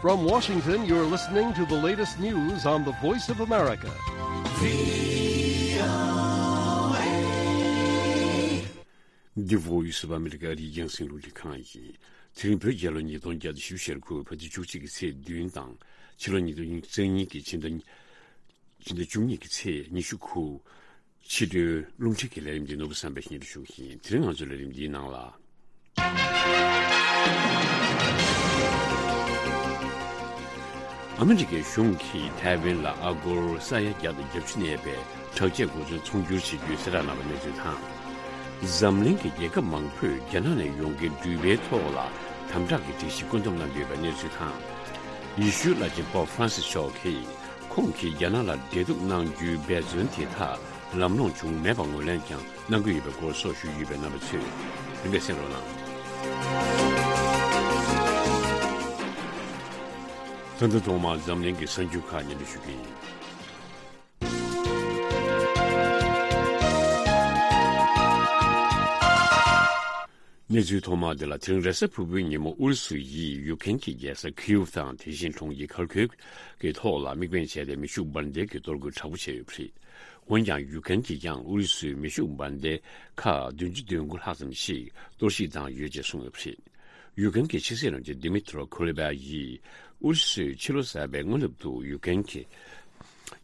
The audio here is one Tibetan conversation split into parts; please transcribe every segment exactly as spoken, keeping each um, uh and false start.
From Washington, you're listening to the latest news on the Voice of America. The Voice of America རྒྱང་སྲིང་རླུང་འཕྲིན་ཁང་ཡིན། དེ་རིང་བོད་རྒྱལ་ལོ་ཉིས་སྟོང་བརྒྱ་དང་བཞི་བཅུ་ཞེ་དགུ་བོད་ཟླ་བཅུ་གཅིག་གི་ཚེས་བདུན་དང་ཕྱི་ལོ་ཉིས་སྟོང་ཉི་ཤུ་རྩ་གཉིས་ཀྱི་ཕྱི་ཟླ་ཕྱི་ཟླ་བཅུ་གཉིས་ཀྱི་ཚེས་ཉི་ཤུ་དགུ། ཕྱི་དྲོའི་རླུང་འཕྲིན་གྱི་ལས་རིམ་འདི་ནོར་བུ་བསམ་འཕེལ་གཉིས་ལ་ཞུགས་ཤིང་། དེ་རིང་ང་ཚོའི་ལས་རིམ་འདིའི་ནང་ལ། ཨ་མི་རི་ཀའི་གཞུང་གིས་ཐའེ་ཝན་ལ་ཨ་སྒོར་ས་ཡ་བརྒྱ་དང་བརྒྱད་ཅུ་གནས་པའི་དྲག་ཆས་གོ་མཚོན་ཚོང་སྒྱུར་བྱེད་རྒྱུའི་གསལ་བསྒྲགས་གནང་བའི་གནས་ཚུལ་དང་། འཛམ་གླིང་གི་རྒྱལ་ཁབ་མང་པོས་རྒྱ་ནག་ནས་ཡོང་མཁན་འགྲུལ་པའི་ཐོག་ལ་དམ་དྲག་གི་སྒྲིག་གཞི་བཀོད་འདོམས་གནང་གི་ཡོད་པའི་གནས་ཚུལ་དང་། ཡེ་ཤུའི་བླ་ཆེན་པོབ་ཧྥ་རན་སིས་མཆོག་གིས། ཁོང་གིས་རྒྱ་ནག་ལ་འབྲེལ་གཏུག་གནང་རྒྱུའི་འབད་བརྩོན་དེ་དག་ལམ་ལྷོང་བྱུང་མེད་པ་ངོས་ལེན་ཀྱང་གནང་གི་ཡོད་པའི་སྐོར་སོགས་ཞུས་ཡོད་པའི་རྣམ་པ་ཚོས་རིམ་པས་གསན་རོགས་གནང་། ད་ལྟ་ཐོག་མར་འཛམ་གླིང་གི་གསར་འགྱུར་ཁག་སྙན་སྒྲོན་ཞུ་གི་ཡིན། གནས་ཚུལ་ཐོག་མ་དེ་ལ། དེ་རིང་རེས་གཟའ་ཕུར་བུའི་ཉིན་མོ་ཨུ་རུ་སུ་ཡིས་ཡུཀ་རེན་གྱི་རྒྱལ་ས་ཁིའུ་དང་། དེ་བཞིན་གྲོང་ཁྱེར་ཁར་ཁིབ་ཀྱི་ཐོག་ལ་དམིགས་འབེན་བྱས་ཏེ་མེ་ཤུགས་འབར་མདེལ་གྱི་གཏོར་རྒོལ་དྲག་པོ་བྱས་ཡོད་པ་རེད། འོན་ཀྱང་ཡུཀ་རེན་གྱིས་ཀྱང་ཨུ་རུ་སུའི་མེ་ཤུགས་འབར་མདེལ་ཁག་བདུན་ཅུ་དོན་དགུ་ལྷག་ཙམ་ཞིག་གཏོར་བཤིག་བཏང་ཡོད་ཅེས་གསུངས་ཡོད་པ་རེད། ཡུཀ་རེན་གྱི་ཕྱི་སྲིད་བློན་ཆེན་ཌི་མི་ཏྲོ་ཁུ་ལེ་བྷ་ཡིས་ཨུ་རུ་སུས་ཕྱི་ལོ་གསར་པའི་སྔ་ནུབ་ཏུ་ཡུཀ་རེན་གྱི་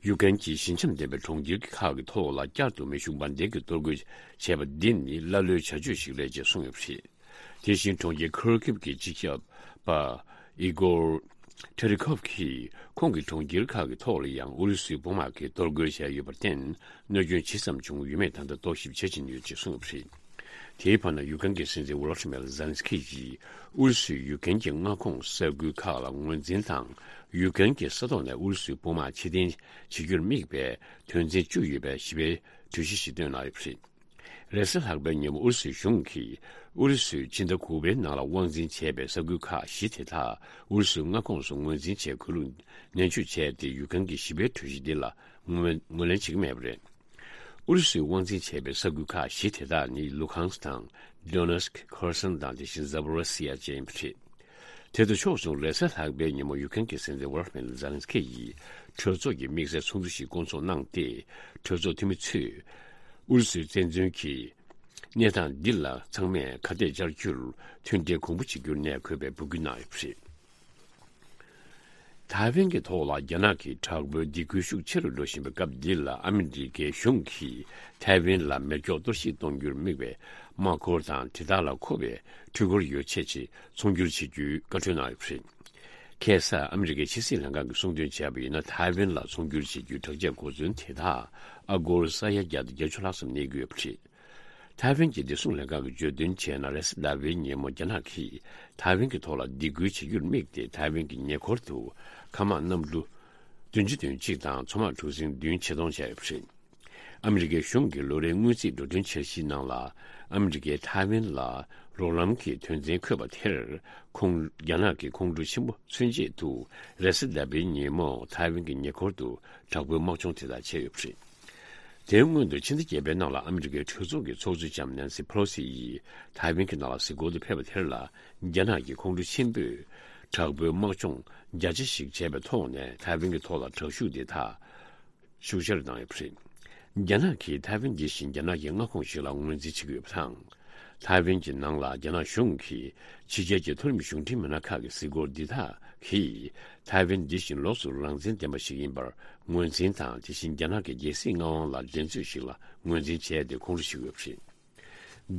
ཡུཀ་རེན་གྱི་ཞི་འཇམ་ལྡན་པའི་གྲོང་ཁྱེར་ཁག་གི་ཐོག་ལ་བསྐྱར་དུ་མེ་ཤུགས་འབར་མདེལ་གྱི་གཏོར་རྒོལ་བྱས་པ་འདི་ནི་ཀླ་ཀློའི་བྱ་སྤྱོད་ཞིག་རེད་ཅེས་གསུངས་ཡོད་པ་རེད། དེ་བཞིན་གྲོང་ཁྱེར་ཁོར་ཁིབ་ཀྱི་སྤྱི་ཁྱབ་པ་ཨི་གོར་ཐེ་རི་ཁོབ་ཀྱིས་ཁོང་གི་གྲོང་ཁྱེར་ཁག་གི་ཐོག་ལ་ཡང་ཨུ་རུ་སུའི་དཔུང་དམག་གིས་གཏོར་རྒོལ་བྱས་ཡོད་པར་བརྟེན། གནོད་སྐྱོན་ཇི་ཙམ་བྱུང་ཡོད་མེད་ད་ལྟ་རྟོག་ཞིབ་བྱེད་བཞིན་ཡོད་ཅེས་གསུངས་ཡོད་པ་རེད། དེའི་བར་ན་ཡུཀ་རེན་གྱི་སྲིད་འཛིན་ཝོ་ལོ་ཏི་མེར་ཛེ་ལན་སི་ཁི་ཡིས་ཨུ་རུ་སུས་ཡུཀ་རེན་གྱི་མངའ་ཁོངས་ས་ཁུལ་ཁག་ལ་ངོས་འཛིན་དང་། ཡུཀ་རེན་གྱི་ས་ཐོག་ནས་ཨུ་རུ་སུའི་དཔུང་དམག་ཕྱིར་འཐེན་བྱེད་རྒྱུར་དམིགས་པའི་དོན་ཚན་བཅུ་ཡོད་པའི་ཞི་བའི་གྲོས་གཞི་ཞིག་བཏོན་གནང་ཡོད་པ་རེད། རེས་གཟའ་ལྷག་པའི་ཉིན་མོ་ཨུ་རུ་སུའི་གཞུང་གིས་ཨུ་རུ་སུས་ཕྱི་ཟླ་དགུ་པའི་ནང་ལ་དབང་འཛིན་བྱས་པའི་ས་ཁུལ་ཁག་བཞི་དེ་དག་ཨུ་རུ་སུའི་མངའ་ཁོངས་སུ་ངོས་འཛིན་བྱས་དགོས་ལུགས་ནན་བརྗོད་བྱས་ཏེ། ཡུཀ་རེན་གྱི་ཞི་བའི་གྲོས་གཞི་འདི་ལ་ངོས་ངོས་ལེན་བྱེད་ཀྱི་མེད་པ་རེད། ཨུ་རུ་སུས་དབང་འཛིན་བྱས་པའི་ས་ཁུལ་ཁག་བཞི་དེ་དག་ནི་ལུ་ཧང་སི་དང་། ཌོ་ནེ་སི་ཁི། ཁེར་སོན་དང་། དེ་བཞིན་ཛ་པོ་རོ་སི་ཡ་བཅས་ཡིན་པ་རེད། དེ་དང་ཕྱོགས་མཚུངས་རེས་གཟའ་ལྷག་པའི་ཉིན་མོ་ཡུཀ་རེན་གྱི་སྲིད་འཛིན་ཝོ་ལོ་ཏི་མེར་ཛེ་ལན་སི་ཁི་ཡིས་གྲོས་ཚོགས་ཀྱི་དམིགས་བསལ་ཚོགས་འདུ་ཞིག་བསྐོང་ཚོགས་གནང་སྟེ། གྲོས་ཚོགས་འཐུས་མི་ཚོས་ཨུ་རུ་སུའི་བཙན་འཛུལ་གྱི་གནས་སྟངས་འདི་ལ་ཚང་མས་ཁ་གཏད་བཅར་རྒྱུར་མཐུན་སྒྲིལ་གོང་བུ་གཅིག་གྱུར་ནས་དགོས་པའི་འབོད་སྐུལ་གནང་ཡོད་པ་རེད། ཐའེ་ཝན་གྱི་ཐོག་ལ་རྒྱ་ནག་གི་དྲག་པོའི་སྡིགས་སྐུལ་ཤུགས་ཆེ་རུ་འགྲོ་བཞིན་པའི་སྐབས་འདི་ལ། ཨ་མི་རི་ཀའི་གཞུང་གིས་ཐའེ་ཝན་ལ་མེ་སྒྱོགས་གཏོར་བཤིག་གཏོང་རྒྱུར་དམིགས་པའི་དམག་འཁོར་དང་། དེ་དག་ལ་མཁོ་བའི་འཕྲུལ་འཁོར་ཡོ་ཆས་ཆེད་ཚོང་སྒྱུར་བྱེད་རྒྱུའི་བཀའ་འཁྲོལ་གནང་ཡོད་པ་རེད། ཁ་སང་ཨ་མི་རི་ཀའི་ཕྱི་སྲིད་ལྷན་ཁང་གིས་གསུངས་དོན་བྱས་པ་ཡིན་ན། ཐའེ་ཝན་ལ་ཚོང་སྒྱུར་བྱེད་རྒྱུའི་དྲག་ཆས་གོ་མཚོན་དེ་དག་ཨ་སྒོར་ས་ཡ་བརྒྱ་དང་བརྒྱད་ཅུ་ལྷག་ཙམ་གནས་ཀྱི་ཡོད་པ་རེད། ཐའེ་ཝན་གྱི་བདེ་སྲུང་ལྷན་ཁང་གིས་བརྗོད་དོན་བྱས་ན། རེས་གཟའ་ཟླ་བའི་ཉིན་མོ་རྒྱ་ནག་གིས་ཐའེ་ཝན་གྱི་ཐོག་ལ་སྡིགས་སྐུལ་བྱེད་རྒྱུར་དམིགས་ཏེ། ཐའེ་ཝན་གྱི་ཉེ་འཁོར་དུ་མཁའ་དམག་གནམ་གྲུ་བདུན་ཅུ་དོན་གཅིག་དང་མཚོ་དམག་གྲུ་གཟིངས་བདུན་ཆེད་གཏོང་བྱས་ཡོད་པ་རེད། ཨ་མི་རི་ཀའི་གཞུང་གི་ལོ་རེའི་སྔོན་རྩིས་འགྲོ་གྲོན་འཆར་གཞིའི་ནང་ལ། ཨ་མི་རི་ཀས་ཐའེ་ཝན་ལ་རོགས་རམ་གྱི་དོན་ཚན་འཁོད་པ་དེར། ཁོང་རྒྱ་ནག་གི་ཁོང་ཁྲོ་ཆེན་པོ་མཚོན་ཆེད་དུ། རེས་གཟའ་ཟླ་བའི་ཉིན་མོ་ཐའེ་ཝན་གྱི་ཉེ་འཁོར་དུ་དྲག་པོའི་དམག་སྦྱོང་དེ་དག་བྱས་ཡོད་པ་རེད། དེའི་སྔོན་དུ་ཕྱི་ཟླ་བརྒྱད་པའི་ནང་ལ་ཨ་མི་རི་ཀའི་གྲོས་ཚོགས་ཀྱི་ཚོགས་གཙོ་ལྕམ་ནན་སི་ཕེ་ལོ་སི་ཡིས་ཐའེ་ཝན་གྱི་ནང་ལ་གཟིགས་སྐོར་དུ་ཕེབས་པ་དེར་ལ། རྒྱ་ནག་གི་ཁོང་ཁྲོ་ཆེན་པོས་དྲག་པོའི་དམག་སྦྱོང་བརྒྱ་ཆ་ཞིག་བྱས་པའི་ཐོག་ནས། ཐའེ་ཝན་གྱི་ཐོག་ལ་དྲག་ཤུགས་དེ་དག་ཤུགས་ཆེར་བཏང་ཡོད་པ་རེད། རྒྱ་ནག་གིས་ཐའེ་ཝན་འདི་བཞིན་རྒྱ་ནག་གི་མངའ་ཁོངས་ཤིག་ལ་ངོས་འཛིན་བྱེད་ཀྱི་ཡོད་པ་དང་། ཐའེ་ཝན་གྱི་ནང་ལ་རྒྱ་ནག་གཞུང་གིས་ཕྱི་རྒྱལ་གྱི་མཐོ་རིམ་གཞུང་འབྲེལ་མི་སྣ་ཁག་གི་གཟིགས་སྐོར་འདི་དག་གིས་ཐའེ་ཝན་འདི་བཞིན་ལོགས་སུ་རང་བཙན་ལྡན་པ་ཞིག་ཡིན་པར་ངོས་འཛིན་དང་། དེ་བཞིན་རྒྱ་ནག་གི་རྒྱལ་སྲིད་མངའ་དབང་ལ་འགྲན་རྩོད་ཞིག་ལ་ངོས་འཛིན་བྱས་ཏེ་ཁོང་ཁྲོ་ཞུ་གི་ཡོད་པ་རེད།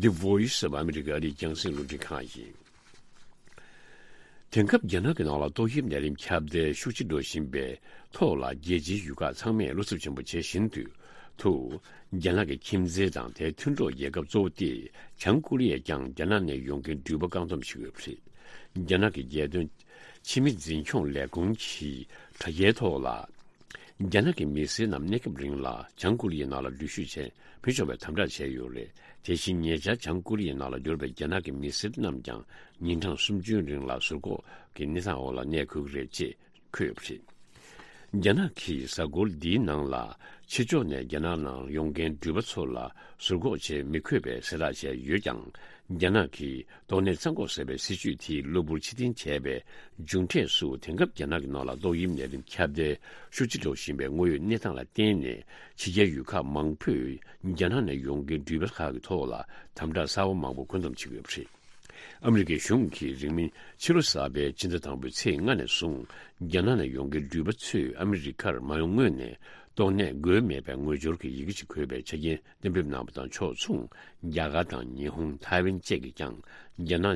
The Voice of America ཨ་རིའི་རྒྱང་སྲིང་རླུང་འཕྲིན་ཁང་ཡིན། དེང་སྐབས་རྒྱ་ནག་གི་ནང་ལ་ཏོག་དབྱིབས་ནད་རིམས་ཁྱབ་གདལ་ཤུགས་ཆེ་འགྲོ་བཞིན་པའི་ཐོག་ལ། རྒྱལ་སྤྱིའི་ཡུལ་ཁག་ཚང་མས་བློ་འཚབ་ཆེན་པོ་བྱེད་བཞིན་དུ། དུ། རྒྱ་ནག་གི་ཁྱིམ་མཚེས་དང་དེའི་མཐུན་གྲོགས་རྒྱལ་ཁབ་གཙོ་བོ་སྟེ། བྱང་ཀོ་རི་ཡས་ཀྱང་རྒྱ་ནག་ནས་ཡོང་མཁན་འགྲུལ་པ་བཀག་སྡོམ་བྱེད་ཀྱི་ཡོད་པ་རེད། རྒྱ་ནག་གི་རྒྱལ་དོན་ཕྱི་མི་འཛིན་སྐྱོང་ལས་ཁུངས་ཀྱིས་དྲ་རྒྱའི་ཐོག་ལ། རྒྱ་ནག་གི་མི་སེར་རྣམས་གནས་སྐབས་རིང་ལ་བྱང་ཀོ་རི་ཡའི་ནང་ལ་འགྲུལ་བཞུད་བྱེད་མི་ཆོག་པའི་དམ་དྲག་བྱས་ཡོད་རེད། དེ་བཞིན་ཉེ་ཆར་བྱང་ཀོ་རི་ཡའི་ནང་ལ་འབྱོར་བའི་རྒྱ་ནག་གི་མི་སེར་རྣམས་ཀྱང་ཉིན་གྲངས་སུམ་ཅུའི་རིང་ལ་ཟུར་འགོག་གི་གནས་སྟངས་འོག་ལ་གནས་དགོས་ཀྱི་རེད་ཅེས་འཁོད་ཡོད་པ་རེད། རྒྱ་ནག་གིས་གཟའ་འཁོར་འདིའི་ནང་ལ་ ཕྱི་ཕྱོགས་ནས་རྒྱ་ནག་ནང་ཡོང་མཁན་འགྲུལ་པ་ཚོ་ལ་ཟུར་འགོག་བྱེད་མི་དགོས་པའི་གསལ་བསྒྲགས་བྱས་ཡོད་ཀྱང་། རྒྱ་ནག་གིས་ཏོག་ནད་ཚང་འགོག་ཟེར་བའི་སྲིད་ཇུས་དེ་གློ་བུར་ཕྱིར་འཐེན་བྱས་པའི་མཇུག་འབྲས་སུ། དེང་སྐབས་རྒྱ་ནག་གི་ནང་ལ་ཏོག་དབྱིབས་ནད་རིམས་ཁྱབ་གདལ་ཤུགས་ཆེ་འགྲོ་བཞིན་པའི་དངོས་ཡོད་གནས་སྟངས་ལ་བརྟེན་ནས། ཕྱི་རྒྱལ་ཡུལ་ཁག་མང་པོས་རྒྱ་ནག་ནས་ཡོང་མཁན་འགྲུལ་པ་ཁག་གི་ཐོག་ལ་དམ་དྲག་གསར་པ་མང་པོ་འགོ་འཛོམས་བྱེད་ཀྱི་ཡོད་པ་རེད། ཨ་མི་རི་ཀའི་གཞུང་གིས་རིང་མིན་ཕྱི་ལོ་གསར་པའི་ཕྱི་ཟླ་དང་པོའི་ཚེས་ལྔ་ནས་བཟུང་རྒྱ་ནག་ནས་ཡོང་མཁན་འགྲུལ་པ་ཚོས་ཨ་མི་རི་ཀར་མ་ཡོང་སྔོན་ནས་ཏོག་ནད་འགོས་མེད་པའི་ངོས་སྦྱོར་གྱི་ཡི་གེ་ཅིག་འཁོད་པའི་ཆ་རྐྱེན་གཏན་འབེབས་གནང་བ་དང་ཕྱོགས་མཚུངས། རྒྱ་གར་དང་ཉི་ཧོང་། ཐའེ་ཝན་བཅས་ཀྱིས་ཀྱང་རྒྱ་ནག་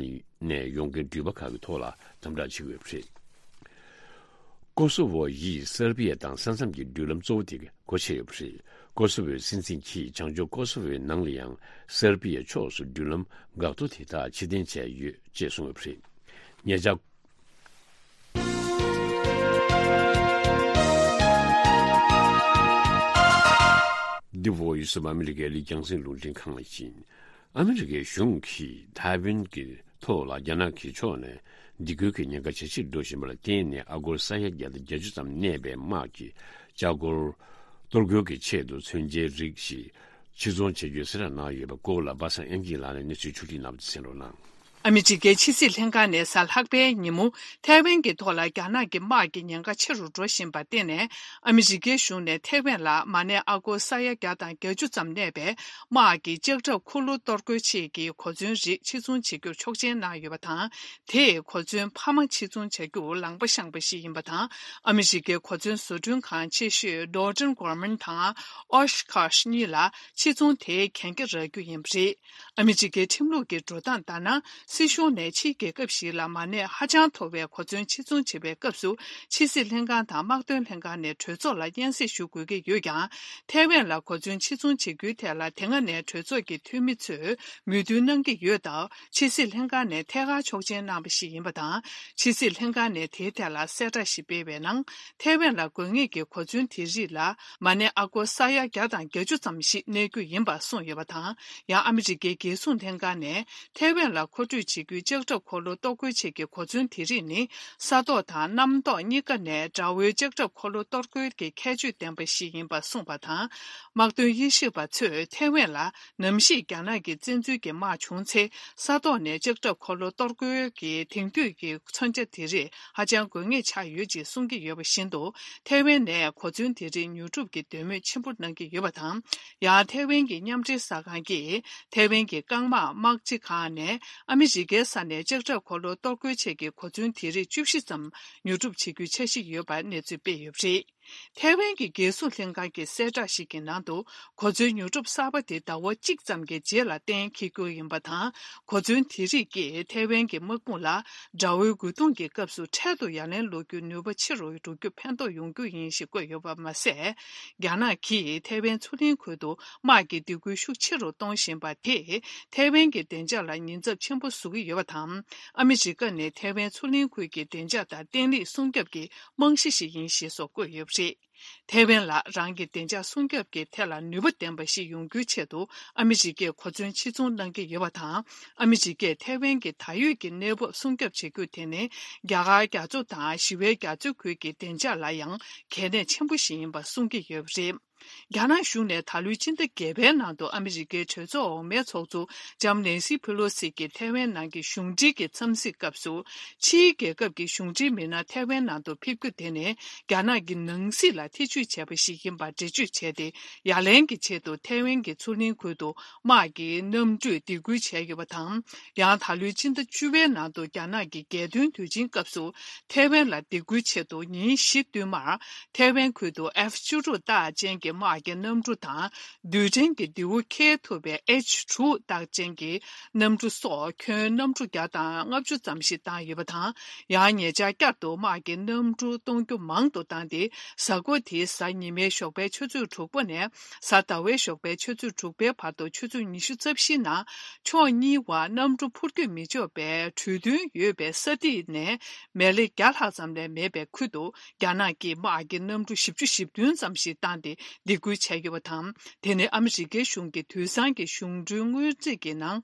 ནས་ཡོང་མཁན་འགྲུལ་པ་ཁག་གི་ཐོག་ལ་དམ་དྲག་བྱེད་ཀྱི་ཡོད་པ་རེད། ཀོ་སོ་ཝོ་ཡིས་སེར་པི་ཡ་དང་ས་མཚམས་ཀྱི་འགྲུལ་ལམ་གཙོ་བོ་དེ་སྒོ་ཕྱེ་ཡོད་པ་རེད། ཀོ་སོ་ཝོའི་སྲིད་འཛིན་གྱིས་བྱང་ཕྱོགས་ཀོ་སོ་ཝོའི་ནང་ལ་ཡང་སེར་པི་ཡའི་ཕྱོགས་སུ་འགྲུལ་ལམ་འགག་ཐོ་དེ་དག་ཕྱིར་འཐེན་བྱས་ཡོད་ཅེས་གསུངས་ཡོད་པ་རེད། ཉེ་ཆར། འདི་བོད་ཡུལ་སུ་ཨ་མི་རི་ཀའི་ལི་རྒྱང་སྲིང་རླུང་འཕྲིན་ཁང་ཡིན། ཨ་མི་རི་ཀའི་གཞུང་གིས་ཐའེ་ཝན་གྱི་ཐོག་ལ་རྒྱ་ནག་གི་ཕྱོགས་ནས་སྡིགས་སྐུལ་གྱི་ཉེན་ཁ་ཇེ་ཆེར་འགྲོ་བཞིན་པ་ལ་བརྟེན་ནས། ཨ་སྒོར་ས་ཡ་བརྒྱ་དང་བརྒྱད་ཅུ་ཙམ་གནས་པའི་དམག་གི་ལྕགས་སྒོར་གཏོར་རྒོལ་གྱི་ཆེད་དུ་མཚོན་ཆའི་རིགས་ཤིག་ཕྱིར་ཚོང་བྱེད་རྒྱུའི་གསལ་བསྒྲགས་གནང་ཡོད་པའི་སྐོར་ལ། པ་སངས་དབྱངས་སྐྱིད་ལགས་ནས་གནས་ཚུལ་ཕྱོགས་སྒྲིག་གནང་བ་དེ་གསན་རོགས་གནང་། ཨ་མི་རི་ཀའི་ཕྱི་སྲིད་ལྷན་ཁང་ནས་གཟའ་ལྷག་པའི་ཉིན་མོ། ཐའེ་ཝན་གྱི་ཐོག་ལ་རྒྱ་ནག་གི་དམག་གི་ཉེན་ཁ་ཆེ་རུ་འགྲོ་བཞིན་པར་བརྟེན་ནས། ཨ་མི་རི་ཀའི་གཞུང་ནས་ཐའེ་ཝན་ལ་མ་གནས་ཨ་སྒོར་ས་ཡ་བརྒྱ་དང་བརྒྱད་ཅུ་ཙམ་གནས་པའི་དམག་གི་ལྕགས་ཁྲབ་འཁོར་ལོ་གཏོར་རྒོལ་ཆེད་ཀྱི་གོ་མཚོན་རིགས་ཕྱིར་ཚོང་བྱེད་རྒྱུར་ཆོག་མཆན་གནང་ཡོད་པ་དང་། དེས་གོ་མཚོན་འཕར་མ་ཕྱིར་ཚོང་བྱ་རྒྱུ་ལངས་པ་བཤངས་པ་ཞིག་ཡིན་པ་དང་། ཨ་མི་རི་ཀའི་གོ་མཚོན་བཟོ་སྐྲུན་ཁང་ཆེ་ཤོས་Northrop Grumman དང་Oshkosh གཉིས་ལ་ཕྱིར་ཚོང་དེ་གན་རྒྱ་རག་རྒྱུ་ཡིན་པ་རེད། ཨ་མི་རི་ཀའི་ཁྲིམས་ལུགས་ཀྱི་འགྲོ་སྟངས་ལྟར་ན། སྲིད་གཞུང་ནས་ཕྱིའི་རྒྱལ་ཁབ་ཞིག་ལ་མ་གནས་ཧ་ཅང་མཐོ་བའི་གོ་མཚོན་ཕྱིར་ཚོང་བྱེད་པའི་སྐབས་སུ། ཕྱི་སྲིད་ལྷན་ཁང་དང་དམག་དོན་ལྷན་ཁང་ནས་གྲོས་ཚོགས་ལ་སྙན་སེང་ཞུ་དགོས་ཀྱི་ཡོད་ཀྱང་། ཐའེ་ཝན་ལ་གོ་མཚོན་ཕྱིར་ཚོང་བྱེད་རྒྱུའི་ཐད་ལ་དེ་སྔ་ནས་གྲོས་ཚོགས་ཀྱི་འཐུས་མི་ཚོས་མོས་མཐུན་གནང་གི་ཡོད་སྟབས། ཕྱི་སྲིད་ལྷན་ཁང་ནས་ཐད་ཀར་ཆོག་མཆན་གནང་བ་ཞིག་ཡིན་པ་དང་། ཕྱི་སྲིད་ལྷན་ཁང་ནས་དེའི་ཐད་ལ་གསལ་བསྒྲགས་ཤིག་སྤེལ་བའི་ནང་། ཐའེ་ཝན་ལ་དགོས་ངེས་ཀྱི་གོ་མཚོན་དེ་རིགས་ལ་མ་གནས་ཨ་སྒོར་ས་ཡ་བརྒྱ་དང་བརྒྱད་ཅུ་ཙམ་ཞིག་གནས་རྒྱུ་ཡིན་པ་གསུངས་ཡོད་པ་དང་། ཡང་ཨ་མི་རི་ཀའི་རྒྱལ་སྲུང་ལྷན་ཁང་ནས་ཐའེ་ཝན་ལ་མཁོ་སྤྲོད་བྱེད་རྒྱུའི་ལྕགས་ཁྲབ་འཁོར་ལོ་གཏོར་རྒོལ་ཆེད་ཀྱི་གོ་མཚོན་དེ་རིགས་ནི། ས་ཐོག་དང་གནམ་ཐོག་གཉིས་ཀ་ནས་དགྲ་བོའི་ལྕགས་ཁྲབ་འཁོར་ལོ་གཏོར་རྒོལ་གྱི་ཁྱད་ཆོས་ལྡན་པ་ཞིག་ཡིན་པ་གསུངས་པ་དང་། དམག་དོན་དབྱེ་ཞིབ་པ་ཚོས་ཐའེ་ཝན་ལ་ནམ་ཞིག་རྒྱ་ནག་གི་བཙན་འཛུལ་གྱི་དམག་བྱུང་ཚེ། ས་ཐོག་ནས་ལྕགས་ཁྲབ་འཁོར་ལོ་གཏོར་རྒོལ་གྱི་དེང་དུས་ཀྱི་མཚོན་ཆ་དེ་རིགས་ཧ་ཅང་དགོས་ངེས་ཆགས་ཡོད་ཅེས་གསུང་གི་ཡོད་པ་བཞིན་དུ། ཐའེ་ཝན་ནས་གོ་མཚོན་དེ་རིགས་ཉོ་སྒྲུབ་ཀྱི་འདོད་མོས་ཆེན་པོ་གནང་གི་ཡོད་པ་དང་། ཡང་ཐའེ་ཝན་གྱི་མཉམ་འབྲེལ་གསར་ཁང་གིས་ཐའེ་ཝན་གྱི་རྐང་དམག་དམག་སྤྱི་ཁང་ནས་ཨ་མི་རི་ཀའི་ས་ནས་ལྕགས་ཁྲབ་འཁོར་ལོ་གཏོར་རྒོལ་ཆེད་ཀྱི་གོ་མཚོན་དེ་རིགས་བཅུ་བཞི་ཙམ་ཉོ་སྒྲུབ་བྱེད་རྒྱུའི་འཆར་གཞི་ཡོད་པར་གནས་ཚུལ་སྤེལ་ཡོད་པ་རེད། ཐའེ་ཝན་གྱི་རྒྱལ་སྲུང་ལྷན་ཁང་གི་གསལ་བསྒྲགས་ཤིག་གི་ནང་དུ། གོ་མཚོན་ཉོ་སྒྲུབ་གསར་པ་དེ་ཟླ་བ་གཅིག་ཙམ་གྱི་རྗེས་ལ་གཏན་འཁེལ་རྒྱུ་ཡིན་པ་དང་། གོ་མཚོན་དེ་རིགས་ཀྱིས་ཐའེ་ཝན་གྱི་དམག་དཔུང་ལ་དགྲ་བོའི་རྒོལ་རྡུང་གི་སྐབས་སུ་འཕྲལ་དུ་ཡ་ལན་སློག་རྒྱུའི་ནུས་པ་ཆེ་རུ་འགྲོ་རྒྱུར་ཕན་ཐོགས་ཡོང་རྒྱུ་ཡིན་ཞེས་བཀོད་ཡོད་པ་མ་ཟད། རྒྱ་ནག་གིས་ཐའེ་ཝན་མཚོ་གླིང་ཁུལ་དུ་དམག་གི་སྡིགས་སྐུལ་ཤུགས་ཆེ་རུ་གཏོང་བཞིན་པ་དེས། ཐའེ་ཝན་གྱི་བདེ་འཇགས་ལ་ཉེན་ཚབས་ཆེན་པོ་བཟོ་གི་ཡོད་པ་དང་། ཨ་མི་རི་ཀ་ནི་ཐའེ་ཝན་མཚོ་གླིང་ཁུལ་གྱི་བདེ་འཇགས་དང་བརྟན་ལྷིང་སྲུང་སྐྱོབ་ཀྱི་རྨང་གཞི་ཞིག་ཡིན་ཞེས་སོགས་བཀོད་ཡོད་པ་རེད། ཐའེ་ཝན་ལ་རང་གི་བདེ་འཇགས་སྲུང་སྐྱོབ་ཀྱི་ཐད་ལ་ནུས་པ་ལྡན་པ་ཞིག་ཡོང་རྒྱུའི་ཆེད་དུ་ཨ་མི་རི་ཀས་གོ་མཚོན་ཕྱིར་ཚོང་གནང་གི་ཡོད་པ་དང་། ཨ་མི་རི་ཀས་ཐའེ་ཝན་གྱི་ད་ཡོད་ཀྱི་གནས་བབ་སྲུང་སྐྱོབ་བྱེད་རྒྱུ་དེ་ནི་རྒྱ་གར་རྒྱ་མཚོ་དང་ཞི་བའི་རྒྱ་མཚོའི་ཁུལ་གྱི་བདེ་འཇགས་ལ་ཡང་གལ་གནད་ཆེན་པོ་ཞིག་ཡིན་པ་གསུང་གི་ཡོད་པ་རེད། རྒྱ་ནག་གཞུང་ནས་ད་ལོའི་སྤྱི་ཟླ་བརྒྱད་པའི་ནང་དུ་ཨ་མི་རི་ཀའི་གྲོས་ཚོགས་འོག་མའི་ཚོགས་གཙོ་ལྕམ་ནེན་སི་ཕི་ལོ་སི་གྱིས་ཐའེ་ཝན་ནང་གི་གཞུང་འབྲེལ་གྱི་འཚམས་གཟིགས་སྐབས་སུ། ཕྱིའི་རྒྱལ་ཁབ་ཀྱི་གཞུང་འབྲེལ་མི་སྣ་ཐའེ་ཝན་ནང་དུ་ཕེབས་རྒྱུ་དེ་ནི་རྒྱ་ནག་གི་ནང་སྲིད་ལ་ཐེ་ཇུས་བྱས་པ་ཞིག་ཡིན་པར་འགྲེལ་བརྗོད་བྱས་ཏེ། ཡ་ལན་གྱི་ཆེད་དུ་ཐའེ་ཝན་གྱི་མཚོ་གླིང་ཁུལ་དུ་དམག་གི་གནམ་གྲུས་སྡིགས་སྐུལ་བྱས་ཡོད་པ་དང་། ཡང་ད་ལོའི་སྤྱི་ཟླ་བཅུ་པའི་ནང་དུ་རྒྱ་ནག་གི་རྒྱལ་སྟོན་དུས་ཆེན་སྐབས་སུ། ཐའེ་ཝན་ལ་སྡིགས་སྐུལ་ཆེད་དུ་ཉིན་བཞི་བསྟུད་མར་ཐའེ་ཝན་ཁུལ་དུ་ཨེཕ་བཅུ་དྲུག་རྟགས་ཅན་གྱི་དམག་གི་གནམ་གྲུ་དང་། རྡུལ་ཕྲན་གྱི་མདེའུ་འཁྱེར་ཐུབ་པའི་ཨེཆ་དྲུག་རྟགས་ཅན་གྱི་གནམ་གྲུ་སོགས་ཁྱོན་གནམ་གྲུ་བརྒྱ་དང་ལྔ་བཅུ་ཙམ་ཞིག་བཏང་ཡོད་པ་དང་། ཡང་ཉེ་ཆར་བསྐྱར་དུ་དམག་གི་གནམ་གྲུ་གཏོང་རྒྱུ་མང་དུ་བཏང་སྟེ། གཟའ་འཁོར་དེའི་གཟའ་ཉི་མའི་ཞོགས་པའི་ཆུ་ཚོད་དྲུག་པ་ནས་གཟའ་ཟླ་བའི་ཞོགས་པའི་ཆུ་ཚོད་དྲུག་པའི་བར་དུ་ཆུ་ཚོད་ཉི་ཤུ་རྩ་བཞིའི་ནང་ཕྱོགས་གཉིས་བར་གནམ་གྲུ་འཕུར་སྐྱོད་མི་ཆོག་པའི་གྲོས་མཐུན་ཡོད་པའི་ས་ཐིག་ནས། མལ་ལེ་བརྒྱ་ལྷག་ཙམ་ལས་མེད་པའི་ཁུལ་དུ་རྒྱ་ནག་གིས་དམག་གི་གནམ་གྲུ་བཞི་བཅུ་ཞེ་བདུན་ཙམ་ཞིག་བཏང་སྟེ་སྡིགས་སྐུལ་བྱས་ཡོད་པ་དང་། དེ་ནི་ཨ་མི་རི་ཀའི་གཞུང་གི་དུས་སང་གི་གཞུང་འབྲེལ་སྔོན་རྩིས་ཀྱི་ནང་།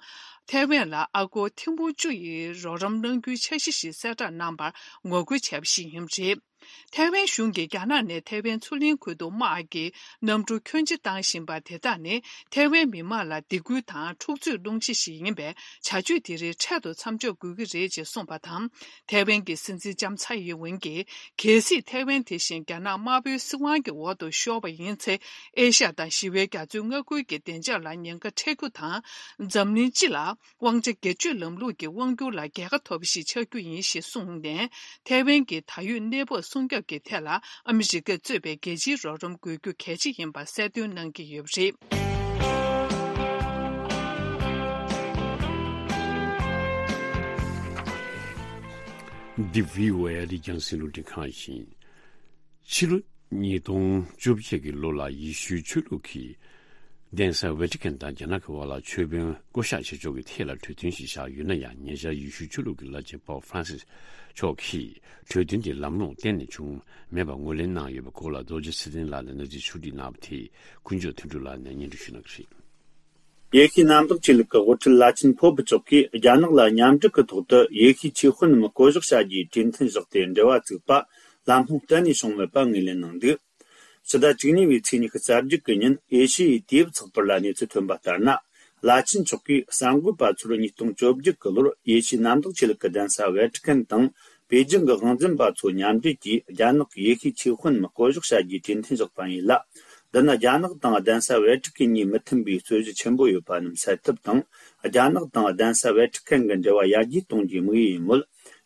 ཐའེ་ཝན་ལ་ཨ་སྒོར་ཐེར་འབུམ་བཅུ་ཡི་རོགས་རམ་གནང་རྒྱུའི་འཆར་གཞི་ཞིག་གསལ་བསྒྲགས་གནང་བར་ངོ་རྒོལ་བྱས་པ་ཞིག་ཡིན་པ་རེད། ཐའེ་ཝན་གཞུང་གིས་རྒྱ་ནག་ནས་ཐའེ་ཝན་མཚོ་གླིང་ཁུལ་དུ་དམག་གི་གནམ་གྲུ་ཁྱོན་ཆེ་བཏང་བཞིན་པ་དེ་དག་ནི་ཐའེ་ཝན་མི་དམངས་ལ་སྡིགས་སྐུལ་དང་འཁྲུག་རྩོད་སློང་ཆེད་ཞིག་ཡིན་པས། བྱ་སྤྱོད་དེ་རིགས་འཕྲལ་དུ་མཚམས་འཇོག་དགོས་ཀྱི་རེད་ཅེས་གསུངས་པ་དང་། ཐའེ་ཝན་གྱི་སྲིད་འཛིན་ལྕམ་ཚའེ་ཡིན་ཝེན་གྱིས། གལ་སྲིད་ཐའེ་ཝན་དེ་བཞིན་རྒྱ་ནག་དམར་པོའི་སྲིད་དབང་གི་འོག་ཏུ་ཤོར་བ་ཡིན་ཚེ། ཨེ་ཤ་ཡ་དང་ཞི་བའི་རྒྱ་མཚོའི་མངའ་ཁུལ་གྱི་བདེ་འཇགས་ལ་ཉེན་ཁ་འཕྲད་རྒྱུ་དང་། འཛམ་གླིང་སྤྱི་ལ། དབང་ཆ་སྒེར་གཅོད་ལམ་ལུགས་ཀྱི་དབང་སྒྱུར་ལ་རྒྱལ་ཁ་ཐོབ་པ་ཞིག་ཆགས་རྒྱུ་ཡིན་ཞེས་གསུངས་ནས། ཐའེ་ཝན་གྱི་ད་ཡོད་གནས་བབ་སྲུང་སྐྱོབ་ཀྱི་ཐད་ལ་ཨ་མི་རི་ཀས་གཙོས་པའི་རྒྱལ་སྤྱིའི་རོགས་རམ་དགོས་རྒྱུ་གལ་ཆེ་ཡིན་པ་གསལ་སྟོན་གནང་གི་ཡོད་པ་རེད། འདི་བྷི་ཨོ་ཨེ་རེད། རྒྱང་སྲིང་རླུང་འཕྲིན་ཁང་ཡིན། ཕྱི་ལོ་ཉིས་སྟོང་བཅོ་བརྒྱད་ཀྱི་ལོ་ལ་ཡེ་ཤུའི་ཆོས་ལུགས་ཀྱི་གདན་ས་ཝེ་ཏི་ཀན་དང་རྒྱ་ནག་གི་དབར་ལ་ཆོས་དཔོན་བསྐོ་གཞག་བྱེད་ཕྱོགས་ཀྱི་ཐད་ལ་གྲོས་མཐུན་ཞིག་བཞག་ཡོད་ན་ཡང་། ཉེ་ཆར་ཡེ་ཤུའི་ཆོས་ལུགས་ཀྱི་བླ་ཆེན་པོབ་ཧྥ་རན་སིས་མཆོག་གིས་གྲོས་མཐུན་དེ་ལམ་ལྷོང་གཏན་ནས་བྱུང་མེད་པར་ངོས་ལེན་གནང་ཡོད་པའི་སྐོར་ལ་རྡོ་རྗེ་ཚེ་བརྟན་ལགས་ནས་གནས་ཚུལ་ཕྱོགས་བསྒྲིགས་གནང་བ་དེ་ཀུན་སྤྱོད་དོན་གྲུབ་ལགས་ནས་སྙན་སྒྲོན་ཞུ་གནང་གི་རེད། ཡེ་ཤུའི་གནམ་བདག་ཆོས་ལུགས་ཀྱི་དབུ་ཁྲིད་བླ་ཆེན་པོབ་མཆོག་གིས་རྒྱ་ནག་ལ་མཉམ་འབྲེལ་གྱི་ཐོག་ཏུ་ཡེ་ཤུའི་ཆོས་དཔོན་རྣམས་བསྐོ་གཞག་བྱ་རྒྱུའི་གྲོས་མཐུན་བཞག་སྟེ་འབྲེལ་བ་བཙུགས་པ་ལམ་ལྷོང་གཏན་ནས་བྱུང་མེད་པ་ངོས་ལེན་གནང་འདུག། ཕྱི་ཟླ་བཅུ་གཉིས་པའི་ཚེས་ཉི་ཤུ་རྩ་བརྒྱད་ཀྱི་ཉིན་ཨེ་ཤི་ཡའི་དུས་བབ་ཚགས་པར་ལ་གནས་ཚུལ་ཐོན་པ་ལྟར་ན། བླ་ཆེན་མཆོག་གིས་གསར་འགོད་པ་ཚོར་ཉིས་སྟོང་བཅོ་བརྒྱད་ཀྱི་ལོར་ཡེ་ཤུའི་གནམ་བདག་ཆོས་ལུགས་ཀྱི་གདན་ས་ཝེ་ཏི་ཀན་དང་པེ་ཅིང་གི་དབང་འཛིན་པ་ཚོ་མཉམ་འབྲེལ་གྱིས་རྒྱ་ནག་གི་ཡེ་ཤུའི་ཆོས་དཔོན་རྣམས་བསྐོ་གཞག་བྱ་རྒྱུའི་གྲོས་མཐུན་བཞག་པ་ཡིན་ལ། འདི་ནི་རྒྱ་ནག་དང་གདན་ས་ཝེ་ཏི་ཀན་གཉིས་མི་མཐུན་པའི་རྩོད་གཞི་ཆེན་པོ་ཡོད་པ་རྣམས་སེལ་ཐབས་དང་། རྒྱ་ནག་དང་གདན་ས་ཝེ་ཏི་ཀན་གྱི་འབྲེལ་བ་ཡར་རྒྱས་གཏོང་རྒྱུའི་དམིགས་ཡུལ་ཡིན་མོད།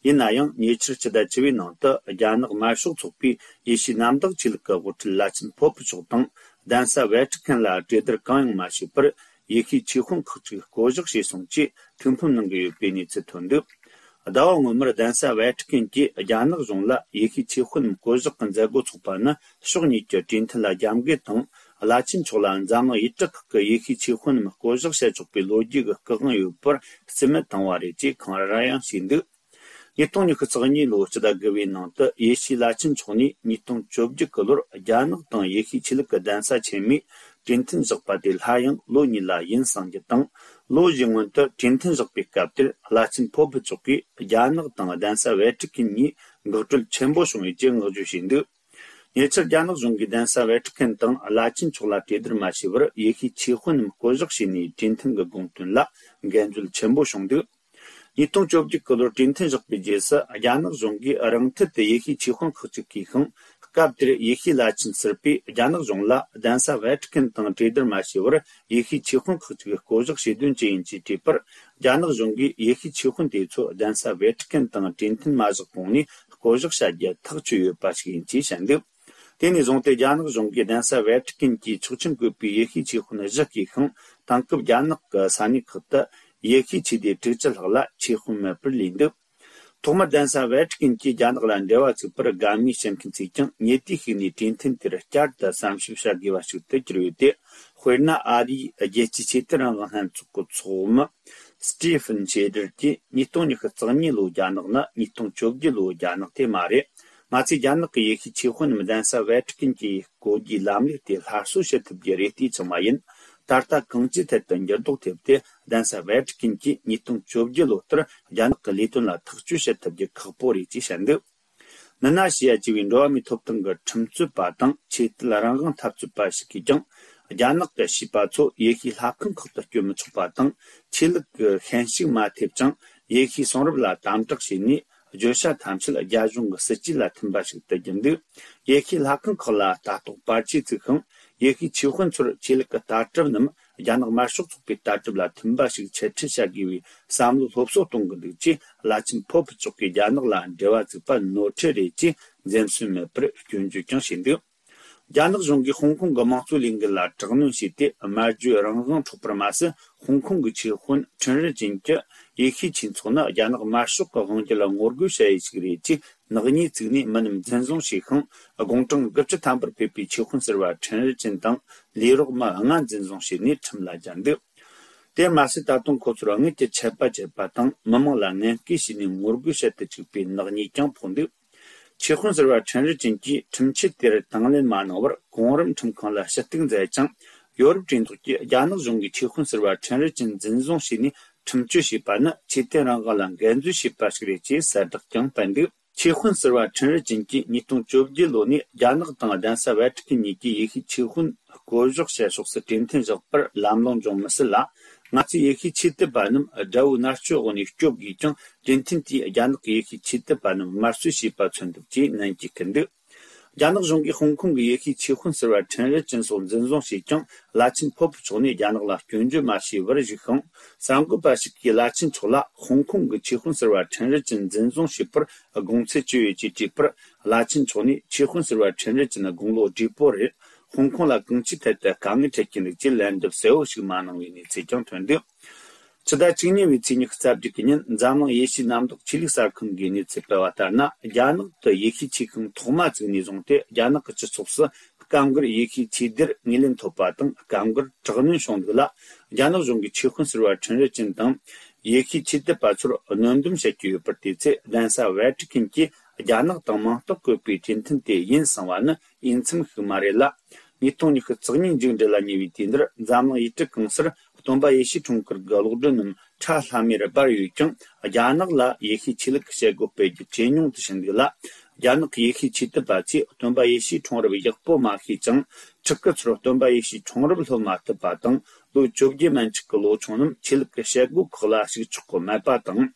ཡིན་ན་ཡང་ཉེ་ཆར་ཕྱི་ཟླ་བཅུ་པའི་ནང་དུ་རྒྱ་ནག་དམར་ཤོག་ཚོགས་པས་ཡེ་ཤུའི་གནམ་བདག་ཆོས་ལུགས་ཀྱི་དབུ་ཁྲིད་བླ་ཆེན་པོབ་མཆོག་དང་གདན་ས་ཝེ་ཏི་ཀན་ལ་གྲོས་བསྡུར་གང་ཡང་མ་བྱས་པར། ཡེ་ཤུའི་ཆོས་དཔོན་ཁག་ཅིག་བསྐོ་གཞག་བྱས་སོང་ཅེས་ཐུགས་ཕམ་གནང་གི་ཡོད་པའི་གནས་ཚུལ་ཐོན་འདུག། ཟླ་བ་སྔོན་མར་གདན་ས་ཝེ་ཏི་ཀན་གྱིས་རྒྱ་ནག་གཞུང་ལ་ཡེ་ཤུའི་ཆོས་དཔོན་རྣམས་བསྐོ་གཞག་གི་མཛད་སྒོ་ཚོགས་པ་ནི་ཕྱོགས་གཉིས་ཀྱི་གྲོས་མཐུན་ལ་རྒྱབ་འགལ་དང་། བླ་ཆེན་མཆོག་ལ་འཛམ་གླིང་ཡུལ་གྲུ་ཁག་གི་ཡེ་ཤུའི་ཆོས་དཔོན་རྣམས་བསྐོ་གཞག་བྱ་ཆོག་པའི་ལོ་རྒྱུས་ཀྱི་སྐུ་དབང་ཡོད་པར་རྩིས་མེད་བཏང་བ་རེད་ཅེས་གང་ར་ཡང་བྱས་འདུག། ཉིས་སྟོང་ཉི་ཤུ་རྩ་གཉིས་ལོའི་ཕྱི་ཟླ་དགུ་པའི་ནང་དུ་ཡེ་ཤུའི་བླ་ཆེན་མཆོག་ནས་ཉིས་སྟོང་བཅོ་བརྒྱད་ཀྱི་ལོར་རྒྱ་ནག་དང་ཡེ་ཤུའི་ཆོས་ལུགས་ཀྱི་གདན་ས་ཆེན་མོས་གྲོས་མཐུན་བཞག་པ་དེ་སླར་ཡང་ལོ་གཉིས་ལ་ཡུན་གསང་རྒྱུ་དང་། ལོ་བཞིའི་སྔོན་དུ་གྲོས་མཐུན་བཞག་པའི་སྐབས་དེར་བླ་ཆེན་པོབ་མཆོག་གིས་རྒྱ་ནག་དང་གདན་ས་ཝེ་ཏི་ཀན་གཉིས་འགག་སྒྲོལ་ཆེན་པོ་བྱུང་ཡོད་ཅེས་བསྔགས་བརྗོད་བྱས་འདུག། ཉེ་ཆར་རྒྱ་ནག་གཞུང་གིས་གདན་ས་ཝེ་ཏི་ཀན་དང་བླ་ཆེན་མཆོག་ལ་གྲོས་བསྡུར་མ་བྱས་པར་ཡེ་ཤུའི་ཆོས་དཔོན་རྣམས་བསྐོ་གཞག་བྱས་ནས་གྲོས་མཐུན་གྱི་དགོངས་དོན་ལ་འགལ་འཛོལ་ཆེན་པོ་བྱུང་འདུག། ཉིས་སྟོང་བཅོ་བརྒྱད་ཀྱི་ལོར་གྲོས་མཐུན་བཞག་པའི་རྗེས་སུ་རྒྱ་ནག་གཞུང་གིས་རང་འཐད་དུ་ཡེ་ཤུའི་ཆོས་དཔོན་ཁག་ཅིག་བསྐོས་ཤིང་། སྐབས་དེར་ཡེ་ཤུའི་བླ་ཆེན་ཟུར་པས་རྒྱ་ནག་གཞུང་ལ་གདན་ས་ཝེ་ཏི་ཀན་དང་གྲོས་བསྡུར་མ་བྱས་པར་ཡེ་ཤུའི་ཆོས་དཔོན་ཁག་ཅིག་བསྐོ་གཞག་བྱེད་དོན་ཅི་ཡིན་ཅེས་དྲིས་པར། རྒྱ་ནག་གཞུང་གིས་ཡེ་ཤུའི་ཆོས་དཔོན་དེ་ཚོ་གདན་ས་ཝེ་ཏི་ཀན་དང་གྲོས་མཐུན་མ་བཞག་གོང་ནས་བསྐོ་གཞག་བྱ་རྒྱུ་ཐག་ཆོད་ཡོད་པ་ཞིག་ཡིན་ཅེས་བཤད་འདུག། དེ་ནས་བཟུང་སྟེ་རྒྱ་ནག་གཞུང་གིས་གདན་ས་ཝེ་ཏི་ཀན་གྱི་ཆོག་མཆན་བཀོད་པའི་ཡེ་ཤུའི་ཆོས་དཔོན་བཞི་བསྐོས་ཤིང་། དེང་སྐབས་རྒྱ་ནག་གི་ས་གནས་ཁག་ཏུ་ཡེ་ཤུའི་ཆོས་སྡེ་དྲུག་ཅུ་ལྷག་ལ་ཆོས་དཔོན་མེད་པར་ལུས་འདུག། ཐོག་མར་གདན་ས་ཝེ་ཏི་ཀན་གྱིས་རྒྱ་ནག་ལ་འབྲེལ་བ་བཙུགས་པར་དགའ་མོས་བྱེད་མཁན་ཚོས་ཀྱང་ཉེ་དུས་ཤིག་ནས་གྲོས་མཐུན་དེར་བསྐྱར་དུ་བསམ་ཞིབ་བྱ་དགོས་པ་ཞིག་ཏུ་གྱུར་ཡོད་དེ། དཔེར་ན། ཨ་རིའི་རྒྱལ་སྤྱིའི་ཆོས་དད་རང་དབང་ལྷན་ཚོགས་ཀྱི་ཚོགས་མི་སི་ཏི་ཕན་ཤེ་ཏར་གྱིས་ཉིས་སྟོང་ཉི་ཤུ་རྩ་གཉིས་ལོའི་རྒྱ་ནག་ནི་ཉིས་སྟོང་བཅོ་བརྒྱད་ལོའི་རྒྱ་ནག་དེ་མ་རེད། ང་ཚོས་རྒྱ་ནག་གི་ཡེ་ཤུའི་ཆོས་དཔོན་རྣམས་གདན་ས་ཝེ་ཏི་ཀན་གྱི་བསྐོ་རྒྱུའི་ལམ་ལུགས་དེ་སླར་གསོ་བྱེད་ཐུབ་རྒྱུ་རེ་ལྟོས་ཀྱང་མ་ཡིན། ད་ལྟ་གང་ཅིའི་ཐད་དུ་འགྱུར་ལྡོག་ཐེབས་ཏེ་གདན་ས་ཝེ་ཏི་ཀན་གྱིས་ཉིས་སྟོང་བཅོ་བརྒྱད་ལོ་ལྟར་རྒྱ་ནག་གི་ལས་དོན་ལ་ཐག་གཅོད་བྱེད་ཐུབ་རྒྱུ་ཁག་པོ་རེད་ཅེས་བཤད་འདུག། ནི་ན་ཞི་ཡ་ཅེས་པའི་འགྲོ་བ་མིའི་ཐོབ་ཐང་གི་ཁྲིམས་རྩོད་པ་དང་ཆོས་དད་རང་དབང་འཐབ་རྩོད་པ་ཞིག་གིས་ཀྱང་། རྒྱ་ནག་གི་བྱིས་པ་ཚོ་ཡེ་ཤུའི་ལྷ་ཁང་ཁག་ཏུ་བསྐྱོད་མི་ཆོག་པ་དང་། ཆོས་ལུགས་ཀྱི་ཤན་ཞུགས་མ་ཐེབས་ཀྱང་ཡེ་ཤུའི་གསུང་རབ་ལ་དམ་དྲག་བྱས་ནས། བརྗོད་བྱ་ཐམས་ཅད་རྒྱ་གཞུང་གི་སྲིད་ཇུས་ལ་མཐུན་པ་ཞིག་ཏུ་གྱུར་འདུག། ཡེ་ཤུའི་ལྷ་ཁང་ཁག་ལ་ལྟ་རྟོག་པར་ཆས་བཙུགས་ཤིང་། ཡེ་ཤུའི་ཆོས་དཔོན་ཚོར་ཆོས་ལུགས་ཀྱི་ལྟ་གྲུབ་རྣམས་རྒྱ་ནག་དམར་ཤོག་ཚོགས་པའི་ལྟ་གྲུབ་ལ་མཐུན་པ་ཞིག་འཆད་ཁྲིད་བྱ་དགོས་པའི་བསམ་བློ་སློབ་གསོ་གཏོང་གི་འདུག་ཅེས་བླ་ཆེན་ཕོ་ཕུ་མཆོག་གིས་རྒྱ་ནག་ལ་འབྲེལ་བ་བཙུགས་པ་ནོར་འཁྲུལ་རེད་ཅེས་འཛེམ་ཟོན་མེད་པར་སྐྱོན་བརྗོད་ཀྱང་བྱས་འདུག། རྒྱ་ནག་གཞུང་གིས་ཧོང་ཀོང་གི་དམངས་གཙོའི་ལས་འགུལ་ལ་དྲག་གནོན་བྱས་ཏེ། སྨྲ་བརྗོད་རང་དབང་འཕྲོག་པར་མ་ཟད། ཧོང་ཀོང་གི་ཆོས་དཔོན་ཁྲིན་རི་ཅིན་གྱི་ཡེ་ཤུའི་ཆོས་ཚོགས་ནི་རྒྱ་ནག་དམར་ཤོག་གི་དབང་སྒྱུར་ལ་ངོ་རྒོལ་བྱ་ཡུལ་ཞིག་རེད་ཅེས་ནག་ཉེས་བཙུགས་ནས་མི་རྣམས་འཛིན་བཟུང་བྱས་ཤིང་། དགུང་གྲངས་དགུ་བཅུ་ཐམ་པར་ཕེབས་པའི་ཆོས་དཔོན་ཟུར་པ་ཁྲིན་རི་ཅིན་དང་ལས་རོགས་མི་ལྔ་འཛིན་བཟུང་བྱས་ནས་ཁྲིམས་ལ་སྦྱར་འདུག། དེ་མ་ཟད། ད་དུང་ཁོ་ཚོར་དངུལ་གྱི་ཆད་པ་བཅད་པ་དང་། མི་མང་ལ་ངན་སྐུལ་བྱས་ནས་ངོ་རྒོལ་བྱེད་དུ་བཅུག་པའི་ནག་ཉེས་ཀྱང་ཕོག་འདུག། ཆོས་དཔོན་ཟུར་པ་ཁྲིན་རི་ཅིན་གྱིས་ཁྲིམས་ཆད་དེར་དང་ལེན་མ་གནང་བར་གོང་རིམ་ཁྲིམས་ཁང་ལ་ཞུ་གཏུག་མཛད་ཅིང་། ཡོ་རོབ་གྲོས་ཚོགས་ཀྱིས་རྒྱ་ནག་གཞུང་གིས་ཆོས་དཔོན་ཟུར་པ་ཁྲིན་རི་ཅིན་འཛིན་བཟུང་བྱས་ནས་ཁྲིམས་གཅོད་བྱས་པ་ནི་ཆོས་དད་རང་དབང་ལ་འགལ་འཛོལ་བྱས་པ་ཞིག་རེད་ཅེས་གསལ་བསྒྲགས་ཀྱང་སྤེལ་འདུག། ཆོས་དཔོན་ཟུར་པ་ཁྲིན་རི་ཅིན་གྱིས་ཉིས་སྟོང་བཅོ་བརྒྱད་ལོ་ནས་རྒྱ་ནག་དང་གདན་ས་ཝེ་ཏི་ཀན་གཉིས་ཀྱིས་ཡེ་ཤུའི་ཆོས་དཔོན་བསྐོ་གཞག་བྱེད་ཕྱོགས་སུ་གྲོས་མཐུན་བཞག་པར་ལམ་ལྷོང་འབྱུང་མི་སྲིད་ལ། ང་ཚོའི་ཡེ་ཤུའི་ཆོས་དད་པ་རྣམས་དགྲ་བོའི་མནར་གཅོད་འོག་ནས་སྐྱོབ་དགོས་ཀྱང་། གྲོས་མཐུན་དེས་རྒྱ་ནག་གི་ཡེ་ཤུའི་ཆོས་དད་པ་རྣམས་དམར་གསོད་བྱས་པ་མཚོན་ཐུབ་ཅེས་ནན་གྱིས་སྐུལ་འདུག་རྒྱ་ནག་གཞུང་གིས་ཧོང་ཀོང་གི་ཡེ་ཤུའི་ཆོས་དཔོན་ཟུར་པ་ཁྲིན་རི་ཅིན་སོགས་འཛིན་བཟུང་བྱས་ཀྱང་། བླ་ཆེན་ཕོ་པོ་མཆོག་ནས་རྒྱ་ནག་ལ་སྐྱོན་བརྗོད་མ་བྱས་པར་བཞུགས་ཤིང་། གསར་འགོད་པ་ཞིག་གིས་བླ་ཆེན་མཆོག་ལ་ཧོང་ཀོང་གི་ཆོས་དཔོན་ཟུར་པ་ཁྲིན་རི་ཅིན་འཛིན་བཟུང་བྱས་པར་དགོངས་ཚུལ་ཅི་ཡོད་ཅེས་དྲིས་པར། བླ་ཆེན་མཆོག་ནས་ཆོས་དཔོན་ཟུར་པ་ཁྲིན་རི་ཅིན་དགུང་ལོ་བགྲེས་པོ་རེད། ཧོང་ཀོང་ལ་གང་ཅིའི་ཐད་དུ་དཀའ་ངལ་འཕྲད་ཀྱི་འདུག་ཅེས་ལན་འདེབས་གསལ་བོ་ཞིག་མ་གནང་བའི་གནས་ཚུལ་ཀྱང་ཐོན་འདུག་ཕྱི་ཟླ་བཅུ་གཉིས་པའི་ཚེས་ཉི་ཤུ་རྩ་བརྒྱད་ཀྱི་ཉིན། འཛམ་གླིང་ཡེ་ཤུའི་གནམ་བདག་ཆོས་ལུགས་གསར་ཁང་གིས་གནས་ཚུལ་སྤེལ་བ་ལྟར་ན། རྒྱ་ནག་ཏུ་ཡེ་ཤུའི་ཆོས་ཁང་ཐོག་མ་བཙུགས་ནས་བཟུང་སྟེ། རྒྱ་ནག་གི་སྤྱི་ཚོགས་སུ་སྐབས་འགར་ཡེ་ཤུའི་ཆོས་སྡེར་ངོས་ལེན་ཐོབ་པ་དང་། སྐབས་འགར་དྲག་གནོན་བྱུང་འདུག་ལ། རྒྱ་ནག་གཞུང་གིས་ཆོས་དཔོན་ཟུར་པ་ཁྲིན་རི་ཅིན་དང་། ཡེ་ཤུའི་ཆོས་དད་པ་ཚོར་གནོན་སྡོམ་བྱེད་ཀྱི་ཡོད་པར་བལྟས་ཚེ། གདན་ས་ཝེ་ཏི་ཀན་གྱིས་རྒྱ་ནག་དང་མིང་རྟགས་བཀོད་པའི་གྲོས་མཐུན་དེ་ཡིན་གསུངས་པ་ནི། འོས་འཚམ་ཞིག་མ་རེད་ལ། ཉིས་སྟོང་ཉི་ཤུ་རྩ་གཉིས་མཇུག་འབྲས་ལ་ཉེ་བའི་དུས་འདིར། འཛམ་གླིང་ཡུལ་གྲུ་གང་སར་སྟོན་པ་ཡེ་ཤུའི་འཁྲུངས་སྐར་གྱི་གློག་སྒྲོན་རྣམས་ཁྲ་ལྷམ་མེར་སྦར་ཡོད་ཀྱང་། རྒྱ་ནག་ལ་ཡེ་ཤུའི་ཆོས་ལུགས་ཀྱི་བྱེད་སྒོ་སྤེལ་རྒྱུ་གྲོས་མྱོང་དུ་ཕྱིན་འདུག་ལ། རྒྱ་ནག་གི་ཡེ་ཤུའི་ཆོས་དད་པ་ཚོས་སྟོན་པ་ཡེ་ཤུའི་འཁྲུངས་རབས་ཡག་པོ་མ་ཤེས་ཀྱང་། ཕྲུ་གུ་ཚོར་སྟོན་པ་ཡེ་ཤུའི་འཁྲུངས་རབས་སློབ་མ་ཐུབ་པ་དང་། ལོ་བཅོ་བརྒྱད་མན་ཆད་ཀྱི་ལོ་ཆུང་རྣམས་ཆོས་ལུགས་ཀྱི་བྱེད་སྒོ་ཁག་ལ་ཞུགས་ཆོག་གི་མེད་པ་དང་།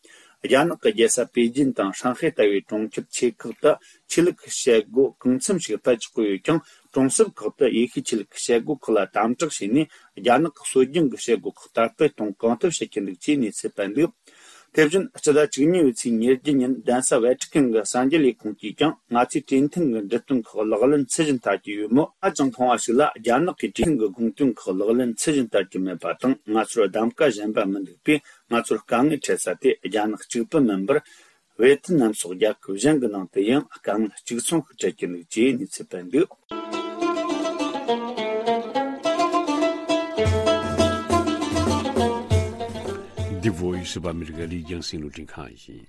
རྒྱ་ནག་གི་རྒྱལ་ས་པེ་ཅིན་དང་ཧྲང་ཧའེ་ལྟ་བུའི་གྲོང་ཁྱེར་ཆེ་ཁག་ཏུ་ཆོས་ལུགས་ཀྱི་བྱེད་སྒོ་གང་འཚམ་ཞིག་སྤེལ་ཆོག་གི་ཡོད་ཀྱང་། གྲོང་གསེབ་ཁག་ཏུ་ཡེ་ཤུའི་ཆོས་ལུགས་ཀྱི་བྱེད་སྒོ་ཁག་ལ་དམ་དྲག་བྱས་ནས། རྒྱ་ནག་གི་སྲོལ་རྒྱུན་གྱི་བྱེད་སྒོ་ཁག་དར་སྤེལ་གཏོང་གང་ཐུབ་བྱེད་ཀྱི་འདུག་ཅེས་གནས་ཚུལ་སྤེལ་འདུག་དེ་བཞིན་ཕྱི་ཟླ་བཅུ་གཉིས་པའི་ཚེས་ཉེར་བརྒྱད་ཉིན། གདན་ས་ཝེ་ཏི་ཀན་གྱི་གསར་འགྱུར་ལས་ཁུངས་ཀྱིས་ཀྱང་། ང་ཚོས་གྲོས་མཐུན་གྱི་འབྲི་སྟོན་ཁག་ལག་ལེན་ཚད་གཞི་མཐར་གྱུར་ཡོད་མོད། ཧ་ཅང་མཐོང་བ་ཞིག་ལ། རྒྱ་ནག་གིས་གྲོས་མཐུན་གྱི་དགོངས་དོན་ཁག་ལག་ལེན་ཚད་གཞི་མཐར་གྱུར་མེད་པ་དང་། ང་ཚོར་གདམ་ག་གཞན་པ་མི་འདུག་པས། ང་ཚོར་དཀའ་ངལ་འཕྲད་ས་དེ་རྒྱ་ནག་གཅིག་པུ་མིན་པར། ཝེ་ཐི་ནམ་སོགས་རྒྱལ་ཁབ་གཞན་གྱི་ནང་དུ་ཡང་དཀའ་ངལ་གཅིག་མཚུངས་ཤིག་འཕྲད་ཀྱི་འདུག་ཅེས་གནས་ཚུལ་སྤེལ་འདུག The Voice of America ལི་རྒྱང་སྲིང་རླུང་འཕྲིན་ཁང་ཡིན།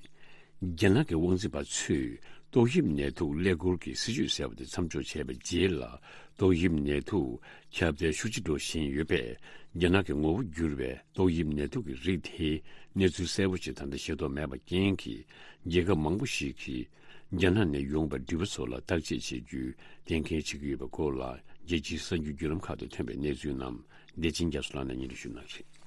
རྒྱ་ནག་གི་དབང་འཛིན་པ་ཚོས་ཏོག་དབྱིབས་ནད་དུག་ཀླད་ཀོར་གྱི་སྲིད་ཇུས་ཟེར་བ་དེ་མཚམས་འཇོག་བྱས་པའི་རྗེས་ལ། ཏོག་དབྱིབས་ནད་དུག་ཁྱབ་གདལ་ཤུགས་ཆེ་འགྲོ་བཞིན་ཡོད་པས། རྒྱ་ནག་གི་ངོ་བོ་འགྱུར་བའི་ཏོག་དབྱིབས་ནད་དུག་གི་རིགས་དེའི་གནས་ཚུལ་གསལ་པོ་ཞིག་ད་ལྟ་ཤེས་རྟོགས་མེད་པ་རྐྱེན་གྱིས། རྒྱལ་ཁབ་མང་པོ་ཞིག་གིས་རྒྱ་ནག་ནས་ཡོང་པའི་འགྲུལ་པ་ཚོ་ལ་བརྟག་དཔྱད་བྱེད་རྒྱུའི་གཏན་འཁེལ་བྱེད་ཀྱི་ཡོད་པའི་སྐོར་ལ། རྒྱལ་སྤྱིའི་གསར་འགྱུར་བརྒྱུད་ལམ་ཁག་ཏུ་ཐོན་པའི་གནས་ཚུལ་རྣམས་བདེ་ཆེན་རྒྱ་མཚོ་ལགས་ནས་སྙན་སྒྲོན་ཞུ་གནང་གི་རེད།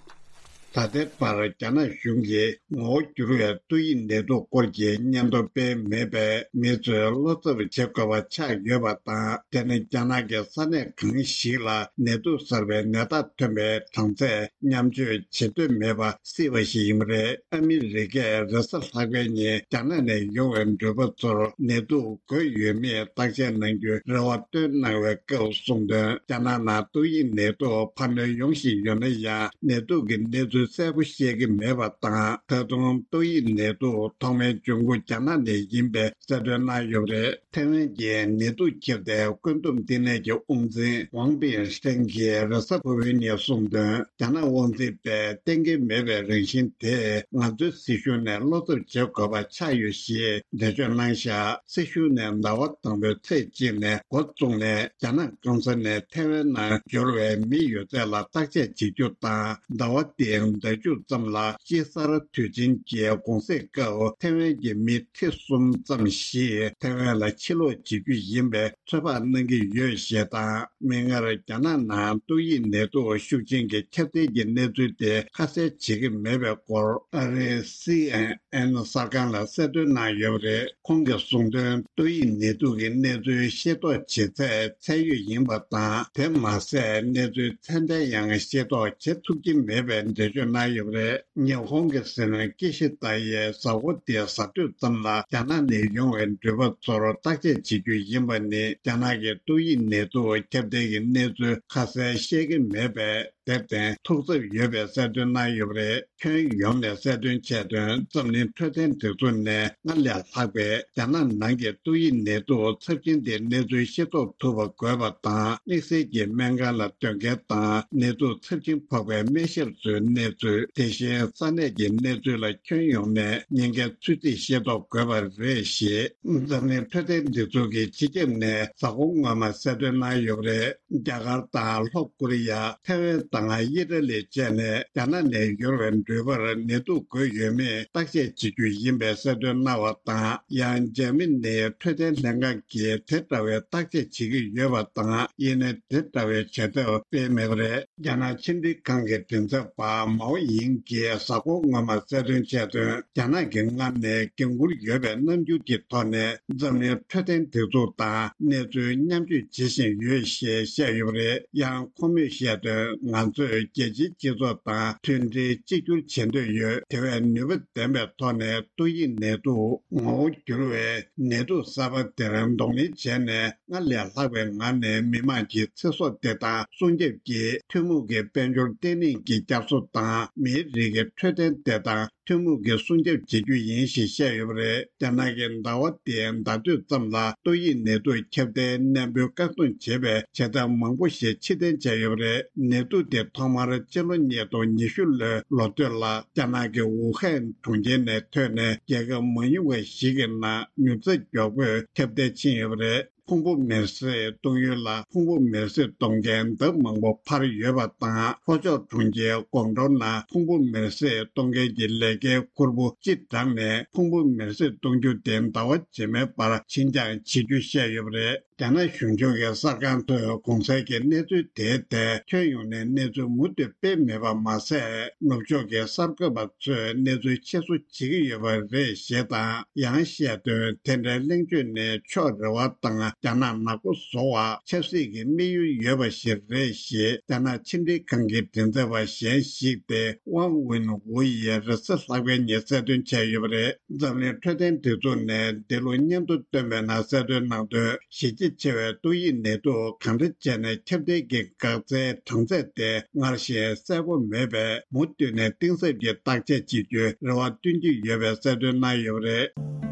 ད་ལྟའི་བར་རྒྱ་ནག་གཞུང་གིས་ངོ་བོ་འགྱུར་བའི་ཏོག་དབྱིབས་ནད་དུག་སྐོར་གྱི་སྙན་ཐོ་སྤེལ་མེད་པས། མི་ཚོས་བློ་འཚབ་བྱེད་དགོས་པ་ཆགས་ཡོད་པ་དང་། དེ་ནི་རྒྱ་ནག་གི་ས་གནས་གང་ཞིག་ལ་ནད་དུག་གསར་པའི་ནད་རྟགས་ཐོན་པའི་གྲངས་ཚད་མཉམ་སྤྱོད་བྱེད་འདོད་མེད་པ་སྲིད་པ་ཞིག་ཡིན་པ་རེད། ཨ་མི་རི་ཀས་རེས་གཟའ་ལྷག་པའི་ཉིན་རྒྱ་ནག་ནས་ཡོང་བའི་འགྲུལ་པ་ཚོར་ནད་དུག་འགོས་ཡོད་མེད་བརྟག་དཔྱད་གནང་རྒྱུའི་རེ་བ་བཏོན་གནང་བའི་སྐབས་གསུངས་དོན། རྒྱ་ནག་ནང་ཏོག་དབྱིབས་ནད་དུག་འཕར་སྣོན་ཡོང་བཞིན་ཡོད་ན་ཡང་། ནད་དུག་གི་གནས་ཚུལ་གསལ་པོ་ཤེས་ཀྱི་མེད་པ་དང་། ད་དུང་ཏོག་དབྱིབས་ནད་དུག་ཐོག་མའི་འབྱུང་ཁུངས་རྒྱ་ནག་ནས་ཡིན་པའི་གསལ་སྟོན་གནང་ཡོད་པ་རེད། ཐའེ་ཝན་གྱི་ནད་དུག་ཁྱབ་གདལ་བཀོད་འདོམས་ལྟེ་གནས་ཀྱི་དབང་འཛིན་ཝང་པིན་ཧྲེང་གིས་རེས་གཟའ་ཕུར་བུའི་ཉིན་གསུངས་དོན། རྒྱ་ནག་དབང་འཛིན་པས་གཏན་འཁེལ་མེད་པའི་རང་བཞིན་དེས་ང་ཚོའི་སྲིད་གཞུང་ནས་བློ་འཚབ་བྱེད་དགོས་པ་ཆགས་ཡོད་ཞེས་འགྲེལ་བརྗོད་གནང་བཞག་སྲིད་གཞུང་ནས་ཟླ་བ་དང་པོའི་ཚེས་གཅིག་ནས་འགོ་བཙུགས་ནས། རྒྱ་ནག་གང་ས་ནས་ཐའེ་ཝན་ནང་འབྱོར་བའི་མི་ཡོད་ཚད་ལ་བརྟག་དཔྱད་བྱེད་རྒྱུ་དང་། ཟླ་བ་འདིའི་ཟླ་མཇུག་ཙམ་ལ། དཔྱིད་གསར་དུས་ཆེན་གྱི་གུང་སེང་སྐབས་ཐའེ་ཝན་གྱི་མི་ཁྲི་གསུམ་ཙམ་ཞིག་ཐའེ་ཝན་ལ་ཕྱིར་ལོག་བྱེད་རྒྱུ་ཡིན་པའི་ཚོད་དཔག་གནང་གི་ཡོད་ཞེས་དང་། མིག་སྔར་རྒྱ་ནག་ནང་ཏོག་དབྱིབས་ནད་དུག་ཤུགས་ཆེན་གྱི་ཁྱབ་གདལ་གྱི་གནས་ཚུལ་དེ་ཁ་གསལ་བྱེད་ཀྱི་མེད་པའི་སྐོར། ཨ་རིའི་སི་ཨེན་ཨེན་གསར་ཁང་ལ་གསལ་སྟོན་གནང་ཡོད་པ་རེད། ཁོང་གིས་གསུངས་དོན། ཏོག་དབྱིབས་ནད་དུག་གི་གནས་ཚུལ་ཤེས་རྟོགས་བྱེད་ཚད་ཚད་ཡོད་ཡིན་པ་དང་། དེ་མ་ཟད་གནས་ཚུལ་ཚད་ལྡན་ཡང་ཤེས་རྟོགས་བྱེད་ཐུབ་ཀྱི་མེད་པའི་འགྲེལ་བརྗོད་གནང་ཡོད་པ་རེད། ཉི་ཧོང་གི་སྲིད་བློན་ཀི་ཤི་ད་ཡིས་གཟའ་འཁོར་འདིའི་གཟའ་སྤྲོད་ཙམ་ལ་རྒྱ་ནག་ནས་ཡོང་བའི་འགྲུལ་པ་ཚོར་བརྟག་དཔྱད་བྱེད་རྒྱུ་ཡིན་པ་ནི། རྒྱ་ནག་གི་ཏོག་དབྱིབས་ནད་དུག་ཁྱབ་གདལ་གྱི་གནས་ཚུལ་ཁ་གསལ་ཤེས་ཀྱི་མེད་པས། དེར་བརྟེན་ཐུགས་འཚབ་ཡོད་པའི་གསལ་སྟོན་གནང་ཡོད་པ་རེད། ཁྱོན་ཡོངས་ནས་གསལ་སྟོན་བྱས་དོན། འཛམ་གླིང་འཕྲོད་བསྟེན་སྒྲིག་འཛུགས་ནས་སྔར་ལས་ལྷག་པའི་རྒྱ་ནག་ནང་གི་ཏོག་དབྱིབས་ནད་དུག་ཚབས་ཆེན་དེའི་གནས་ཚུལ་ཤེས་རྟོགས་ཐུབ་པ་དགོས་པ་དང་། དམིགས་བསལ་གྱི་སྨན་ཁང་ལ་སྡོད་མཁན་དང་། ནད་དུག་ཚབས་ཆེན་ཕོག་པའི་སྨན་ཞབས་ཚོའི་གནས་ཚུལ། དེ་བཞིན་ས་གནས་ཀྱི་གནས་ཚུལ་ལ་ཁྱོན་ཡོངས་ནས་ཉེན་ཁའི་ཚོད་རྩིས་ཤེས་རྟོགས་དགོས་པ་རེད་ཞེས། འཛམ་གླིང་འཕྲོད་བསྟེན་སྒྲིག་འཛུགས་ཀྱི་སྤྱི་ཁྱབ་ནས་གཟའ་འཁོར་སྔོན་མ་གསལ་སྟོན་གནང་ཡོད་པ་རེད། རྒྱ་གར་དང་ལྷོ་ཀོ་རི་ཡ། ཐའེ་ཝན་ དང་དབྱི་ཏ་ལི་བཅས་ནས་རྒྱ་ནག་ནས་ཡུར་བའི་འགྲུལ་པར་ནད་དུག་འགོས་ཡོད་མེད་བརྟག་དཔྱད་བྱེད་རྒྱུ་ཡིན་པའི་གསལ་སྟོན་གནང་བ་དང་། ཡང་འཇར་མ་ནིའི་འཕྲོད་བསྟེན་ལྷན་ཁང་གིས་དེ་འདྲ་བའི་བརྟག་དཔྱད་བྱེད་ཀྱི་ཡོད་པ་དང་། ཡིན་ནའི་དེ་འདྲ་བའི་བྱེད་ཐབས་སྤེལ་མེད་པ་རེད། རྒྱ་ནག་ཕྱི་འབྲེལ་ཁང་གི་མགྲིན་ཚབ་པ་མའོ་ཡིང་གིས་གཟའ་འཁོར་སྔོན་མ་གསལ་སྟོན་བྱས་དོན། རྒྱ་ནག་གིས་སྔར་ནས་འགན་འཁུར་ཡོད་པའི་རྣམ་འགྱུར་གྱི་ཐོག་ནས་འཛམ་གླིང་འཕྲོད་བསྟེན་སྒྲིག་འཛུགས་དང་གནས་ཚུལ་མཉམ་སྤྱོད་བྱེད་བཞིན་ཡོད་ཞེས་བཤད་ཡོད་པ་རེད། ཡང་ཁོ་མོས་བཤད་དོན། ང་ཚོས་རྒྱལ་སྤྱིའི་སྤྱི་ཚོགས་དང་མཐུན་སྒྲིལ་གཅིག་གྱུར་བྱེད་འདོད་ཡོད། དེ་བས་ནུས་པ་ལྡན་པའི་ཐོག་ནས་ཏོག་དབྱིབས་ནད་དུག་ངོ་བོ་འགྱུར་བའི་ནད་དུག་གསར་པ་དེར་གདོང་ལེན་བྱས་ནས། སྔར་ལས་ལྷག་པའི་ངང་ནས་མི་དམངས་ཀྱི་ཚེ་སྲོག་དེ་དང་སྲུང་སྐྱོབ་ཀྱིས་ཐུན་མོང་གི་དཔལ་འབྱོར་བརྟན་ལྷིང་གི་བསྐྱར་གསོ་དང་མིའི་རིགས་ཀྱི་འཕྲོད་བསྟེན་དེ་དང་ཐུན་མོང་གི་སྲུང་སྐྱོབ་བྱེད་རྒྱུ་ཡིན་ཞེས་བཤད་ཡོད་པ་རེད། རྒྱ་ནག་གི་ཟླ་བ་འདིའི་ཟླ་སྟོད་ཙམ་ལ་ཏོག་དབྱིབས་ནད་དུག་ཁྱབ་གདལ་ནན་པོའི་བཀག་སྡོམ་བྱེད་པའི་བྱེད་ཐབས་མང་པོ་ཞིག་ཕྱིར་འཐེན་བྱས་ཡོད་པ་རེད། ནད་དུག་དེ་ཐོག་མར་སྤྱི་ལོ་ཉིས་སྟོང་ཉི་ཤུ་ལོའི་ལོ་སྟོད་ལ་རྒྱ་ནག་གི་ཝུ་ཧན་གྲོང་ཁྱེར་ནས་ཐོན་ནས་རྒྱལ་ཁབ་མ་ཡིན་པ་ཞིག་གི་ནང་མྱུར་ཚད་མགྱོགས་པོས་ཁྱབ་གདལ་ཕྱིན་ཡོད་པ་རེད། ཕུང་པོ་མེར་སྲེག་གཏོང་ཡུལ་ལ་ཕུང་པོ་མེར་སྲེག་གཏོང་མཁན་ལྡབ་མང་པོ་འཕར་ཡོད་པ་དང་། ལྷོ་ཕྱོགས་གྲོང་ཁྱེར་ཀོང་ཀྲོའུ་ནང་ཕུང་པོ་མེར་སྲེག་གཏོང་མཁན་གྱི་ལས་ཀའི་ཁུར་པོ་སྤྱི་བསྒྲགས་ནས་ཕུང་པོ་མེར་སྲེག་གཏོང་རྒྱུ་དེ་ཟླ་བ་རྗེས་མའི་བར་ཕྱིར་འགྱངས་བྱེད་རྒྱུ་བཤད་ཡོད་པ་རེད། རྒྱ་ནག་གཞུང་ཕྱོགས་ཀྱི་གསར་ཁང་ཐོག་གོང་གསལ་གྱི་གནས་ཚུལ་དེའི་ཐད་ཁྱོན་ཡོངས་ནས་གནས་ཚུལ་མུ་མཐུད་སྤེལ་མེད་པ་མ་ཟད། ནུབ་ཕྱོགས་ཀྱི་གསར་འགོད་པ་ཚོས་གནས་ཚུལ་ཕྱིར་བཟོ་བྱེད་ཀྱི་ཡོད་པ་རེད་ཞེས་དང་། ཡང་བཤད་དོན། དེ་འདྲའི་གླེང་བརྗོད་ནི་ཕྱོགས་རེ་བ་དང་རྒྱ་ནག་ནག་པོ་བཟོ་བ། ཆབ་སྲིད་ཀྱི་དམིགས་ཡུལ་ཡོད་པ་ཞིག་རེད་ཞེས་རྒྱ་ནག་ཕྱི་འབྲེལ་ཁང་གི་མགྲིན་ཚབ་པ་གཞན་ཞིག་སྟེ་ཝང་ཝུན་ཝུ་ཡིས་རེས་གཟའ་ལྷག་པའི་ཉིན་གསལ་སྟོན་བྱས་ཡོད་པ་རེད། འཛམ་གླིང་འཕྲོད་བསྟེན་སྒྲིག་འཛུགས་ནས་འདི་ལོ་སྙན་ཐོ་བཏོན་པའི་ནང་གསལ་སྟོན་གནང་དོན། གཞི་རྒྱ་ཆེ་བའི་ཏོག་དབྱིབས་ནད་དུག་གང་འདྲ་བྱས་ནས་ཁྱབ་གདལ་གྱི་འགག་རྩའི་གྲངས་ཚད་དེ་སྔར་བཞིན་གསལ་པོ་མེད་པས། མུ་མཐུད་ནས་གཏིང་ཟབ་ཀྱི་བརྟག་དཔྱད་བྱེད་རྒྱུའི་རེ་བ་བཏོན་གྱི་ཡོད་པའི་གསལ་སྟོན་གནང་ཡོད་པ་རེད།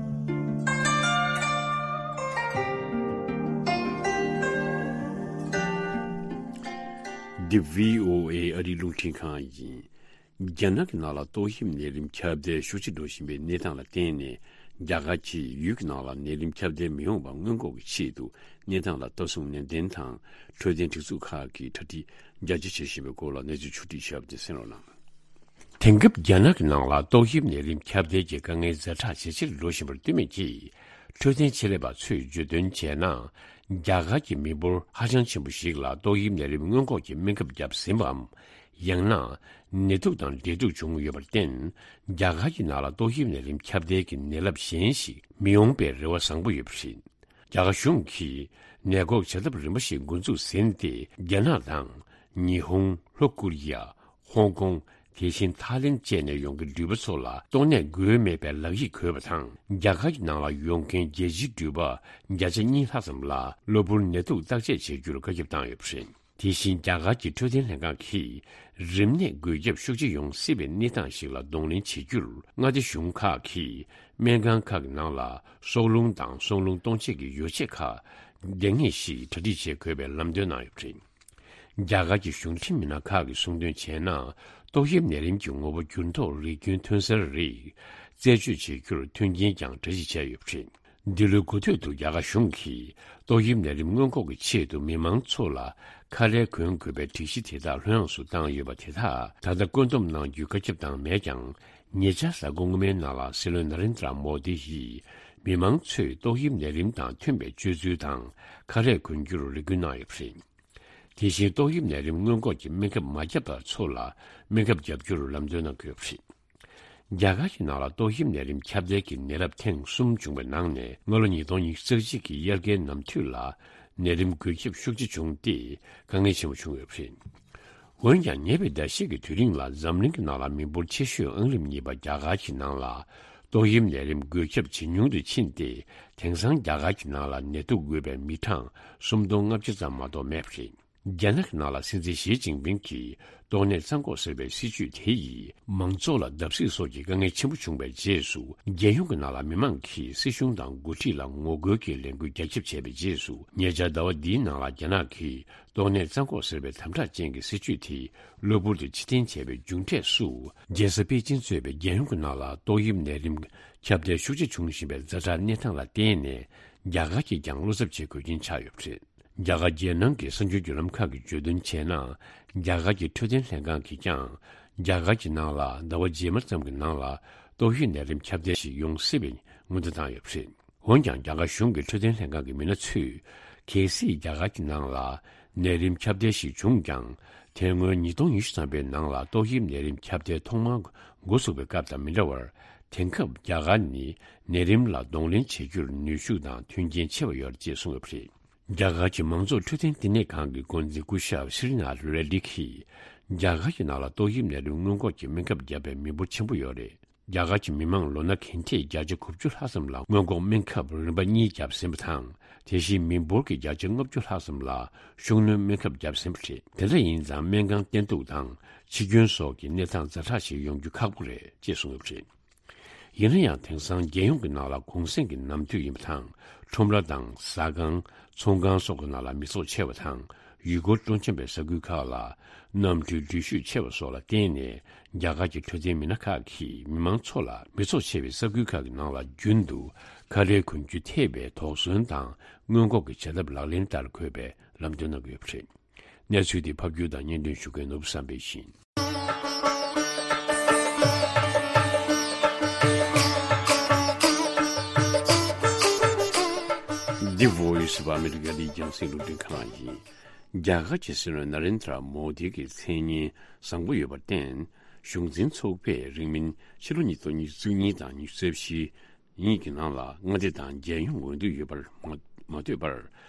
འདི་བྷི་ཨོ་ཨེ་ཨ་རིའི་རླུང་འཕྲིན་ཁང་ཡིན། རྒྱ་ནག་གི་ནང་ལ་ཏོག་དབྱིབས་ནད་རིམས་ཁྱབ་གདལ་ཤུགས་ཆེ་འགྲོ་བཞིན་པའི་གནས་སྟངས་ལ་བརྟེན་ནས། རྒྱ་གར་གྱིས་ཡུལ་གྱི་ནང་ལ་ནད་རིམས་ཁྱབ་གདལ་མི་ཡོང་བ་སྔོན་འགོག་གི་ཆེད་དུ། གནས་སྟངས་ལ་ལྟ་སྲུང་ནན་ཏན་དང་འཕྲོད་བསྟེན་སྒྲིག་འཛུགས་ཁག་གིས་གྲ་སྒྲིག་རྒྱ་ཆེ་བྱེད་བཞིན་པའི་སྐོར་ལ་གནས་ཚུལ་ཕྱོགས་བསྒྲིགས་བྱས་པ་དེ་གསན་རོགས་གནང་། དེང་སྐབས་རྒྱ་ནག་གི་ནང་ལ་ཏོག་དབྱིབས་ནད་རིམས་ཁྱབ་གདལ་གྱི་དཀའ་ངལ་ཛ་དྲག་ཇེ་ཆེར་འགྲོ་བཞིན་པར་ལྟོས་མེད་ཀྱིས། འཕྲོད་བསྟེན་ཆེད་ལས་པ་ཚོས་བརྗོད་དོན་བྱས་ན། རྒྱ་གར་གྱི་མི་འབོར་ཧ་ཅང་ཆེན་པོ་ཞིག་ལ་ཏོག་དབྱིབས་ནད་རིམས་སྔོན་འགོག་གི་སྨན་ཁབ་བརྒྱབ་ཟིན་པའམ། ཡང་ན། ནད་དུག་དང་འབྲེལ་གཏུག་བྱུང་ཡོད་པར་བརྟེན། རྒྱ་གར་གྱི་ནང་ལ་ཏོག་དབྱིབས་ནད་རིམས་ཁྱབ་གདལ་གྱི་ནད་རླབས་གཞན་ཞིག་མི་ཡོང་པའི་རེ་བ་བཟང་པོ་ཡོད་པ་རེད། རྒྱ་གར་གཞུང་གིས་ནད་འགོག་བྱ་ཐབས་རིམ་པ་ཞིག་འགོ་འཛུགས་ཟིན་ཏེ། རྒྱ་ནག་དང་། ཉི་ཧོང་། ལྷོ་ཀོ་རི་ཡ། ཧོང་ཀོང་། དེ་བཞིན་ཐའི་ལེན་བཅས་ནས་ཡོང་མཁན་འགྲུལ་པ་ཚོ་ལ་ཏོག་ནད་འགོས་མེད་པའི་ལག་ཡིག་དགོས་པ་དང་། རྒྱ་གར་གྱི་ནང་ལ་ཡོང་མཁན་རྒྱལ་སྤྱིའི་འགྲུལ་པ་བརྒྱ་ཆ་གཉིས་ལྷག་ཙམ་ལ་གློ་བུར་ནད་དུག་བརྟག་དཔྱད་བྱེད་རྒྱུར་བཀའ་ཁྱབ་བཏང་ཡོད་པ་རེད། དེ་བཞིན་རྒྱ་གར་གྱི་འཕྲོད་བསྟེན་ལྷན་ཁང་གིས་རིམས་ནད་འགོས་ཁྱབ་ཤུགས་ཆེ་ཡོང་སྲིད་པའི་གནས་སྟངས་ཤིག་ལ་གདོང་ལེན་བྱེད་རྒྱུར། མངའ་སྡེ་གཞུང་ཁག་གིས་སྨན་ཁང་ཁག་གི་ནང་ལ་སྲོག་རླུང་དང་སྲོག་རླུང་གཏོང་ཆེད་ཀྱི་ཡོ་བྱད་ཁག་འདང་ངེས་ཤིག་གྲ་སྒྲིག་བྱེད་དགོས་པའི་ལམ་སྟོན་གནང་ཡོད་པ་རེད། རྒྱ་གར་གྱི་གཞུང་འབྲེལ་མི་སྣ་ཁག་གིས་གསུངས་དོན་བྱས་ན། ཏོག་དབྱིབས་ནད་རིམས་ཀྱི་ངོ་བོ་འགྱུར་ལྡོག་རིགས་རྒྱུན་ཐོན་གསར་རིགས་རྩད་གཅོད་བྱེད་རྒྱུར་མཐུན་རྐྱེན་ཀྱང་གྲ་སྒྲིག་བྱས་ཡོད་པ་རེད། འདི་ལོའི་འགོ་སྟོད་དུ་རྒྱ་གར་གཞུང་གིས་ཏོག་དབྱིབས་ནད་རིམས་སྔོན་འགོག་གི་ཆེད་དུ་མི་མང་ཚོ་ལ་ཁ་རས་གོན་དགོས་པའི་སྒྲིག་གཞི་དེ་དག་ལྷོད་ཡངས་སུ་བཏང་ཡོད་པ་དེ་དག་ད་ལྟ་བཀོད་འདོམས་གནང་རྒྱུའི་བཀའ་ཁྱབ་བཏང་མེད་ཀྱང་། ཉེ་ཆར་གཟའ་འཁོར་སྔོན་མའི་ནང་ལ་སྲིད་བློན་ན་རེན་དྲ་མོ་དི་ཡིས་མི་མང་ཚོས་ཏོག་དབྱིབས་ནད་རིམས་དང་མཐུན་པའི་སྤྱོད་ཚུལ་དང་ཁ་རས་གོན་རྒྱུར་རེ་སྐུལ་གནང་ཡོད་པ་རེད། དེ་བཞིན་ཏོག་དབྱིབས་ནད་རིམས་སྔོན་འགོག་གི་སྨན་ཁབ་མ་བརྒྱབ་པ་ཚོ་ལ་སྨན་ཁབ་བརྒྱབ་རྒྱུར་ལམ་སྟོན་གནང་དགོས་པ་རེད། རྒྱ་གར་གྱི་ནང་ལ་ཏོག་དབྱིབས་ནད་རིམས་ཁྱབ་གདལ་གྱི་ནད་རླབས་ཐེངས་གསུམ་བྱུང་བའི་ནང་ནས། སྔ་ལོ་ཉིས་སྟོང་ཉི་ཤུ་རྩ་གཅིག་གི་དབྱར་ཁའི་ནམ་དུས་ལ་ནད་རིམས་འགོས་ཁྱབ་ཤུགས་ཆེ་བྱུང་སྟེ། དཀའ་ངལ་ཆེན་པོ་བྱུང་ཡོད་པ་རེད། འོན་ཀྱང་། ཉེ་བའི་ཟླ་ཤས་ཀྱི་དུས་རིང་ལ་འཛམ་གླིང་གི་ནང་ལ་མི་འབོར་ཆེ་ཤོས་ཨང་རིམ་གཉིས་པ་རྒྱ་གར་གྱི་ནང་ལ་ཏོག་དབྱིབས་ནད་རིམས་འགོས་ཁྱབ་ཇེ་ཉུང་དུ་ཕྱིན་ཏེ། དེང་སང་རྒྱ་གར་གྱི་ནང་ལ་ནད་དུག་འགོས་པའི་མི་གྲངས་སུམ་སྟོང་ལྔ་བཅུ་ཙམ་མ་གཏོགས་མེད་པ་རེད། རྒྱ་ནག་གི་ནང་ལ་སྲིད་འཛིན་ཞི་ཅིན་ཕིང་གིས་ཏོག་ནད་རྩ་འགོག་ཟེར་བའི་སྲིད་ཇུས་དེ་ཡིས་མང་ཚོགས་ལ་བརྡབ་གསིག་སོགས་ཀྱི་དཀའ་ངལ་ཆེན་པོ་བྱུང་བའི་རྗེས་སུ། རྒྱལ་ཡོངས་ཀྱི་ནང་ལ་མི་མང་གིས་སྲིད་གཞུང་དང་འགོ་ཁྲིད་ལ་ངོ་རྒོལ་གྱི་ལས་འགུལ་རྒྱ་ཁྱབ་བྱས་པའི་རྗེས་སུ། ཉེ་ཆར་ཟླ་བ་འདིའི་ནང་ལ་རྒྱ་ནག་གིས་ཏོག་ནད་རྩ་འགོག་ཟེར་བའི་དམ་དྲག་ཅན་གྱི་སྲིད་ཇུས་དེ་གློ་བུར་དུ་ཕྱིར་འཐེན་བྱས་པའི་མཇུག་འབྲས་སུ། རྒྱལ་ས་པེ་ཅིན་གཙོས་པའི་རྒྱལ་ཡོངས་ཀྱི་ནང་ལ་ཏོག་དབྱིབས་ནད་རིམས་ཁྱབ་གདལ་ཤུགས་ཆེ་བྱུང་བཞིན་པའི་ཛ་དྲག་གནས་སྟངས་ལ་བརྟེན་ནས། རྒྱ་གར་གྱིས་ཀྱང་བློ་འཚབ་བྱེད་དགོས་རྐྱེན་ཆགས་ཡོད་པ་རེད། རྒྱ་གར་རྒྱལ་ནང་གི་གསར་འགྱུར་བརྒྱུད་ལམ་ཁག་གིས་བརྗོད་དོན་བྱས་ན། རྒྱ་གར་གྱི་འཕྲོད་བསྟེན་ལྷན་ཁང་གིས་ཀྱང་རྒྱ་གར་གྱི་ནང་ལ་ཟླ་བ་རྗེས་མ་ཙམ་གྱི་ནང་ལ་ཏོག་དབྱིབས་ནད་རིམས་ཁྱབ་གདལ་ཞིག་ཡོང་སྲིད་པའི་སྔོན་བརྡ་བཏང་ཡོད་པ་རེད། འོན་ཀྱང་། རྒྱ་གར་གཞུང་གི་འཕྲོད་བསྟེན་ལྷན་ཁང་གི་མི་སྣ་ཚོས། གལ་སྲིད་རྒྱ་གར་གྱི་ནང་ལ་ནད་རིམས་ཁྱབ་གདལ་ཞིག་བྱུང་ཀྱང་། དེ་སྔོན་ཉིས་སྟོང་ཉི་ཤུ་ཐམ་པའི་ནང་ལ་ཏོག་དབྱིབས་ནད་རིམས་ཁྱབ་གདལ་ཐོག་མར་འགོ་ཚུགས་པའི་སྐབས་དང་མི་འདྲ་བར། དེང་སྐབས་རྒྱ་གར་ནི་ནད་རིམས་ལ་གདོང་ལེན་བྱེད་རྒྱུར་ནུས་ཤུགས་དང་མཐུན་རྐྱེན་ཆེ་བ་ཡོད་རེད་ཅེས་གསུངས་ཡོད་པ་རེད། རྒྱ་གར་གྱི་མང་ཚོགས་འཕྲོད་བསྟེན་བསྟི་གནས་ཁང་གི་འགོ་འཛིན་སྐུ་ཞབས་སི་རི་ནཱཐ་རེ་ཌི་གིས། རྒྱ་གར་གྱི་ནང་ལ་ཏོག་དབྱིབས་ནད་རིམས་སྔོན་འགོག་གི་སྨན་ཁབ་བརྒྱབ་པའི་མི་འབོར་ཆེན་པོ་ཡོད་རེད། རྒྱ་གར་གྱི་མི་མང་ལོ་ན་གན་ཐེར་བརྒྱ་ཆ་དགུ་བཅུ་ལྷག་ཙམ་ལ་སྔོན་འགོག་སྨན་ཁབ་རིམ་པ་གཉིས་བརྒྱབ་ཟིན་པ་དང་། དེ་བཞིན་མི་འབོར་གྱི་བརྒྱ་ཆ་ལྔ་བཅུ་ལྷག་ཙམ་ལ་ཤུགས་སྣོན་སྨན་ཁབ་བརྒྱབ་ཟིན་པ་རེད། དེ་འདྲ་ཡིན་ཙང་སྨན་ཁང་བསྟེན་གཏུག་དང་འཆི་སྐྱོན་སོགས་ཀྱི་གནས་སྟངས་ཛ་དྲག་ཞིག་ཡོང་རྒྱུ་ཁག་པོ་རེད་ཅེས་གསུངས་ཡོད་པ་རེད། ཡིན་ན་ཡང་། དེང་སང་རྒྱལ་ཡོངས་ཀྱི་ནང་ལ་གུང་གསེང་གི་ནམ་དུས་ཡིན་པ་དང་། ཁྲོམ་ར་དང་ཟ་ཁང་། ཚོང་ཁང་སོགས་ཀྱི་ནང་ལ་མི་ཚོགས་ཆེ་བ་དང་། ཡུལ་སྐོར་སྤྲོ་འཆམ་པའི་ས་ཁུལ་ཁག་ལ་གནམ་གྲུའི་འགྲུལ་བཞུད་ཆེ་བ་སོགས་ལ་བརྟེན་ནས། རྒྱ་གར་གྱི་འཕྲོད་བསྟེན་མི་སྣ་ཁག་གིས་མི་མང་ཚོ་ལ་མི་ཚོགས་ཆེ་བའི་ས་ཁུལ་ཁག་གི་ནང་ལ་རྒྱུན་དུ་ཁ་ལས་གོན་རྒྱུ་ཐེབས་པའི་དོགས་ཟོན་དང་སྔོན་འགོག་གི་བྱ་ཐབས་ལག་ལེན་བསྟར་དགོས་པའི་ལམ་སྟོན་གནང་གི་ཡོད་པ་རེད། གནས་ཚུལ་འདི་ཕབ་སྒྱུར་དང་སྙན་སྒྲོན་ཞུ་མཁན་ནོར་བུ་བསམ་འཕེལ་ཡིན། འདི་Voice of America ནས་རྒྱང་སྲིང་རླུང་འཕྲིན་ཁང་ཡིན། རྒྱ་གར་གྱི་སྲིད་བློན་ན་རེན་དྲ་མོ་དི་གི་མཚན་སྙན་བཟང་པོ་ཡོད་པར་བརྟེན། གཞུང་འཛིན་ཚོགས་པས་རིང་མིན་ཕྱི་ལོ་ཉིས་སྟོང་ཉི་ཤུ་གཉིས་དང་ཉི་ཤུ་རྩ་བཞི། ཉིད་ཀྱི་ནང་ལ་མངའ་སྡེ་དང་རྒྱལ་ཡོངས་འོས་བསྡུ་ཡོད་པར་མ་མ་ལྟོས་པར།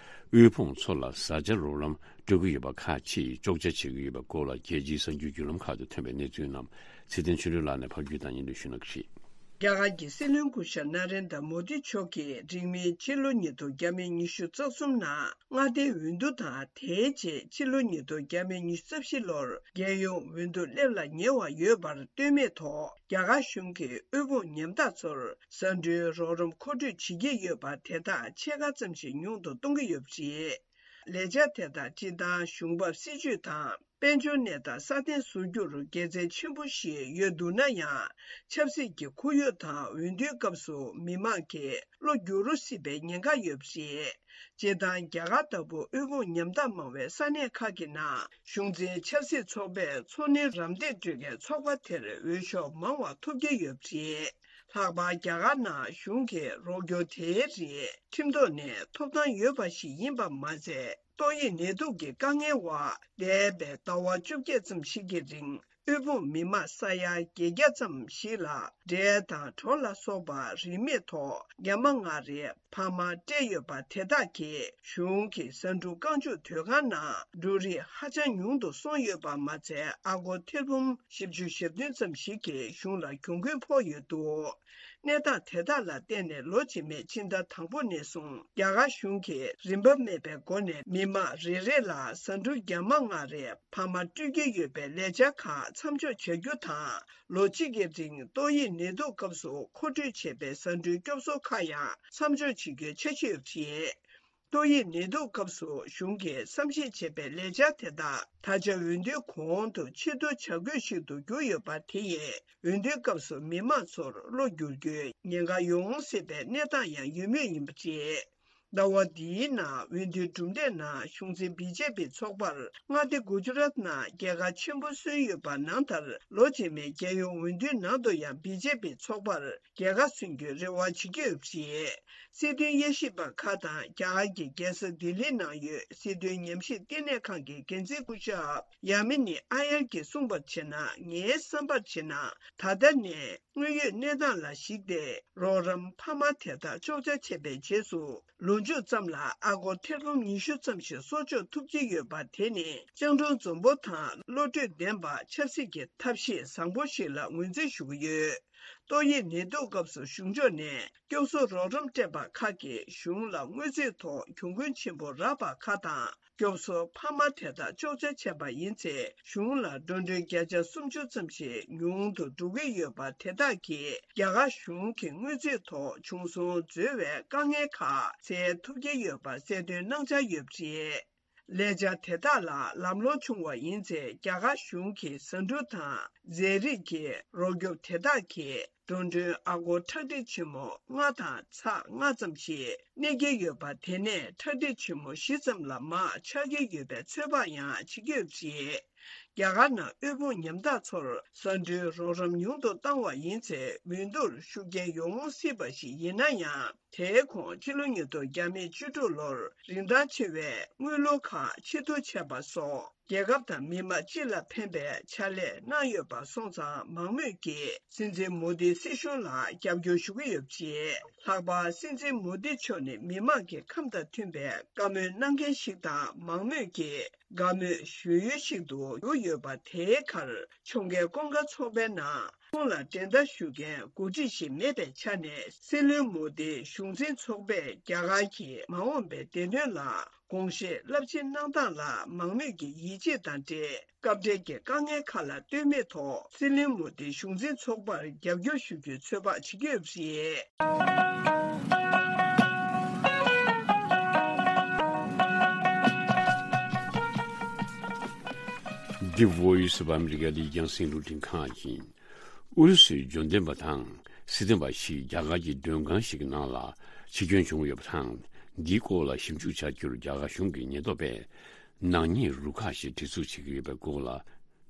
དབུལ་ཕོངས་ཚོ་ལ་བཟའ་བཅའ་རོགས་རམ་སྤྲོད་ཀྱི་ཡོད་པ་ཁག་ཅིག་གཅོག་ཆ་བྱེད་ཀྱི་ཡོད་པའི་སྐོར་ལ་རྒྱལ་སྤྱིའི་གསར་འགྱུར་བརྒྱུད་ལམ་ཁག་ཏུ་ཐོན་པའི་གནས་ཚུལ་རྣམས་ཚེ་བརྟན་ཆོས་སྒྲོན་ལགས་ནས་ཕབ་སྒྱུར་དང་སྙན་སྒྲོན་ཞུ་གནང་གི་རེད། རྒྱ་གར་གྱི་སྲིད་བློན་སྐུ་ཞབས་ན་རེན་དྲ་མོ་དི་མཆོག་གིས་རིང་མིན་ཕྱི་ལོ་ཉིས་སྟོང་ཉི་ཤུ་རྩ་གསུམ་ནང་མངའ་སྡེའི་འོས་བསྡུ་དང་། དེའི་རྗེས་ཕྱི་ལོ་ཉིས་སྟོང་ཉི་ཤུ་རྩ་བཞི་ལོར་རྒྱལ་ཡོངས་འོས་བསྡུ་སླེབས་ལ་ཉེ་བ་ཡོད་པར་ལྟོས་མེད་ཐོག་རྒྱ་གར་གཞུང་གིས་དབུལ་ཕོངས་ཉམ་ཐག་ཚོར་བཟའ་འབྲུའི་རོགས་རམ་མཁོ་སྤྲོད་བྱེད་ཀྱི་ཡོད་པ་དེ་དག་ཕྱེད་ཀ་ཙམ་ཞིག་ཉུང་དུ་གཏོང་གི་ཡོད་པ་རེད། ལས་འཆར་དེ་དག་སྤྱིར་བཏང་གཞུང་འབབ་སྲིད་ཇུས་དང་དཔལ་འབྱོར་གནས་སྟངས་སྲ་བརྟན་བཟོ་རྒྱུར་དགེ་མཚན་ཆེན་པོ་ཞིག་ཡོད་འདུག་ན་ཡང་། ཆབ་སྲིད་ཀྱི་ཁོར་ཡུག་དང་འོས་བསྡུའི་སྐབས་སུ་མི་མང་གིས་བློ་འགྱུར་རོ་སྲིད་པའི་ཉེན་ཁ་ཡོད་པ་རེད། སྤྱིར་བཏང་རྒྱ་གར་ལྟ་བུ་དབུལ་ཕོངས་ཉམ་ཐག་མང་བའི་ས་གནས་ཁག་གི་ནང་གཞུང་འཛིན་ཆབ་སྲིད་ཚོགས་པས་འཚོ་སྣོན་རམ་འདེགས་སྤྲོད་མཁན་ཚོགས་པ་དེར་འོས་ཤོག་མང་བ་ཐོབ་ཀྱི་ཡོད་པ་རེད། ལྷག་པར་རྒྱ་གར་ནང་གཞུང་གི་རོགས་སྐྱོར་དེའི་རིགས་ཁྲིམས་ཐོག་ནས་ཐོབ་ཐང་ཡོད་པ་ཞིག་ཡིན་པ་མ་ཟད། ཏོག་དབྱིབས་ནད་དུག་གི་དཀའ་ངལ་འོག་འདས་པའི་ཟླ་བ་བཅོ་བརྒྱད་ཙམ་ཞིག་གི་རིང་དབུལ་ཕོངས་མི་མང་ས་ཡ་བརྒྱད་བརྒྱ་ཙམ་ཞིག་ལ་འབྲས་དང་གྲོ་ལ་སོགས་པ་རིན་མེད་ཐོག་རྒྱ་མ་མངའ་རིས་འཕར་མ་སྤྲད་ཡོད་པ་དེ་དག་གིས་གཞུང་གི་ཟ་འབྲུ་རྐང་བཅུག་དོས་ཁང་ནང་འབྲུ་རིགས་ཧ་ཅང་ཉུང་དུ་སོང་ཡོད་པ་མ་ཚད། ཨ་སྒོར་ཐེར་འབུམ་བཞི་བཅུ་ཞེ་བདུན་ཙམ་ཞིག་གིས་གཞུང་ལ་གྱོང་གུན་ཕོག་ཡོད་འདུག་གནས་སྟངས་དེ་དག་ལ་བརྟེན་ནས་ལོ་རྗེས་མའི་ཕྱི་ཟླ་དང་པོ་ནས་བཟུང་རྒྱ་གར་གཞུང་གིས་རིན་པ་མེད་པའི་སྒོ་ནས་མི་མང་རེ་རེ་ལ་ཟ་འབྲུ་རྒྱ་མ་མངའ་རིས་འཕར་མ་སྤྲོད་ཀྱི་ཡོད་པའི་ལས་འཆར་ཁག་མཚམས་འཇོག་བྱ་རྒྱུ་དང་། ལོ་གཅིག་གི་རིང་ཏོག་དབྱིབས་ནད་དུག་སྐབས་སུ་མཁོ་སྤྲོད་བྱས་པའི་ཟ་འབྲུའི་སྐྱོབ་གསོ་ཁག་ཡང་མཚམས་འཇོག་བྱེད་རྒྱུའི་འཆར་གཞི་ཡོད་པ་རེད། ཏོག་དབྱིབས་ནད་དུག་སྐབས་སུ་གཞུང་གིས་བསམ་གཞིག་བྱས་པའི་ལས་འཆར་དེ་དག་ད་ཆ་འོས་བསྡུའི་གོང་དུ་ཆེད་བསྡུ་བྱ་དགོས་ཤིག་ཏུ་གྱུར་ཡོད་པ་དེ་ཡིས་འོས་བསྡུའི་སྐབས་སུ་མི་མང་ཚོར་བློ་འགྱུར་རྒྱུའི་ཉེན་ཁ་ཡོང་སྲིད་པའི་གནས་སྟངས་ཡང་ཡོད་མུས་ཡིན་པ་རེད། ཟླ་བ་འདིའི་ནང་འོས་བསྡུའི་གྲུབ་འབྲས་ནང་གཞུང་འཛིན་བི་ཇེ་པི་ཚོགས་པར་མངའ་སྡེ་གུ་ཇུ་རཱཏ་ནང་རྒྱལ་ཁ་ཆེན་པོ་སོན་ཡོད་པ་ནང་ལྟར་ལོ་རྗེས་མའི་རྒྱལ་ཡོངས་འོས་བསྡུའི་ནང་དུ་ཡང་བི་ཇེ་པི་ཚོགས་པར་རྒྱལ་ཁ་སོན་རྒྱུའི་རེ་བ་བྱེད་ཀྱི་ཡོད་པ་རེད། སྲིད་དོན་དབྱེ་ཞིབ་པ་ཁག་དང་རྒྱ་གར་གྱི་རྒྱལ་ས་ལྡི་ལི་ནང་ཡོད་སྲིད་དོན་ཉམས་ཞིབ་ལྟེ་གནས་ཁང་གི་འགན་འཛིན་སྐུ་ཞབས་ཡ་མི་ནི་ཨ་ཡར་གྱིས་གསུངས་པར་བྱས་ན། ངའི་བསམ་པར་བྱས་ན་ད་ལྟ་ནས་དངོས་ཡོད་གནས་སྟངས་ལ་གཞིགས་ཏེ་རོགས་རམ་འཕར་མ་དེ་དག་གཅོག་ཆ་བྱས་པའི་རྗེས་སུ། ལོ་མཇུག་ཙམ་ལ་ཨ་སྒོར་ཐེར་འབུམ་ཉི་ཤུ་ཙམ་ཞིག་གསོག་འཇོག་ཐུབ་ཀྱི་ཡོད་པ་དེ་ནི་སྤྱང་གྲུང་འཛོམས་པོ་དང་བློ་གྲོས་ལྡན་པ། ཆབ་སྲིད་ཀྱི་ཐབས་ཤེས་བཟང་པོ་ཞིག་ལ་ངོས་འཛིན་ཞུ་གི་ཡོད། ཏོག་དབྱིབས་ནད་དུག་སྐབས་སུ་གཞུང་ཕྱོགས་ནས་སྐྱོབ་གསོ་རོགས་རམ་སྤྲད་པ་ཁག་གིས་གཞུང་ལ་དངུལ་རྩིས་ཐོག་གྱོང་གུན་ཆེན་པོ་རག་པ་ཁག་དང་། སྐྱོབ་གསོ་འཕར་མ་དེ་དག་གཅོག་ཆ་བྱས་པ་ཡིན་ཚེ་གཞུང་ལ་འགྲོ་གྲོན་བརྒྱ་ཆ་སུམ་ཅུ་ཙམ་ཞིག་ཉུང་དུ་འགྲོ་གི་ཡོད་པ་དེ་དག་གིས་རྒྱ་གར་གཞུང་གི་དངུལ་རྩིས་ཐོག་བྱུང་སོང་འཛོལ་བའི་དཀའ་ངལ་ཁག་སེལ་ཐུབ་ཀྱི་ཡོད་པ་གསལ་སྟོན་གནང་འཆར་ཡོད་པ་རེད། ལས་འཆར་དེ་དག་ལ་ལམ་ལྷོང་བྱུང་བ་ཡིན་ཚེ། རྒྱ་གར་གཞུང་གི་ཟ་འབྲུ་དང་རྫས་རིགས་ཀྱི་རོགས་སྐྱོབ་དེ་དག་གིས་འགྲོ་གྲོན་ཨ་སྒོར་ཁྲག་ཁྲིག་ཆེན་མོ་ལྔ་དང་ཚེག་ལྔ་ཙམ་ཞིག་གནས་ཀྱི་ཡོད་པ། དེ་ནས་ཁྲག་ཁྲིག་ཆེན་མོ་བཞི་ཙམ་ལ་མར་ཆག་གི་ཡོད་པའི་ཚོད་དཔག་ཡང་བྱེད་ཀྱི་ཡོད་པ་རེད། རྒྱ་གར་ནང་དབུལ་ཕོངས་ཉམ་ཐག་ཚོར་ཟ་འབྲུའི་རོགས་རམ་ཉུང་དུ་བཏང་བ་ཡིན་ཚེ། འོས་བསྡུར་ཤུགས་རྐྱེན་ཡོང་སྲིད་པ་ཞིག་ཡིན་ན་ཡང་། དེའི་གོང་ཕྱི་ལོ་ཉིས་སྟོང་བཅུ་དྲུག་ལོར་རིན་ཐང་ཆེ་བའི་དངུལ་ལོར་ཁག་ཆེ་བསྡུ་བྱས་པ་སོགས་རྒྱལ་ཁབ་དང་མི་དམངས་སྤྱི་ལ་ཕན་པའི་ཕྱག་ལས་གནང་ཡོད་པ་སོང་ཙང་། མང་མོས་ཀྱིས་སྲིད་འཛིན་མོ་དིའི་སྲིད་གཞུང་ལ་རྒྱབ་སྐྱོར་ཞུ་གི་ཡོད་པ་རེད། ལྷག་པར་སྲིད་འཛིན་མོ་དི་མཆོག་ནི་མི་དམངས་ཀྱི་ཁམས་དང་མཐུན་པའི་བཀའ་མོལ་གནང་མཁན་ཞིག་དང་། མང་མོས་ཀྱིས་དགའ་མོས་ཞུ་ཡུལ་ཞིག་ཏུ་གྱུར་ཡོད་པ། དེའི་ཁར་ཕྱོགས་འགལ་ཀུན་དགའ་ཚོགས་པའི་ནང་ཁོང་ལ་འགྲན་ཟླ་ཞུ་མཁན་འགོ་ཁྲིད་ཞིག་མེད་པའི་ཆ་ནས། སྲིད་བློན་མོ་དིའི་གཞུང་འཛིན་ཚོགས་པས་རྒྱ་གར་གྱི་མ་འོངས་པའི་བདེ་དོན་ལ་དགོངས་བཞེས་རླབས་ཆེན་གནང་སྟངས་ལ་མང་མོས་ཀྱི་ཡིད་ཆེས་དང་འབྲེལ། སྐབས་འབྲེལ་གྱི་དཀའ་ངལ་ཁག་ལ་ལྟོས་མེད་ཐོག་སྲིད་བློན་མོ་དིའི་གཞུང་འཛིན་ཚོགས་པར་རྒྱབ་སྐྱོར་ཞུ་རྒྱུའི་ཚོད་དཔག་བྱེད་ཀྱི་ཡོད་པ་རེད། འདི་Voice of America ཡི་རྒྱང་སྲིང་རླུང་འཕྲིན་ཁང་ཡིན། ཨུ་རུ་སུའི་འབྱོར་ལྡན་པ་དང་སྲིད་དོན་པ་ཞིག་རྒྱ་གར་གྱི་མགྲོན་ཁང་ཞིག་གི་ནང་ལ་འཆི་སྐྱོན་བྱུང་ཡོད་པ་དང་། འདིའི་སྐོར་ལ་ཞིབ་འཇུག་བྱ་རྒྱུར་རྒྱ་གར་གཞུང་གི་ཉེན་རྟོག་པས་ནག་ཉེས་རུ་ཁག་ཞིག་སྒྲིག་འཛུགས་བྱེད་ཀྱི་ཡོད་པའི་སྐོར་ལ།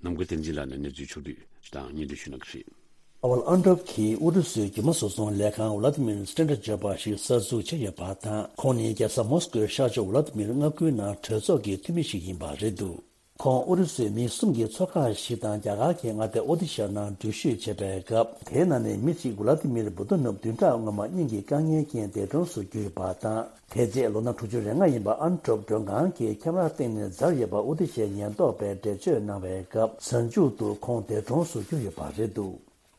ནམ་མཁའ་བསྟན་འཛིན་ལགས་ནས་གནས་ཚུལ་ཕྱོགས་བསྡུས་ཤིག་དང་སྙན་སྒྲོན་ཞུ་གནང་གི་རེད། ཨ་ཝལ་ཨན་ཏྲོབ་ཀྱིས་ཨུ་རུ་སུའི་རྒྱུ་མ་བཟོ་ཚོང་ལས་ཁང་ཝ་ལ་ཏི་མིར་སི་ཏྲེན་ཏྲ་ཟེར་བ་ཞིག་གསར་འཛུགས་བྱས་ཡོད་པ་དང་། ཁོང་ནི་རྒྱལ་ས་མོ་སི་ཀོའི་ཤར་ཕྱོགས་ཝ་ལ་ཏི་མིར་མངའ་ཁུལ་ནང་གྲོས་ཚོགས་ཀྱི་འཐུས་མི་ཞིག་ཡིན་པ་རེད་འདུག་ཁོང་ཨུ་རུ་སུའི་མི་གསུམ་གྱི་ཚོ་ཁག་ཞིག་དང་རྒྱ་གར་གྱི་མངའ་སྡེ་ཨོ་ཏི་ཤ་ནང་འགྲུལ་བཞུད་བྱས་པའི་སྐབས། དེའི་ནང་ནས་མི་གཅིག་ཝ་ལ་ཏི་མིར་བུ་དོ་ནུབ་བདུན་ཕྲག་སྔོན་མ་སྙིང་གི་དཀའ་ངལ་རྐྱེན་འདས་གྲོངས་སུ་གྱུར་ཡོད་པ་དང་། དེ་རྗེས་ལོ་ན་དྲུག་ཅུ་རེ་ལྔ་ཡིན་པ་ཨན་ཏྲོབ་མགྲོན་ཁང་གི་ཁེམ་ར་སྟེང་ནས་འཛར་ཡོད་པ་ཨུ་ཏི་ཤའི་ཉེན་རྟོག་པས་འགྲེལ་བརྗོད་གནང་བའི་སྐབས། གཟའ་མཇུག་ཏུ་ཁོང་འདས་གྲོངས་སུ་གྱུར་ཡོད་པ་རེད་འདུག་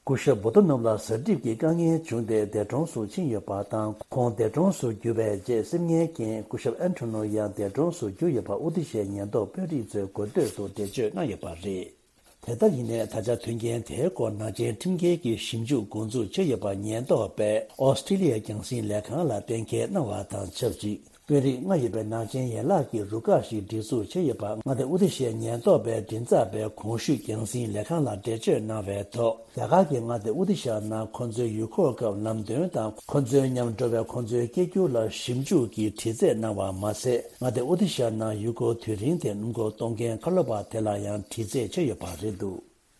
སྐུ་ཞབས་བུ་དོ་ནུབ་ལ་གཟའ་གྲིབ་ཀྱི་དཀའ་ངལ་བྱུང་སྟེ་འདས་གྲོངས་སུ་ཕྱིན་ཡོད་པ་དང་། ཁོང་འདས་གྲོངས་སུ་གྱུར་བའི་རྗེས་སེམས་ངལ་རྐྱེན་སྐུ་ཞབས་ཨན་ཐོ་ནོ་ཡང་འདས་གྲོངས་སུ་གྱུར་ཡོད་པ་ཨུ་ཏི་ཤའི་ཉེན་རྟོག་དཔོན་རིགས་ཚོས་གོ་ཐོས་སུ་འགྲེལ་བརྗོད་གནང་ཡོད་པ་རེད། དེ་ལྟར་ཡིན་ནའི་ད་ཆ་དོན་རྐྱེན་དེའི་སྐོར་ནག་ཅན་ཁྲིམས་འགལ་གྱི་ཞིབ་འཇུག་འགོ་འཛུགས་བྱས་ཡོད་པ་ཉེན་རྟོག་པས་ཨོ་སི་ཀྲི་ལི་ཡའི་རྒྱང་སྲིང་ལས་ཁང་ལ་གཏན་འཁེལ་གནང་བ་དང་ཆབས་ཅིག་དཔོན་རིགས་ལྔ་ཡོད་པའི་ནག་ཅན་ཡན་ལག་གི་རུ་ཁག་ཞིག་སྒྲིག་འཛུགས་བྱས་ཡོད་པ་མངའ་སྡེ་ཨུ་ཏི་ཤའི་ཉེན་རྟོག་པའི་མགྲིན་ཚབ་པས་གོང་ཞུས་རྒྱང་སྲིང་ལས་ཁང་ལ་འགྲེལ་བརྗོད་གནང་བའི་ཐོག་རྒྱ་གར་གྱི་མངའ་སྡེ་ཨུ་ཏི་ཤ་ནང་ཁོ་ཚོའི་ཡུལ་སྐོར་སྐབས་ལམ་སྟོན་དང་ཁོ་ཚོའི་མཉམ་འགྲོ་བའི་ཁོ་ཚོའི་སྐྱེ་རྒྱུ་ལ་ཞིབ་འཇུག་གིས་དྲི་རྩད་གནང་བ་མ་ཟད། མངའ་སྡེ་ཨུ་ཏི་ཤ་ནང་ཡུལ་སྐོར་དུས་རིང་དེ་སྣུམ་འཁོར་གཏོང་མཁན་ཁ་ལོ་པ་དེ་ལ་ཡང་དྲི་རྩད་བྱས་ཡོད་པ་རེད་འདུག་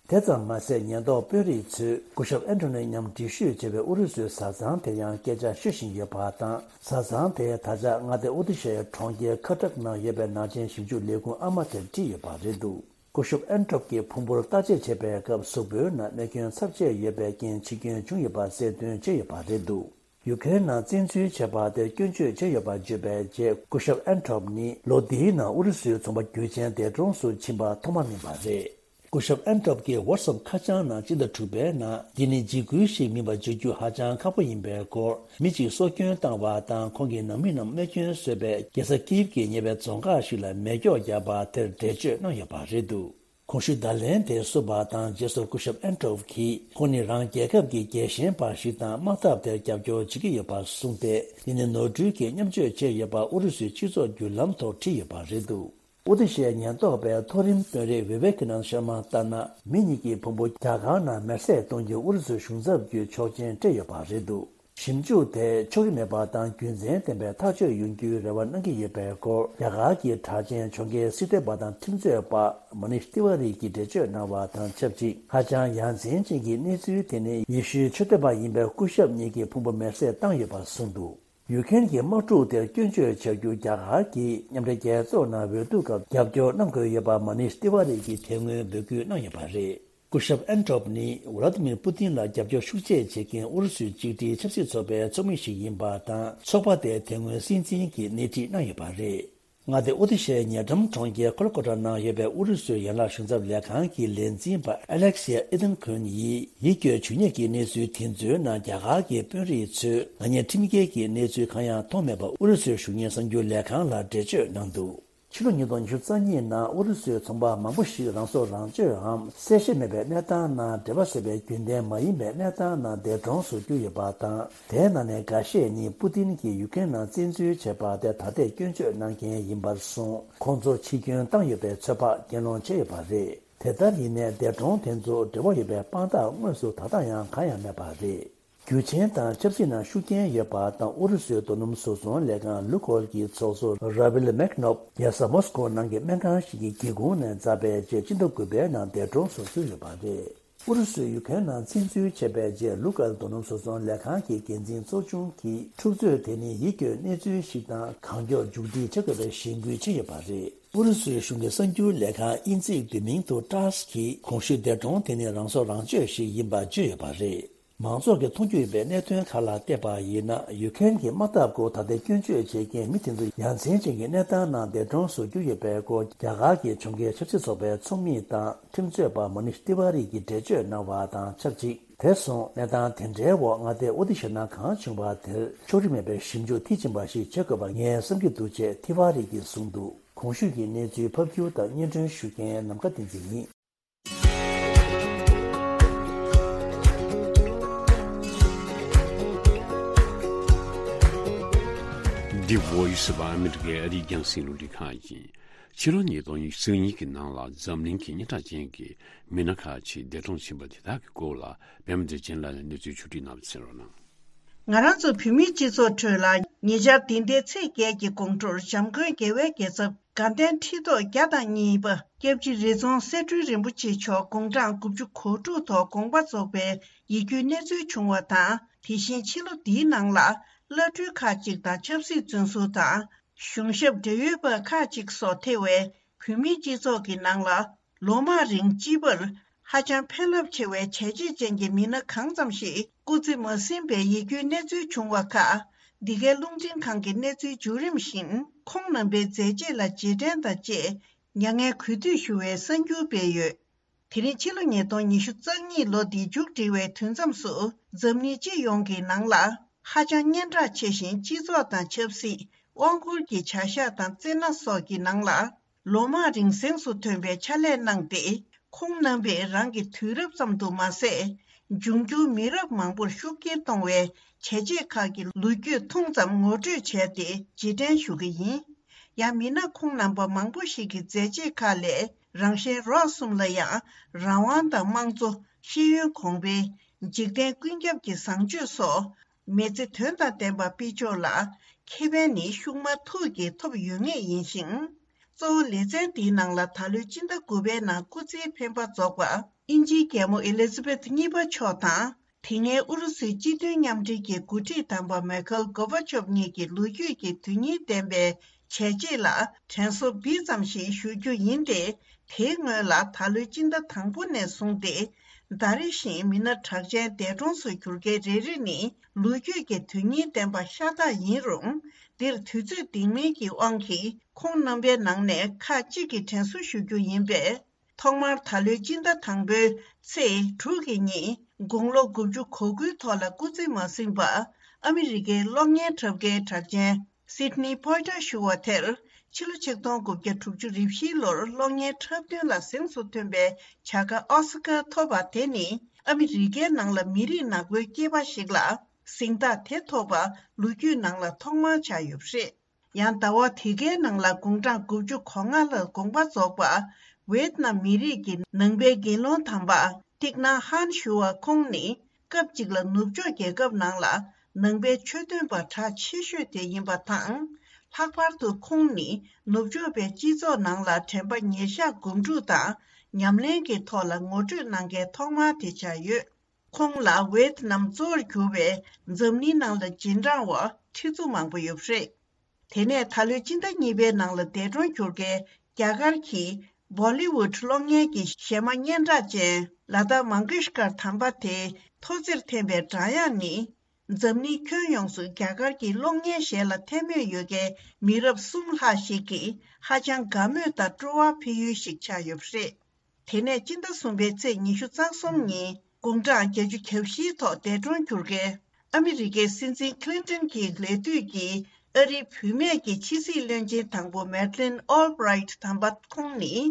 དེ་ཙམ་མ་ཟད། ཉེན་རྟོག་དཔོན་རིགས་ཚོས་སྐུ་ཞབས་ཨན་ཐོ་ནི་མཉམ་འགྲུལ་བཞུད་བྱས་པའི་ཨུ་རུ་སུའི་བཟའ་ཚང་དེར་ཡང་སྐད་ཆ་ཤོད་བཞིན་ཡོད་པ་དང་། བཟའ་ཚང་དེས་ད་ཆ་མངའ་སྡེ་ཨུ་ཏི་ཤའི་གྲོང་ཁྱེར་ཁ་ཏྲག་ནང་ཡོད་པའི་ནག་ཅན་ཞིབ་འཇུག་ལས་ཁུངས་ཨ་མ་དེར་དྲིས་ཡོད་པ་རེད་འདུག་སྐུ་ཞབས་ཨན་ཐོབ་ཀྱི་ཕུང་པོར་བརྟག་དཔྱད་བྱས་པའི་སྐབས། གཟུགས་པོའི་ནང་རྨས་སྐྱོན་ཚབས་ཆེ་ཡོད་པའི་རྐྱེན་འཆི་སྐྱོན་བྱུང་ཡོད་པ་གསལ་སྟོན་བྱས་ཡོད་པ་རེད་འདུག་ཡུ་ཁེ་རེན་ནང་བཙན་འཛུལ་བྱས་པ་དེར་སྐྱོན་བརྗོད་བྱས་ཡོད་པ་བརྗོད་པའི་རྗེས། སྐུ་ཞབས་ཨན་ཐོབ་ནི་ལོ་འདིའི་ནང་ཨུ་རུ་སུའི་ཚོང་པ་རྒྱུ་ཆེན་འདས་གྲོངས་སུ་ཕྱིན་པ་ཐོག་མ་མིན་པ་རེད། སྐུ་ཞབས་ཨན་ཐོབ་ཀྱི་ཝཊ་སེབ་ཁ་བྱང་ནང་སྤྱི་ཟླ་དྲུག་པའི་ནང་། འདི་ནི་འཇིགས་སྐུལ་ཞིག་མིན་པ་བརྗོད་རྒྱུ་ཧ་ཅང་ཁག་པོ་ཡིན་པའི་སྐོར། མི་གཅིག་སྲོག་སྐྱོན་བཏང་བ་དང་། ཁོང་གི་ནང་མི་རྣམས་རྨས་སྐྱོན་བཟོས་པའི་རྒྱལ་ས་ཀིབ་ཀྱི་ཉེ་བའི་རྫོང་ཁག་ཞིག་ལ་མེ་སྒྱོགས་བརྒྱབ་པ་དེར་འགྲེལ་བརྗོད་གནང་ཡོད་པ་རེད་འདུག་གོང་ཞུས་བརྡ་ལན་དེ་བསུབས་པ་དང་། རྗེས་སུ་སྐུ་ཞབས་ཨན་ཐོབ་ཀྱིས་ཁོང་ནི་རང་རྒྱལ་ཁབ་ཀྱི་རྒྱལ་ཞེན་པ་ཞིག་དང་། དམག་འཐབ་དེར་རྒྱབ་སྐྱོར་བྱེད་ཀྱི་ཡོད་པ་གསུངས་ཏེ། འདི་ནི་ནོར་འཁྲུལ་གྱིས་མཉམ་སྤྱོད་བྱས་ཡོད་པ་ཨུ་རུ་སུའི་སྤྱི་ཚོགས་བརྒྱུད་ལམ་ཐོག་བྲིས་ཡོད་པ་རེད་འདུག་ཨུ་ཏི་ཤའི་ཉེན་རྟོག་པའི་མཐོ་རིམ་དཔོན་རིགས་ཝི་ཝེ་ཀི་ནན་ཤར་མ་ལྟར་ན། མི་གཉིས་ཀྱི་ཕུང་པོ་རྒྱ་གར་ནང་མེར་སྲེག་གཏོང་རྒྱུ་ཨུ་རུ་སུའི་གཞུང་ཚབ་ཀྱིས་ཆོག་མཆན་སྤྲད་ཡོད་པ་རེད་འདུག་ཞིབ་འཇུག་དེས་ཕྱོགས་རིས་མེད་པ་དང་རྒྱུ་མཚན་ལྡན་པའི་ཐག་གཅོད་ཡོང་རྒྱུའི་རེ་བ་གནང་གི་ཡོད་པའི་སྐོར། རྒྱ་གར་གྱི་གྲགས་ཅན་གྱོང་གུན་སྲིད་དོན་པ་དང་ཁྲིམས་རྩོད་པ་མ་ནིཤ་ཏི་ཝ་རི་གིས་འགྲེལ་བརྗོད་གནང་བ་དང་ཆབས་ཅིག་ཧ་ཅང་ཡ་མཚན་ཅན་གྱི་གནས་ཚུལ་དེ་ནི། ཡེ་ཤུའི་ཆོས་དད་པ་ཡིན་པའི་སྐུ་ཞབས་གཉིས་ཀྱི་ཕུང་པོ་མེར་སྲེག་བཏང་ཡོད་པ་གསུངས་འདུག་ཡུ་ཁེན་གྱི་དམག་འཁྲུག་དེར་སྐྱོན་བརྗོད་བྱ་རྒྱུ་རྒྱ་གར་གྱིས་མཉམ་འབྲེལ་རྒྱལ་ཚོགས་ནང་འོས་བསྡུ་སྐབས་རྒྱབ་སྐྱོར་གནང་དགོས་ཡོད་པ་མ་ནིཤ་ཏི་ཝ་རི་གིས་དེ་སྔོན་འབོད་སྐུལ་གནང་ཡོད་པ་རེད། སྐུ་ཞབས་ཨན་ཐོབ་ནི་ཝ་ལ་ཏི་མིར་པུ་ཏིན་ལ་རྒྱབ་སྐྱོར་ཤུགས་ཆེ་བྱེད་མཁན་ཨུ་རུ་སུའི་གཅིག་སྒྲིལ་ཆབ་སྲིད་ཚོགས་པའི་ཚོགས་མི་ཞིག་ཡིན་པ་དང་། ཚོགས་པ་དེ་དེ་སྔོན་སྲིད་འཛིན་གྱིས་སྣེ་ཁྲིད་གནང་ཡོད་པ་རེད། མངའ་སྡེ་ཨོ་ཏི་ཤའི་ཉེ་འགྲམ་གྲོང་ཁྱེར་ཁོལ་ཀོ་ཊ་ནང་ཡོད་པའི་ཨུ་རུ་སུའི་ཡན་ལག་གཞུང་ཚབ་ལས་ཁང་གི་ལས་འཛིན་པ་ཨ་ལེག་སི་ཡ་ཨི་ཏན་ཁུན་ཡིས། ཡིད་སྐྱོའི་ཇུས་ཉེས་ཀྱི་གནས་ཚུལ་དེ་ཚོའི་ནང་རྒྱ་གར་གྱི་དཔོན་རིགས་ཚོས་ནག་ཉེས་ཁྲིམས་འགལ་གྱི་གནས་ཚུལ་གང་ཡང་མཐོང་མེད་པ་ཨུ་རུ་སུའི་གཞུང་གཉེར་གསར་འགྱུར་ལས་ཁང་ལ་འགྲེལ་བརྗོད་གནང་འདུག་ཕྱི་ལོ་ཉིས་སྟོང་ཉི་ཤུ་རྩ་གཉིས་ནང་ཨུ་རུ་སུའི་ཚོང་པ་མང་པོ་ཞིག་རང་སྲོག་རང་གཅོད་འམ་གསལ་བཤད་མེད་པའི་གནས་སྟངས་ནང་འབྲེལ་བ་བཟོས་པའི་རྒྱུན་ལྡན་མ་ཡིན་པའི་གནས་སྟངས་ནང་འདས་གྲོངས་སུ་གྱུར་ཡོད་པ་དང་། དེའི་ནང་ནས་འགའ་ཤས་ནི་པུ་ཏིན་གྱིས་ཡུ་ཀེན་ནང་བཙན་འཛུལ་བྱས་པ་དེ་ད་ལྟའི་སྐྱོན་བརྗོད་གནང་མཁན་ཡིན་པར་སོང་། ཁོང་ཚོ་འཆི་སྐྱོན་བཏང་ཡོད་པའི་ཚོད་དཔག་གྱེན་ལོག་བྱས་ཡོད་པ་རེད། དེ་ལྟར་ཡིན་ནའི་འདས་གྲོངས་དེ་ཚོ་འབྲེལ་བ་ཡོད་པའི་དཔང་རྟགས་དངོས་སུ་ད་ལྟ་ཡང་གང་ཡང་མེད་པ་རེད། རྒྱུ་ཆེན་དང་ཆབ་སྲིད་ནང་ཤུགས་རྐྱེན་ཡོད་པ་དང་ཨུ་རུ་སུའི་རྡོ་སྣུམ་བཟོ་ཚོང་ལས་ཁང་ལུ་ཀོལ་གྱི་ཚོགས་གཙོ་ར་ཝིལ་མེག་ནོབ་རྒྱལ་ས་མོ་སི་ཀོ་ནང་གི་སྨན་ཁང་ཞིག་གི་སྒེའུ་ཁུང་ནས་འཛེགས་པའི་རྗེས་སྤྱི་ཟླ་དགུ་པའི་ནང་འདས་གྲོངས་སུ་གྱུར་ཡོད་པ་རེད། ཨུ་རུ་སུས་ཡུ་ཀེན་ནང་བཙན་འཛུལ་བྱས་པའི་རྗེས་ལུ་ཀོལ་རྡོ་སྣུམ་བཟོ་ཚོང་ལས་ཁང་གི་འགན་འཛིན་ཚོགས་ཆུང་གིས་འཁྲུག་རྩོད་དེ་ནི་ཡིད་སྐྱོའི་གནས་ཚུལ་ཞིག་དང་གང་མགྱོགས་མཇུག་སྒྲིལ་བྱེད་དགོས་པའི་གཞེན་སྐུལ་བྱས་ཡོད་པ་རེད། ཨུ་རུ་སུའི་གཞུང་གི་གསར་འགྱུར་ལས་ཁང་དབྱིན་ཚིག་བསྡུས་མིང་དུ་ཊཱས་ཀྱིས་གོང་ཞུས་འདས་གྲོངས་དེ་ནི་རང་སྲོག་རང་གཅོད་ཞིག་ཡིན་པ་བརྗོད་ཡོད་པ་རེད། མང་ཚོགས་ཀྱིས་མཐོང་རྒྱུ་ཡོད་པའི་གནད་དོན་ཁག་ལ་བལྟས་པ་ཡིན་ན། ཡུ་ཀེན་གྱི་དམག་འཐབ་སྐོར་ད་ལྟའི་སྐྱོན་བརྗོད་བྱེད་མཁན་མི་དེ་ཚོ་ཡ་མཚན་ཅན་གྱི་གནས་སྟངས་ནང་འདས་གྲོངས་སུ་གྱུར་ཡོད་པའི་སྐོར་རྒྱ་གར་གྱི་ཕྱོགས་འགལ་ཆབ་སྲིད་ཚོགས་པའི་ཚོགས་མི་དང་ཁྲིམས་རྩོད་པ་མ་ནིཤ་ཏི་ཝ་རི་གིས་འགྲེལ་བརྗོད་གནང་བ་དང་ཆབས་ཅིག་དེ་སོང་གནས་སྟངས་དེ་འདྲའི་འོག་མངའ་སྡེ་ཨོ་ཏི་ཤ་ན་གང་བྱུང་བ་དེར་ཕྱོགས་རིས་མེད་པའི་ཞིབ་འཇུག་མཐིལ་ཕྱིན་པ་ཞིག་བྱེད་དགོས་པ་ངས་བསམ་གྱི་འདུག་ཅེས་ཏི་ཝ་རི་གིས་གསུངས་འདུག་གོང་ཞུས་ཀྱི་གནས་ཚུལ་ཕབ་སྒྱུར་དང་སྙན་སྒྲོན་ཞུ་མཁན་ནམ་མཁའ་བསྟན་འཛིན་ཡིན། འདི་Voice of America ཨ་རིའི་རྒྱང་སྲིང་རླུང་འཕྲིན་ཁང་ཡིན། ཕྱི་ལོ་ཉིས་སྟོང་ཉི་ཤུ་རྩ་གཉིས་ཀྱི་ནང་ལ་འཛམ་གླིང་གི་སྙན་གྲགས་ཅན་གྱི་མི་སྣ་ཁག་ཅིག་འདས་གྲོངས་ཕྱིན་པ་དེ་དག་གི་སྐོར་ལ་པད་མ་བདེ་ཆེན་ལགས་ནས་གནས་ཚུལ་ཕྱོགས་སྒྲིག་གནང་བ་གསན་རོགས་གནང་། ང་རང་ཚོ་བོད་མིའི་སྤྱི་ཚོགས་ཁྲོད་ལ་ཉེ་ཆར་འདི་ཟླའི་ཚེས་བརྒྱད་ཀྱི་དགོང་དྲོར་འཇམ་མགོན་རྒྱལ་བའི་རྒྱལ་ཚབ་དགའ་ལྡན་ཁྲི་ཐོག་བརྒྱ་དང་གཉིས་པ་སྐྱབས་རྗེ་རི་རྫོང་གསེར་སྦྲུལ་རིན་པོ་ཆེ་མཆོག་དགུང་གྲངས་དགུ་བཅུ་གོ་དྲུག་ཐོག་དགོངས་པ་རྫོགས་པའི་ཡིད་སྐྱོའི་གནས་ཚུལ་བྱུང་བ་དང་། དེ་བཞིན་ཕྱི་ལོ་འདིའི་ནང་ལ་བླ་སྤྲུལ་ཁག་ཅིག་དང་ཆབ་སྲིད་བཙོན་ཟུར་དང་། གཞུང་ཞབས་འབྲེལ་ཡོད་པ་ཁག་ཅིག་སོགས་ཐེ་བའི་བོད་མིའི་སྤྱི་ཚོགས་ཀྱི་ནང་ལ་ལོ་མང་རིང་སྤྱི་པར་ཧ་ཅང་ཕན་རླབས་ཆེ་བའི་བྱས་རྗེས་ཅན་གྱི་མི་སྣ་གང་ཙམ་ཞིག་སྐུ་ཚེ་མ་ཟིན་པའི་ཡིད་སྐྱོའི་གནས་ཚུལ་བྱུང་བ་ཁག་འདི་གའི་རླུང་འཕྲིན་ཁང་གི་གནས་ཚུལ་བརྒྱུད་རིམ་བཞིན་ཁོང་རྣམ་པའི་མཛད་རྗེས་ལ་རྗེས་དྲན་དང་བཅས་མྱ་ངན་གུས་འདུད་ཞུ་བའི་གསར་འགྱུར་སྤེལ་ཡོད། དེ་རིང་ཕྱི་ལོ་ཉིས་སྟོང་ཉི་ཤུ་རྩ་གཉིས་ལོ་འདི་མཇུག་སྒྲིལ་བའི་དུས་མཚམས་སུ་འཛམ་གླིང་སྤྱི་ཡོངས་ཀྱི་ནང་ལ་ཧ་ཅང་སྙན་གྲགས་ཆེ་ཞིང་སྤྱི་ཚོགས་དང་ཆབ་སྲིད། དབང་བསྒྱུར་གྱི་བྱ་གཞག་དང་རྩེད་སྣ་སོགས་ཀྱི་ནང་ལ་ལོ་མང་རིང་གཟེངས་སུ་ཐོན་པའི་ཕྱག་ལས་གནང་སྟེ། ཁོང་རྣམ་པས་རང་གི་དུས་རབས་ཙམ་དུ་མ་ཟད། འབྱུང་འགྱུར་མི་རབས་མང་པོར་ཤུགས་རྐྱེན་གཏོང་བའི་བྱས་རྗེས་ཁག་གི་ལོ་རྒྱུས་ཐུང་ཙམ་ངོ་སྤྲོད་བྱས་ཏེ་རྗེས་དྲན་ཞུ་གི་ཡིན། ཡང་མི་སྣ་ཁོང་རྣམ་པ་མང་པོ་ཞིག་གི་མཛད་རྗེས་ཁག་ལས་རང་གཞན་རོགས་གསུམ་ལ་ཡང་རང་དབང་དང་དམངས་གཙོ། ཤེས་ཡོན་གོང་འཕེལ། འཇིག་རྟེན་ཀུན་ཁྱབ་ཀྱི་བཟང་སྤྱོད་སོགས་མི་ཚེ་དོན་དང་ལྡན་པ་སྤེལ་ཕྱོགས་ལ་ཁེ་ཕན་ནི་ཤུགས་མ་ཐུག་གིས་ཐོབ་ཡོད་ངེས་ཡིན་ཞིང་། གཙོ་བོ་ལེ་ཚན་འདིའི་ནང་ལ་ད་ལོའི་སྤྱི་ཟླ་དགུ་པའི་ནང་སྐུ་ཚེའི་འཕེན་པ་རྫོགས་པ་དབྱིན་ཇིའི་རྒྱལ་མོ་ཨེ་ལི་ཛ་བེཐ་གཉིས་པ་མཆོག་དང་། དེ་སྔའི་ཨུ་རུ་སུའི་སྤྱི་མཐུན་མཉམ་འབྲེལ་གྱི་འགོ་ཁྲིད་དམ་པ་མེ་ཁེལ་གོ་བ་ཆོབ་གཉིས་ཀྱི་ལོ་རྒྱུས་ཀྱི་དོན་སྙིང་ལྡན་པའི་བྱས་རྗེས་ལ་དྲན་གསོ་སྦིར་ཙམ་ཞིག་ཞུ་རྒྱུ་ཡིན་ཏེ། དེའི་སྔོན་ལ་ད་ལོའི་སྤྱི་ཟླ་དང་པོ་ནས་བཟུང་སྟེ། ཟླ་རེ་བཞིན་མི་སྣ་གྲགས་ཅན་འདས་གྲོངས་སུ་གྱུར་མཁན་རེ་རེ་ནི་ལོ་རྒྱུས་ཀྱི་དོན་སྙིང་ལྡན་པ་ཤ་སྟག་ཡིན་རུང་། འདིར་དུས་ཚོད་འདང་མིན་གྱི་དབང་གིས་ཁོང་རྣམ་པའི་ནང་ནས་ཁག་ཅིག་གི་དྲན་གསོ་ཞུ་རྒྱུ་ཡིན་པས། ཐོག་མར་ད་ལོའི་སྤྱི་ཟླ་དང་པོའི་ཚེས་དྲུག་གི་ཉིན་དགུང་ལོ་དགུ་བཅུ་གོ་དགུའི་ཐོག་ལ་སྐུ་ཚེ་མ་ཟིན་པ་ཨ་མི་རི་ཀའི་གློག་བརྙན་འཁྲབ་མཁན་གྲགས་ཅན་སིད་ནི་པོའི་ཊར་ཞུ་བ་དེར་ཕྱི་ལོ་ཆིག་སྟོང་དགུ་བརྒྱ་དྲུག་ཅུ་རེ་བཞིའི་ལོར་གློག་བརྙན་འཁྲབ་སྟོན་ལ་གཟེངས་སུ་ཐོན་པའི་བྱ་དགའ་ཨོ་སི་ཀར་ཐོབ་པ་དེ་ནི་ཨ་མི་རི་ཀའི་ནང་ལ་མི་རིགས་ནག་པོའི་སྐྱེས་པ་ཞིག་ལ་གཟེངས་རྟགས་དེ་ཐོབ་པ་ལོ་རྒྱུས་ནང་ལ་ཐོག་མར་ཆགས་ཡོད་པ་རེད། ཡང་ཟླ་བ་དེ་གའི་ནང་ལ་དགུང་གྲངས་དགུ་བཅུ་གོ་ལྔ་ལ་དགོངས་པ་རྫོགས་པ་ཝེད་ནམ་མི་རིགས་ཀྱི་ནང་པའི་དགེ་སློང་དམ་པ་ཏིག་ནཱ་ཧན་ཞུ་བ་ཁོང་ནི་སྐབས་གཅིག་ལ་ནུབ་ཕྱོགས་རྒྱལ་ཁབ་ནང་ལ་ནང་པའི་ཆོས་སྟོན་པ་གྲགས་ཆེ་ཤོས་དེ་ཡིན་པ་དང་། ལྷག་པར་དུ་ཁོང་ནི་ནུབ་ཕྱོགས་པའི་སྤྱི་ཚོགས་ནང་ལ་དྲན་པ་ཉེར་བཞག་སྒོམ་སྒྲུབ་དང་ཉམས་ལེན་གྱི་ཐོག་ལ་ངོ་སྤྲོད་གནང་མཁན་ཐོག་མ་དེ་ཆགས་ཡོད། ཁོང་ལ་ཝེད་ནམ་གཙོ་བོར་གྱུར་པའི་འཛམ་གླིང་ནང་ལ་རྗེས་འབྲང་བ་ཁྲི་ཚོ་མང་པོ་ཡོད་པ་རེད། དེ་ནས་ད་ལོའི་སྤྱི་ཟླ་གཉིས་པའི་ནང་ལ་འདས་གྲོངས་གྱུར་མཁན་རྒྱ་གར་གྱི་བོ་ལི་ཝུད་གློག་བརྙན་གྱི་གཞས་མ་སྙན་གྲགས་ཅན་ལ་ཏཱ་མང་གེཤ་ཀར་དམ་པ་དེའི་ཐོག་བརྩེགས་འཐེན་པའི་སྒྲ་དབྱངས་ནི། འཛམ་གླིང་ཁྱོན་ཡོངས་སུ་རྒྱ་གར་གྱི་གློག་བརྙན་གཞས་ལ་ཐལ་མོ་ཡོད་མཁན་མི་རབས་གསུམ་ལྷག་ཞིག་གིས་ཧ་ཅང་དགའ་མོས་དང་སྤྲོ་བ་འཕེལ་ཡུལ་ཞིག་ཆགས་ཡོད་པ་རེད། དེ་ནས་སྤྱི་ཟླ་གསུམ་པའི་ཚེས་ཉི་ཤུ་རྩ་གསུམ་ཉིན་དགུང་གྲངས་བརྒྱད་ཅུ་གྱ་བཞིའི་ཐོག་འདས་གྲོངས་གྱུར་མཁན་ཨ་མི་རི་ཀའི་སྲིད་འཛིན་ཁི་ལིན་ཏོན་གྱི་ལས་དུས་ཀྱི་ ཨ་རིའི་བུད་མེད་ཀྱི་ཕྱི་སྲིད་བློན་ཆེན་དང་པོ་མེར་ལིན་ཨོལ་བྷི་རའིཊ་དམ་པ་ཁོང་ནི།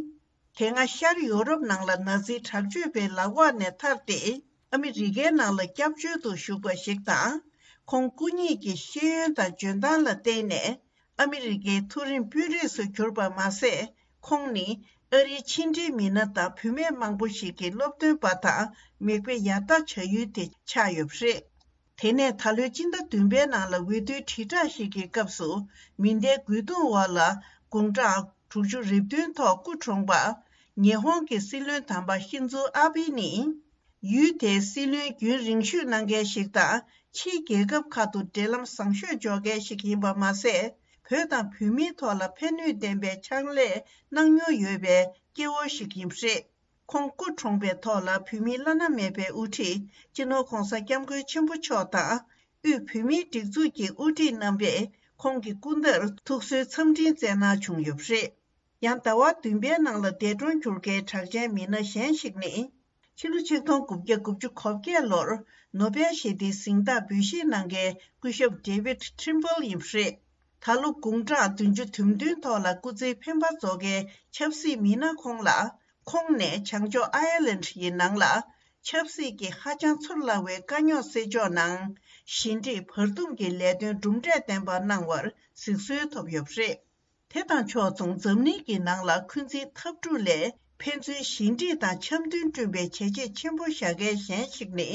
དེ་སྔ་ཤར་ཡོ་རོབ་ནང་ལ་ན་ཛི་དྲག་སྤྱོད་པའི་ལག་འོག་ནས་ཐར་ཏེ། ཨ་མི་རི་ཀའི་ནང་ལ་སྐྱབས་བཅོལ་དུ་བཞུགས་པ་ཞིག་དང་། ཁོང་སྐུ་ཉིད་ཀྱི་ཤེས་ཡོན་དང་འཇོན་ཐང་ལ་བརྟེན་ནས། ཨ་མི་རི་ཀའི་མཐོ་རིམ་དཔོན་རིགས་སུ་གྱུར་པ་མ་ཟད། ཁོང་ནི་ཨ་རིའི་ཕྱི་འབྲེལ་མི་སྣ་དང་བུད་མེད་མང་པོ་ཞིག་གི་སློབ་སྟོན་པ་དང་མིག་དཔེ་ཡར་ལྟ་བྱ་ཡུལ་དེ་ཆགས་ཡོད་པ་རེད། དེ་ནས་ད་ལོའི་སྤྱི་ཟླ་བདུན་པའི་ནང་ལ་འོས་བསྡུའི་དྲིལ་བསྒྲགས་ཤིག་གི་སྐབས་སུ། མེ་མདའི་རྒོལ་རྡུང་འོག་ལ་དགུང་གྲངས་དྲུག་ཅུ་རེ་བདུན་ཐོག་སྐུ་གྲོངས་པ། ཉི་ཧོང་གི་སྲིད་བློན་དམ་པ་ཤིན་ཛོ་ཨ་བྷི་ནི། ཡུལ་དེའི་སྲིད་བློན་རྒྱུན་རིང་ཤོས་གནང་མཁན་ཞིག་དང་། ཕྱིའི་རྒྱལ་ཁབ་ཁག་ཏུ་འབྲེལ་ལམ་བཟང་ཤོས་འཇོག་མཁན་ཞིག་ཡིན་པ་མ་ཟད། བོད་དང་བོད་མིའི་ཐོག་ལ་ཕན་ནུས་ལྡན་པའི་ཕྱག་ལས་གནང་མྱོང་ཡོད་པའི་སྐྱེ་བོ་ཞིག་ཡིན་པ་རེད། ཁོང་སྐུ་གྲོངས་པའི་ཐོག་ལ་བོད་མིའི་བླ་ན་མེད་པའི་དབུ་ཁྲིད་སྤྱི་ནོར་༧གོང་ས་༧སྐྱབས་མགོན་ཆེན་པོ་མཆོག་དང་། དབུས་བོད་མིའི་སྒྲིག་འཛུགས་ཀྱི་དབུ་ཁྲིད་རྣམ་པས་ཁོང་གི་སྐུ་ཟླར་ཐུགས་གསོའི་འཚམས་འཕྲིན་བསྩལ་གནང་བྱུང་ཡོད་པ་རེད། ཡང་ཟླ་བ་བདུན་པའི་ནང་ལ་འདས་གྲོངས་གྱུར་མཁན་གྲགས་ཅན་མི་སྣ་གཞན་ཞིག་ནི། ཕྱི་ལོ་ཆིག་སྟོང་དགུ་བརྒྱ་དགུ་བཅུ་གོ་བརྒྱད་ལོར་ནོ་བེལ་ཞི་བདེའི་གཟེངས་རྟགས་འབུལ་བཞེས་གནང་མཁན་སྐུ་ཞབས་David Trimble ཡིན་པ་རེད། ད་ལོ་དགུང་གྲངས་བདུན་ཅུ་དོན་བདུན་ཐོག་ལ་སྐུ་ཚེའི་འཕེན་པ་རྫོགས་མཁན་ཆབ་སྲིད་མི་སྣ་ཁོང་ལ། ཁོང་ནས་བྱང་ཕྱོགས་ཨའི་ལན་ཡི་ནང་ལ། ཆབ་སྲིད་ཀྱི་ཧ་ཅང་ཚོར་སླ་བའི་དཀའ་རྙོག་སེལ་ཕྱོགས་ནང་། ཞི་འགྲིག་བར་འདུམ་གྱི་ལས་དོན་གྲུབ་འབྲས་ལྡན་པ་གནང་བར་གཟིགས་གསོལ་ཐོབ་ཡོད་པ་རེད། དེ་དང་ཕྱོགས་མཚུངས་འཛམ་གླིང་གི་ནང་ལ་འཁོན་འཛིན་འཐབ་འཁྲུག་ལས་ཕན་ཚུན་ཞི་འགྲིག་དང་འཆམ་མཐུན་བསྐྲུན་པའི་བྱས་རྗེས་ཆེན་པོ་བཞག་མཁན་གཞན་ཞིག་ནི།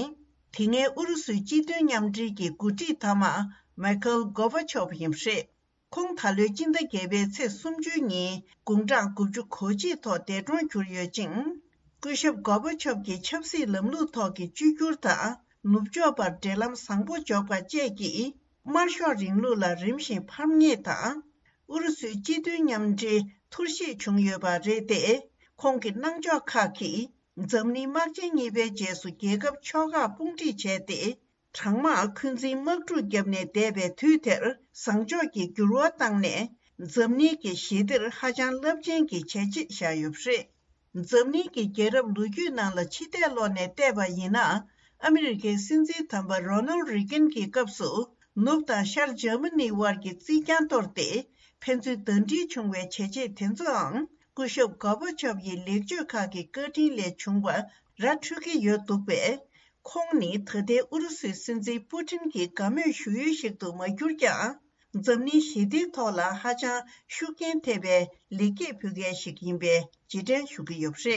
དེ་སྔའི་ཨུ་རུ་སུའི་སྤྱི་མཐུན་མཉམ་འབྲེལ་གྱི་འགོ་ཁྲིད་མཐའ་མ་མའི་ཁེལ་གོར་བྷ་ཆོབ་ཡིན་པ་རེད། ཁོང་ད་ལོའི་སྤྱི་ཟླ་བརྒྱད་པའི་ཚེས་སུམ་ཅུ་ཉིན་དགུང་གྲངས་དགུ་བཅུ་གོ་གཅིག་ཐོག་འདས་གྲོངས་གྱུར་ཡོད་ཅིང་། སྐུ་ཞབས་གོར་བྷ་ཆོབ་ཀྱི་ཆབ་སྲིད་ལམ་ལུགས་ཐོག་གི་བཅོས་བསྒྱུར་དང་ནུབ་ཕྱོགས་པར་འབྲེལ་ལམ་བཟང་པོ་འཇོག་པ་བཅས་ཀྱིས་དམར་ཤོག་རིང་ལུགས་ལ་རིམ་བཞིན་ཕམ་ཉེས་དང་། ཨུ་རུ་སུའི་སྤྱི་མཐུན་མཉམ་འབྲེལ་འཐོར་བཤིག་བྱུང་ཡོད་པ་རེད་དེ། ཁོང་གི་གནང་ཕྱོགས་ཁག་གིས་འཛམ་གླིང་དམག་ཆེན་གཉིས་པའི་རྗེས་སུ་རྒྱལ་ཁབ་ཕྱོགས་ཁག་དཔུང་སྒྲིག་བྱས་ཏེ། གྲང་དམག་འཁོན་འཛིན་དམག་འཁྲུག་བརྒྱབ་ནས་འདས་པའི་དུས་དེར་བཟང་ཕྱོགས་ཀྱི་འགྱུར་བ་བཏང་ནས། འཛམ་གླིང་གི་ཞི་བདེར་ཧ་ཅང་རླབས་ཆེན་གྱི་བྱས་རྗེས་བཞག་ཡོད་པ་རེད། འཛམ་གླིང་གི་རྒྱལ་རབས་ལོ་རྒྱུས་ནང་ལ་ཕྱི་བལྟས་ཀློག་ནས་བལྟས་པ་ཡིན་ན། ཨ་མི་རི་ཀའི་སྲིད་འཛིན་དམ་པ་རོ་ནལ་རི་གན་གྱི་སྐབས་སུ། ནུབ་དང་ཤར་འཇར་མ་ནི་དབར་གྱི་རྩིས་རྐྱང་གཏོར་ཏེ། ཕན་ཚུན་ཟླ་སྒྲིལ་བྱུང་བའི་བྱས་རྗེས་དེ་ཚོའང་སྐུ་ཞབས་གོར་བྷ་ཆོབ་ཡི་ལེགས་བཅོས་ཁག་གི་བཀའ་དྲིན་ལས་བྱུང་བ་ར་འཕྲོད་ཀྱི་ཡོད་འདུག་པས། ཁོང་ནི་ད་ལྟའི་ཨུ་རུ་སུའི་སྲིད་འཛིན་པུ་ཏིན་གྱི་དགའ་མོས་ཞུ་ཡུལ་ཞིག་ཏུ་མ་གྱུར་ཀྱང་། འཛམ་གླིང་ཞི་བདེའི་ཐོག་ལ་ཧ་ཅང་ཤུགས་རྐྱེན་ཐེབས་པའི་ལེགས་སྐྱེས་ཕུལ་མཁན་ཞིག་ཡིན་པའི་རྗེས་དྲན་ཞུ་གི་ཡོད་པ་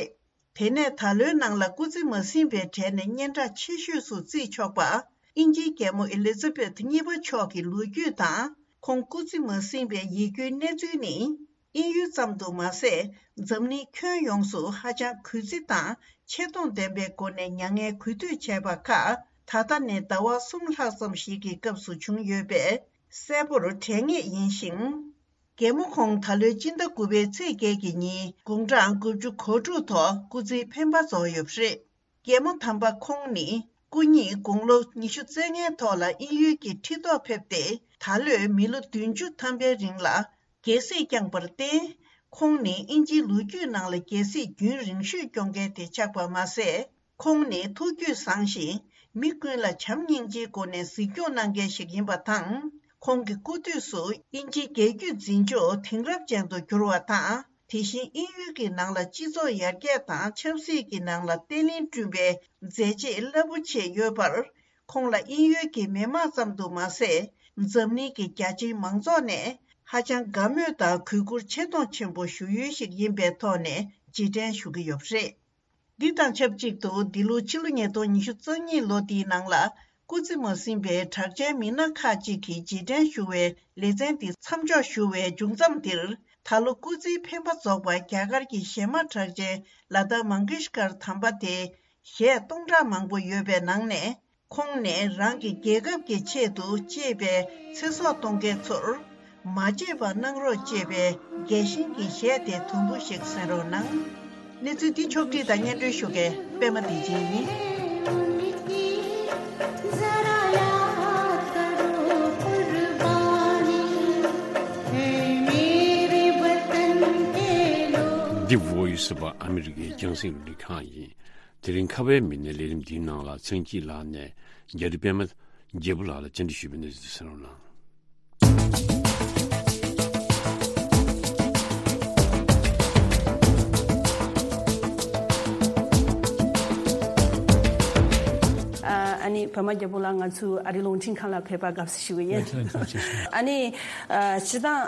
རེད། དེ་ནས་ད་ལོའི་ནང་ལ་སྐུ་ཚེ་མ་ཟིན་པའི་གྲས་ནས་སྙན་གྲགས་ཆེ་ཤོས་སུ་བརྩིས་ཆོག་པ། དབྱིན་ཇིའི་རྒྱལ་མོ་ཨེ་ལི་ཛ་བེཐ་གཉིས་པ་མཆོག་གི་ལོ་རྒྱུས་དང་། ཁོང་སྐུ་ཚེ་མ་ཟིན་པའི་ཡིད་སྐྱོའི་གནས་ཚུལ་ནི། དབྱིན་ཡུལ་ཙམ་དུ་མ་ཟད། འཛམ་གླིང་ཁྱོན་ཡོངས་སུ་ཧ་ཅང་གུས་བརྩི་དང་ཆེ་མཐོང་ལྡན་པའི་སྒོ་ནས་མྱ་ངན་གུས་འདུད་བྱས་པ་ཁག་ད་ལྟ་ནས་ཟླ་བ་གསུམ་ལྷག་ཙམ་ཞིག་གི་སྐབས་སུ་བྱུང་ཡོད་པས་གསལ་པོར་དྲན་ངེས་ཡིན་ཞིང་། རྒྱལ་མོ་ཁོང་ད་ལོའི་སྤྱི་ཟླ་དགུ་པའི་ཚེས་བརྒྱད་ཀྱི་ཉིན་དགུང་གྲངས་དགུ་བཅུ་གོ་དྲུག་ཐོག་སྐུ་ཚེའི་འཕེན་པ་རྫོགས་ཡོད་པ་རེད། རྒྱལ་མོ་དམ་པ་ཁོང་ནི་སྐུ་ཉིད་དགུང་ལོ་ཉི་ཤུ་རྩ་ལྔའི་ཐོག་ལ་དབྱིན་ཡུལ་གྱི་ཁྲི་ཐོག་ཕེབས་ཏེ། ད་ལོའི་མི་ལོ་བདུན་ཅུ་ཐམ་པའི་རིང་ལ་རྒྱལ་སྲིད་བསྐྱངས་པར་བརྟེན། ཁོང་ནི་དབྱིན་ཇིའི་ལོ་རྒྱུས་ནང་ལ་རྒྱལ་སྲིད་རྒྱུན་རིང་ཤོས་སྐྱོང་མཁན་དེ་ཆགས་པ་མ་ཟད། ཁོང་ནི་ཐུགས་རྒྱུད་བཟང་ཞིང་། མི་ཀུན་ལ་བྱམས་སྙིང་རྗེའི་སྒོ་ནས་གཟིགས་སྐྱོང་གནང་མཁན་ཞིག་ཡིན་པ་དང་། ཁོང་གི་སྐུ་དུས་སུ་དབྱིན་ཇིའི་རྒྱལ་རྒྱུད་འཛིན་ཕྱོགས་དེང་རབས་ཅན་དུ་གྱུར་བ་དང་། དེ་བཞིན་དབྱིན་ཡུལ་གྱི་ནང་ལ་སྤྱི་ཚོགས་ཡར་རྒྱས་དང་ཆབ་སྲིད་ཀྱི་ནང་ལ་བརྟན་ལྷིང་བསྐྲུན་པའི་མཛད་རྗེས་རླབས་པོ་ཆེ་ཡོད་པར། ཁོང་ལ་དབྱིན་ཡུལ་གྱི་མི་དམངས་ཙམ་དུ་མ་ཟད། འཛམ་གླིང་གི་རྒྱ་ཆེའི་མང་ཚོགས་ནས་ཧ་ཅང་དགའ་མོས་དང་གུས་བཀུར་ཆེ་མཐོང་ཆེན་པོ་ཞུ་ཡུལ་ཞིག་ཡིན་པའི་ཐོག་ནས་རྗེས་དྲན་ཞུ་གི་ཡོད་པ་རེད། འདི་དང་ཆབས་ཅིག་ཏུ་འདི་ལོ་ཕྱི་ལོ་ཉིས་སྟོང་ཉི་ཤུ་རྩ་གཉིས་ལོ་འདིའི་ནང་ལ་སྐུ་ཚེ་མ་ཟིན་པའི་གྲགས་ཅན་མི་སྣ་ཁག་ཅིག་གི་རྗེས་དྲན་ཞུ་བའི་ལེ་ཚན་འདི་མཚམས་འཇོག་ཞུ་བའི་མཇུག་མཚམས་འདིར། ད་ལོ་སྐུ་ཚེའི་འཕེན་པ་རྫོགས་པ་རྒྱ་གར་གྱི་གཞས་མ་གྲགས་ཅན་ལ་ཏཱ་མང་གེཤ་ཀར་དམ་པ་དེ་གཞས་སྟོང་ཕྲག་མང་པོ་ཡོད་པའི་ནང་ནས། ཁོང་ནས་རང་གི་རྒྱལ་ཁབ་ཀྱི་ཆེད་དུ་གཅེས་པའི་ཚེ་སྲོག་གཏོང་མཁན་ཚོར་མ་བརྗེད་པ་གནང་རོགས་ཅེས་པའི་རྒྱས་ཤིང་གི་གཞས་དེ་དུམ་བུ་ཞིག་གསན་རོགས་གནང་། གནས་ཚུལ་འདི་ཕྱོགས་བསྒྲིགས་དང་སྙན་སྒྲོན་ཞུ་མཁན་པད་མ་བདེ་ཆེན་ཡིན། འདི་Voice of America རྒྱང་སྲིང་རླུང་འཕྲིན་ཁང་ཡིན། དེ་རིང་ཁ་བའི་མི་སྣའི་ལས་རིམ་འདིའི་ནང་ལ་ཚེ་སྐྱིད་ལགས་ནས་རྒྱ་རི་པད་མ་རྒྱལ་པོ་ལགས་ལ་བཅར་འདྲི་ཞུས་པའི་གནས་ཚུལ་གསན་རོགས་གནང་། པདྨ་རྒྱལ་པོ་ལགས་ང་ཚོའི་ཨ་རིའི་རླུང་འཕྲིན་ཁང་ལ་ཕེབས་པར་དགའ་བསུ་ཞུ་གི་ཡིན། ཡ། ཁྱེད་ལ་ཐུགས་རྗེ་ཆེ། ཨ་ནི་ཨ་སྤྱིར་བཏང་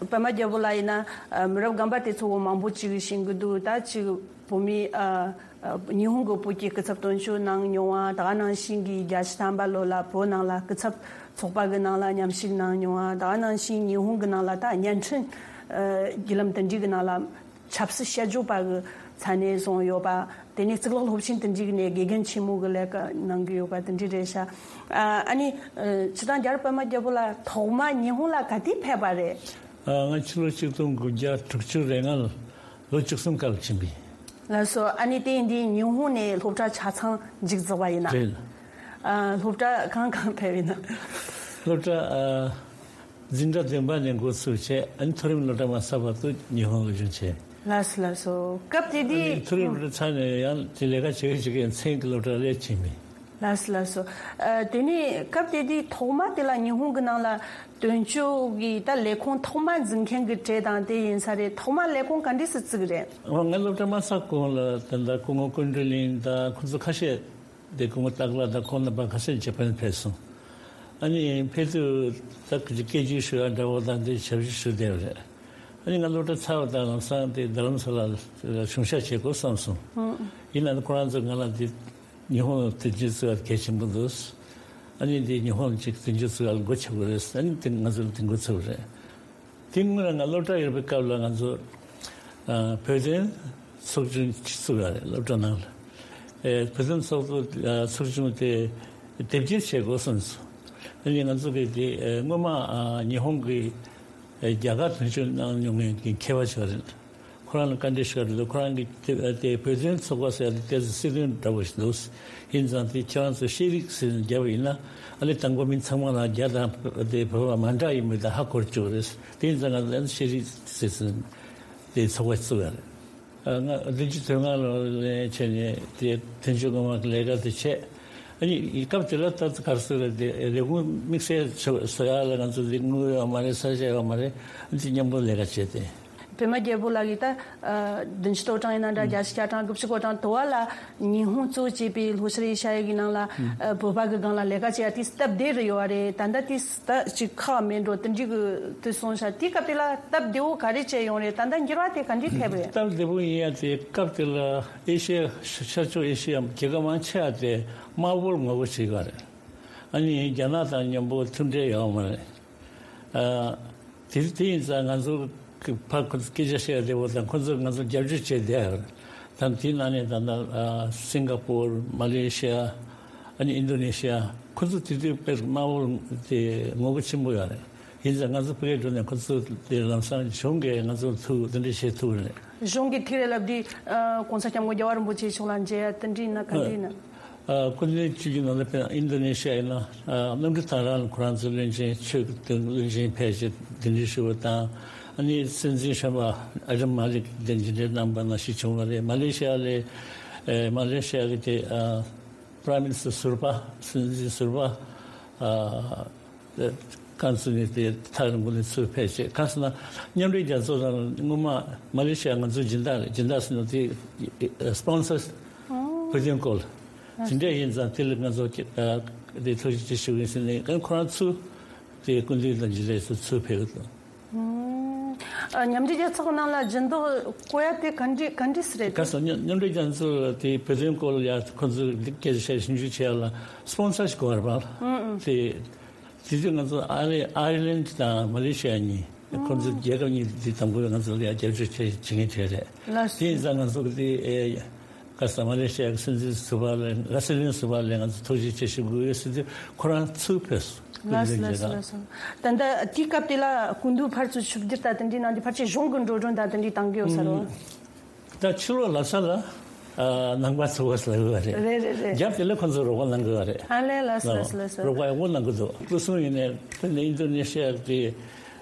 ཨ་པདྨ་རྒྱལ་པོ་ལགས་ཡིན་ན་ཨ་མི་རབས་རྒན་པ་དེ་ཚོ་མང་པོ་ཅིག་གིས་ཤེས་ཀྱི་འདུག་ད་ཅིག་བོད་མི་ཨ་ཨ་ཉི་ཧོང་གི་བོད་ཀྱི་སྐུ་ཚབ་དོན་གཅོད་གནང་མྱོང་བ། ད་ག་ནང་བཞིན་གྱི་བརྒྱད་ཅུ་ཐམ་པ་ལོ་ལ་བོད་ནང་ལ་སྐུ་ཚབ་ཚོགས་པ་གི་ནང་ལ་མཉམ་ཞུགས་གནང་མྱོང་བ། ད་ག་ནང་བཞིན་ཉི་ཧོང་གི་ནང་ལ་ད་བརྙན་འཕྲིན་ཨ་བརྒྱུད་ལམ་དེ་འདྲའི་གི་ནང་ལ་ཆབ་སྲིད་དཔྱད་བརྗོད་པ་གི་ས་གནས་བཟུང་ཡོད་པ། དེ་ནས་གཙུག་ལག་སློབ་ཆེན་དེ་འདྲའི་གི་ནས་དགེ་རྒན་ཆེན་མོ་གི་ལས་ཀ་གནང་གི་ཡོད་པ་དེ་འདྲའི་རེད་ཤག་ཨ་ཨ་ནི་ཨ་སྤྱིར་བཏང་རྒྱལ་བ་པདྨ་རྒྱལ་པོ་ལགས་ཐོག་མ་ཉི་ཧོང་ལ་ག་དུས་ཕེབས་པ་རེད། ཨ། ང་ཕྱི་ལོ་ཆིག་སྟོང་དགུ་བརྒྱ་དྲུག་ཅུ་རེ་ལྔ་ལོ་བཅུ་གསུམ་སྐབས་ལ་ཕྱིན་པ་ཡིན། ལགས་སོ། ཨ་ནི་དེ་ཡིན་དུས་ཉི་ཧོང་ནས་སློབ་གྲྭ་ཆ་ཚང་མཇུག་རྫོགས་པ་ཡིན་ན། རེད། ཨ། སློབ་གྲྭ་གང་གང་ཕེབས་ཡིན་ན། སློབ་གྲྭ་ཨ། འཛིན་གྲྭ་བདུན་པ་ནས་འགོ་ཚུགས་བྱས། ཨ་ནི་མཐོ་རིམ་སློབ་གྲྭ་མ་ཚར་བར་དུ་ཉི་ཧོང་ལ་སྦྱོང་བྱས། ལགས་སོ་ལགས་སོ། སྐབས་དེ་ཨ་ནི་དུས་མཐོ་རིམ་སློབ་གྲྭ་ཚར་ནས་ཡང་དེ་ལས་ཀ་བྱེད་ཀྱི་བྱེད་ཀྱི་མཚན་གྱི་སློབ་གྲྭ་ལས་ཕྱིན་པ་ཡིན། ལགས་སོ་ལགས་སོ། ཨ། དེ་ནས་སྐབས་དེ་དུས་ཐོག་མ་དེ་ལ་ཉི་ཧོང་གི་ནང་ལ་དོན་གཅོད་ཀྱི་ད་ལས་ཁུངས་ཐོག་མ་འཛིན་མཁན་གྱི་གྲས་དང་དེ་ཡིན་ས་རེད། ཐོག་མ་ལས་ཁུངས་ག་འདྲས་སེ་བཙུགས་རེད། ཨོ། ང་སློབ་གྲྭ་མ་ཚར་གོང་ལ་ད་ལྟ་སྐུ་ངོ་ཀུན་ཀྲུའུ་ལིན་དང་ཁོང་ཚོ་ཁ་ཤས་དེ། སྐུ་ངོ་སྟག་ལྷ་དང་ཁོང་རྣམ་པ་ཁ་ཤས་ཇ་པན་ཕེབས་སོང་། ཨ་ནི་ཕེབས་དུས་ད་སྐད་ཆ་ཞུ་ཡ་འདྲ་བོ་དང་དེ་ཞབས་ཕྱི་ཞུ་བསྡད་པ་རེད། ཨ་ནི་ང་སློབ་གྲྭ་ཚར་བ་དང་ལམ་སང་དེ་རྡ་རམ་ས་ལ་གཞུང་ཞབས་བྱེད་དགོས་བསམ་སོང་། ཨང་། ཡིན་ན་ཁོ་རང་ཚོ་ང་ལ་དེ་ཉི་ཧོང་དོན་གཅོད་བཙུགས་ཡ་གལ་ཆེན་པོ་འདུག་ཨ་ནི་དེ་ཉི་ཧོང་གཅིག་དོན་གཅོད་བཙུགས་ཡ་ལ་སྒོ་ཕྱེ་དགོས་རེད། ཨ་ནི་དེ་ང་ཚོ་ལ་དེ་འགོ་ཚུགས་པ་རེད། དེ་སྔོན་ལ་ང་སློབ་གྲྭ་ཡོད་པའི་སྐབས་ལ་ང་ཚོ་ཨ་བོད་དོན་ཚོགས་ཆུང་ཅིག་བཙུགས་ཡོད་རེད། སློབ་གྲྭ་ནང་ལ། ཨེ། བོད་དོན་ཚོགས་གཙོ་ཨ་ཚོགས་ཆུང་དེ་དེབ་སྐྱེལ་བྱེད་དགོས་བསམ་སོང་། ཨ་ནི་ང་ཚོ་གིས་དེ་ཨེ་སྔོན་མ་ཨ་ཉི་ཧོང་གི་ཨེ་རྒྱ་གར་དོན་གཅོད་གནང་མྱོང་མཁན་གྱི་མཁས་པ་ཞིག་རེད། ཁོ་རང་ལ་བཀའ་འདྲི་ཞུ་བ་རེད། ཁོ་རང་གིས་དེ་དེ་བོད་དོན་ཚོགས་པ་ཟེར་ཡ་དེ་ཏོག་ཙམ་སྲིད་དོན་འདྲ་བོ་ཞིག་འདུག་ཡིན་ཙང་དེ་ཁྱེད་རང་ཚོ་ཤེས་རིག་ཟེར་ནས་བརྒྱབ་པ་ཡིན་ན། ཨ་ནི་དང་པོ་མི་ཚང་མ་ལ་རྒྱ་དང་དེ་བོད་པ་མ་འདྲ་ཡིན་མིན་དེ་ཧ་གོ་བཅུག་རེད། དེ་ཡིན་ཙང་ང་ཚོ་ཤེས་རིག་ཟེར་ནས་དེ་ཚོགས་པ་བཙུགས་ཡ་རེད། ཨ། ང་བདུན་ཅུ་དོན་ལྔ་ལོ་ནས་བྱས་ནས་དེ་དོན་གཅོད་སྔོན་མ་གི་ལས་ཀ་དེ་བྱས། ཨ་ནི་སྐབས་དེ་ལ་ད་ག་རེ་ཟེར་རེད། དེ་ལས་ཁུངས་དམིགས་བསལ་བཟོ་ཡ་ལ་ང་ཚོ་དེ་དངུལ་ཡོད་མ་རེད། ས་ཆ་ཡོད་མ་རེད། ཨ་ནི་མཉམ་པོ་ལས་ཀ་བྱས་ཏེ། པདྨ་རྒྱལ་པོ་ལགས་ཀྱིས་ད་ཨ་བདུན་ཅུ་དོན་གྲངས་ཡིན་ན་འདྲ། ཨང་། བརྒྱད་ཅུ་གྱ་གྲངས། དགུ་བཅུ་གོ་གྲངས་དུ་བ་ལ་ཉི་ཧོང་གཙོ་བྱས་པའི་ལྷོ་ཤར་ཨེ་ཤ་ཡ་གི་ནང་ལ་ཨ་བོད་པ་གི་སྒང་ལ་ལས་ཀ་བྱེད་ཡ་དེ་སྟབས་བདེ་རུ་ཡོད་པ་རེད། ད་ལྟ་དེ་ད་ཅིག་ཁག་མེད་འགྲོ་དེ་འདྲའི་གི་དུས་སོང་ཤག་དེའི་སྐབས་དེ་ལ་སྟབས་བདེ་བོ་ག་རེ་བྱས་ཡོང་རེད། ད་ལྟ་འགྱུར་བ་དེ་ག་འདྲས་ཐེབས་རེད། སྟབས་བདེ་བོ་ཡིན་ཡ་དེ་སྐབས་དེ་ལ་ཨེ་ཤ་ཡ་ཤར་ཕྱོགས་ཨེ་ཤ་ཡ་རྒྱལ་ཁབ་མང་ཆེ་བ་དེ་དམར་པོར་ངོ་རྒོལ་བྱེད་ཀྱི་ཡོད་རེད། ཨ་ནི་རྒྱ་ནག་དང་མཉམ་པོ་མཐུན་འབྲེལ་ཡོད་མ་རེད། ཨ། དེ་དེ་ཡིན་ཙང་ང་ཚོ་གི་ཕར་ཁོ་ཚོ་སྐད་ཆ་བཤད་བདེ་བོ་དང་ཁོ་ཚོས་ང་ཚོ་རྒྱབ་སྐྱོར་བྱས་བསྡད་ཡོད་རེད། ད་དེའི་ནང་ནས་ད་ལྟ་ཨ་སིང་ག་པོར། མ་ལེ་ཤི་ཡ། ཨ་ནི་ཨིན་དོ་ནེ་ཤི་ཡ། ཁོ་ཚོ་དེ་དུས་དཔེ་དམར་པོ་དེ་ངོ་རྒོལ་ཆེན་པོ་ཡོད་རེད། ཡིན་ཙང་ང་ཚོ་ཕ་གིར་འགྲོ་ནས་ཁོ་ཚོ་དེ་ལམ་སང་གཞུང་གིས་ང་ཚོ་ཐུག་དེ་འདྲ་བྱེད་ཐུབ་རེད། གཞུང་གིས་ཐུག་རེད་ལབ་དུས་ཨ་༸གོང་ས་༸སྐྱབས་མགོན་རྒྱལ་བ་རིན་པོ་ཆེ་མཆོག་ལ་མཇལ་ཡ་དེ་འདྲ་ཡིན་ན་ག་འདྲ་ཡིན་ན། ཨ། སྐུ་མདུན་བཅུ་བཞི་ནང་ལ་དཔེར་ན་ཨིན་དོ་ནེ་ཤི་ཡ་ཡིན་ན། ཨ། གནམ་གྲུ་ཐང་རང་ལ་ཁོ་རང་ཚོའི་བློན་ཆེན་ཆོས་ཀྱི་བློན་ཆེན་ཕེབས་བྱས་གདན་འདྲེན་ཞུས་པ་དང་། ཨ་ནི་སྲིད་འཛིན་གཞོན་པ་ཨ་ཏི་མ་ལིག་གདན་འདྲེན་གནང་པ་ནང་བཞིན་བྱུང་བ་རེད། མ་ལེ་ཤི་ཡ་ལ། ཨེ། མ་ལེ་ཤི་ཡ་གི་དེ། ཨ། Prime Minister ཟུར་པ། སྲིད་འཛིན་ཟུར་པ། ཨ། ཨ། ཁོང་ཚོ་ནས་དེ་ཐག་རིང་པོ་ནས་ཚུར་ཕེབས་བྱས། གང་ཟེར་ན་མཉམ་འབྲེལ་རྒྱལ་ཚོགས་ནང་སྔོན་མ་མ་ལེ་ཤི་ཡ་ང་ཚོའི་སྦྱིན་བདག་རེད། སྦྱིན་བདག་ཟེར་ན་དེ་སི་པོན་སར་བོད་དོན་སྐོར་ལ། དེ་འདྲ་ཡིན་ཙང་དེ་ལ་ང་ཚོ་དེ་ཐུགས་རྗེ་ཆེ་ཞུ་གི་ཡིན་ཟེར་ནས། ཁོ་རང་ཚུར་དེ་སྐུ་མདུན་དང་མཇལ་འཕྲད་སུ་ཚུར་ཕེབས་ཀྱི་འདུག་ཨ། མཉམ་འབྲེལ་རྒྱལ་ཚོགས་ནང་ལ་སྦྱིན་བདག་བསྐོ་ཡ་དེ་ག་འདྲ་ག་འདྲ་ཟེ་རེད། ག་ཟེར་ན་མཉམ་འབྲེལ་རྒྱལ་ཚོགས་ལ་དེ་བོད་དོན་སྐོར་ལ་ཡ་ཁོ་ཚོས་སྐད་ཆ་བཤད་ཞིབ་འཇུག་བྱེད་ཡ་ལ་སི་པོན་སར་ཞིག་དགོས་རེད་པ། ཨང་། དེ་དེ་དུས་ང་ཚོ་ཨ་རི་ཨ་ཡར་ལན་དང་མ་ལེ་ཤི་ཡ་གཉིས། ཁོ་ཚོ་རྒྱལ་ཁབ་གཉིས་དེ་དང་པོ་ང་ཚོ་ལ་ཡ་རྒྱབ་སྐྱོར་བྱེད་བྱེད་མཁན་བྱས་རེད། ལགས་སོ། དེ་ཡིན་ཙང་ང་ཚོ་གི་དེ། ཨེ། ག་ཟེར། མ་ལེ་ཤི་ཡ་གི་སྲིད་འཛིན་ཟུར་པ་ལ། ཨ། སྲིད་བློན་ཟུར་པ་ལ་ང་ཚོ་ཐུགས་རྗེ་ཆེ་ཞུ་དགོས་ཡོད་ཟེར་དུས་ཁོ་རང་ཚུར་ཕེབས་སོང་། ལགས་སོ་ལགས་སོ་ལགས་སོ། ད་ལྟ་དེའི་སྐབས་དེ་ལ་སྐུ་མདུན་ཕར་ཚུར་ཆིབས་བསྒྱུར་དང་དེ་འདྲའི་གནང་དུས་ཕལ་ཆེར་གཞུང་གི་འགྲོ་གྲོན་དང་དེ་འདྲའི་བཏང་གི་ཡོད་ས་རེད། ད་ཕྱི་ལོགས་ལབ་ས་ལ། ཨ། ནང་པ་ཚོགས་པ་ཟེར་གི་རེད། རེད་རེད་རེད། རྒྱབ་དེ་ལ་ཁོ་ཚོས་རོགས་པ་གནང་གི་ཡོད་རེད། ཨ་ལས། ལགས་སོ་ལགས་སོ་ལགས་སོ། རོགས་པ་ཡག་པོ་གནང་གི་འདུག་སྐུ་སྲུང་ཡིན་ནའི་དེ་ནས་ཨིན་དོ་ནེ་ཤི་ཡ་གི་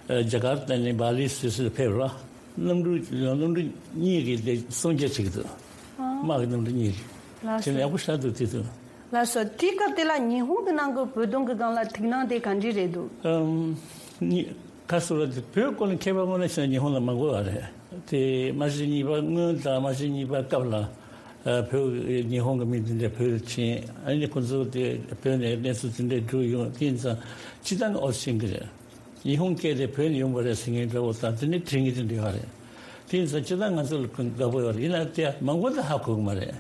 ཨ་ཇ་ཀར་ཏ་ནས་བྷ་ལི་སུད་སི་ལ་ཕེབས་རོགས། གནམ་གྲུ་གནམ་གྲུ་གཉིས་ཀྱིས་དེ་སྲུང་སྐྱོབ་བྱེད་ཀྱི་འདུག་ཨ། དམག་གི་གནམ་གྲུ་གཉིས་ཀྱིས། ལགས་སོ། དེ་ནས་ཡག་པོ་ཞེ་དྲག་འདུག་དེ་དུས། ལགས་སོ། དེའི་སྐབས་དེ་ལ་ཉི་ཧོང་གི་ནང་གི་བོད་དོན་གྱི་སྒང་ལ་ཐུགས་སྣང་དེ་ག་འདྲ་རེད་འདུག་ཨམ། ཉི། ག་ཟེར་རེད། དེ་བོད་སྐོར་ལ་མཁས་པ་དངོས་གནས་བྱས་ན་ཉི་ཧོང་ལ་མང་པོ་ཡོད་རེད། དེ་མ་གཞི་གཉིས་པ་སྔོན་དང་མ་གཞི་གཉིས་པ་སྐབས་ལ། བོད་ཉི་ཧོང་གི་མི་དེ་འདྲ་བོད་ལ་ཕྱིན། ཨ་ནི་ཁོ་ཚོ་དེ་བོད་ནས་གནས་ཚུལ་དེ་འདྲ་བསྒྲུགས་ཡོང་དེ་ཡིན་ཙང་སྤྱི་བཏང་ཨོ་ཤེས་ཀྱི་རེད། ཉི་ཧོང་སྐད་དེ་བོད་ནས་ཡོང་བ་རེད་ཟེར་མཁན་འདྲ་བོ་དང་དེ་ནས་དྲན་གྱི་དེ་འདྲ་ཡོད་རེད། དེ་ཡིན་ཙང་སྤྱི་བཏང་ང་ཚོ་ལ་དགའ་པོ་ཡོད་རེད། ཡིན་ན་དེ་མང་པོ་དེ་ཧ་གོ་གི་མ་རེད།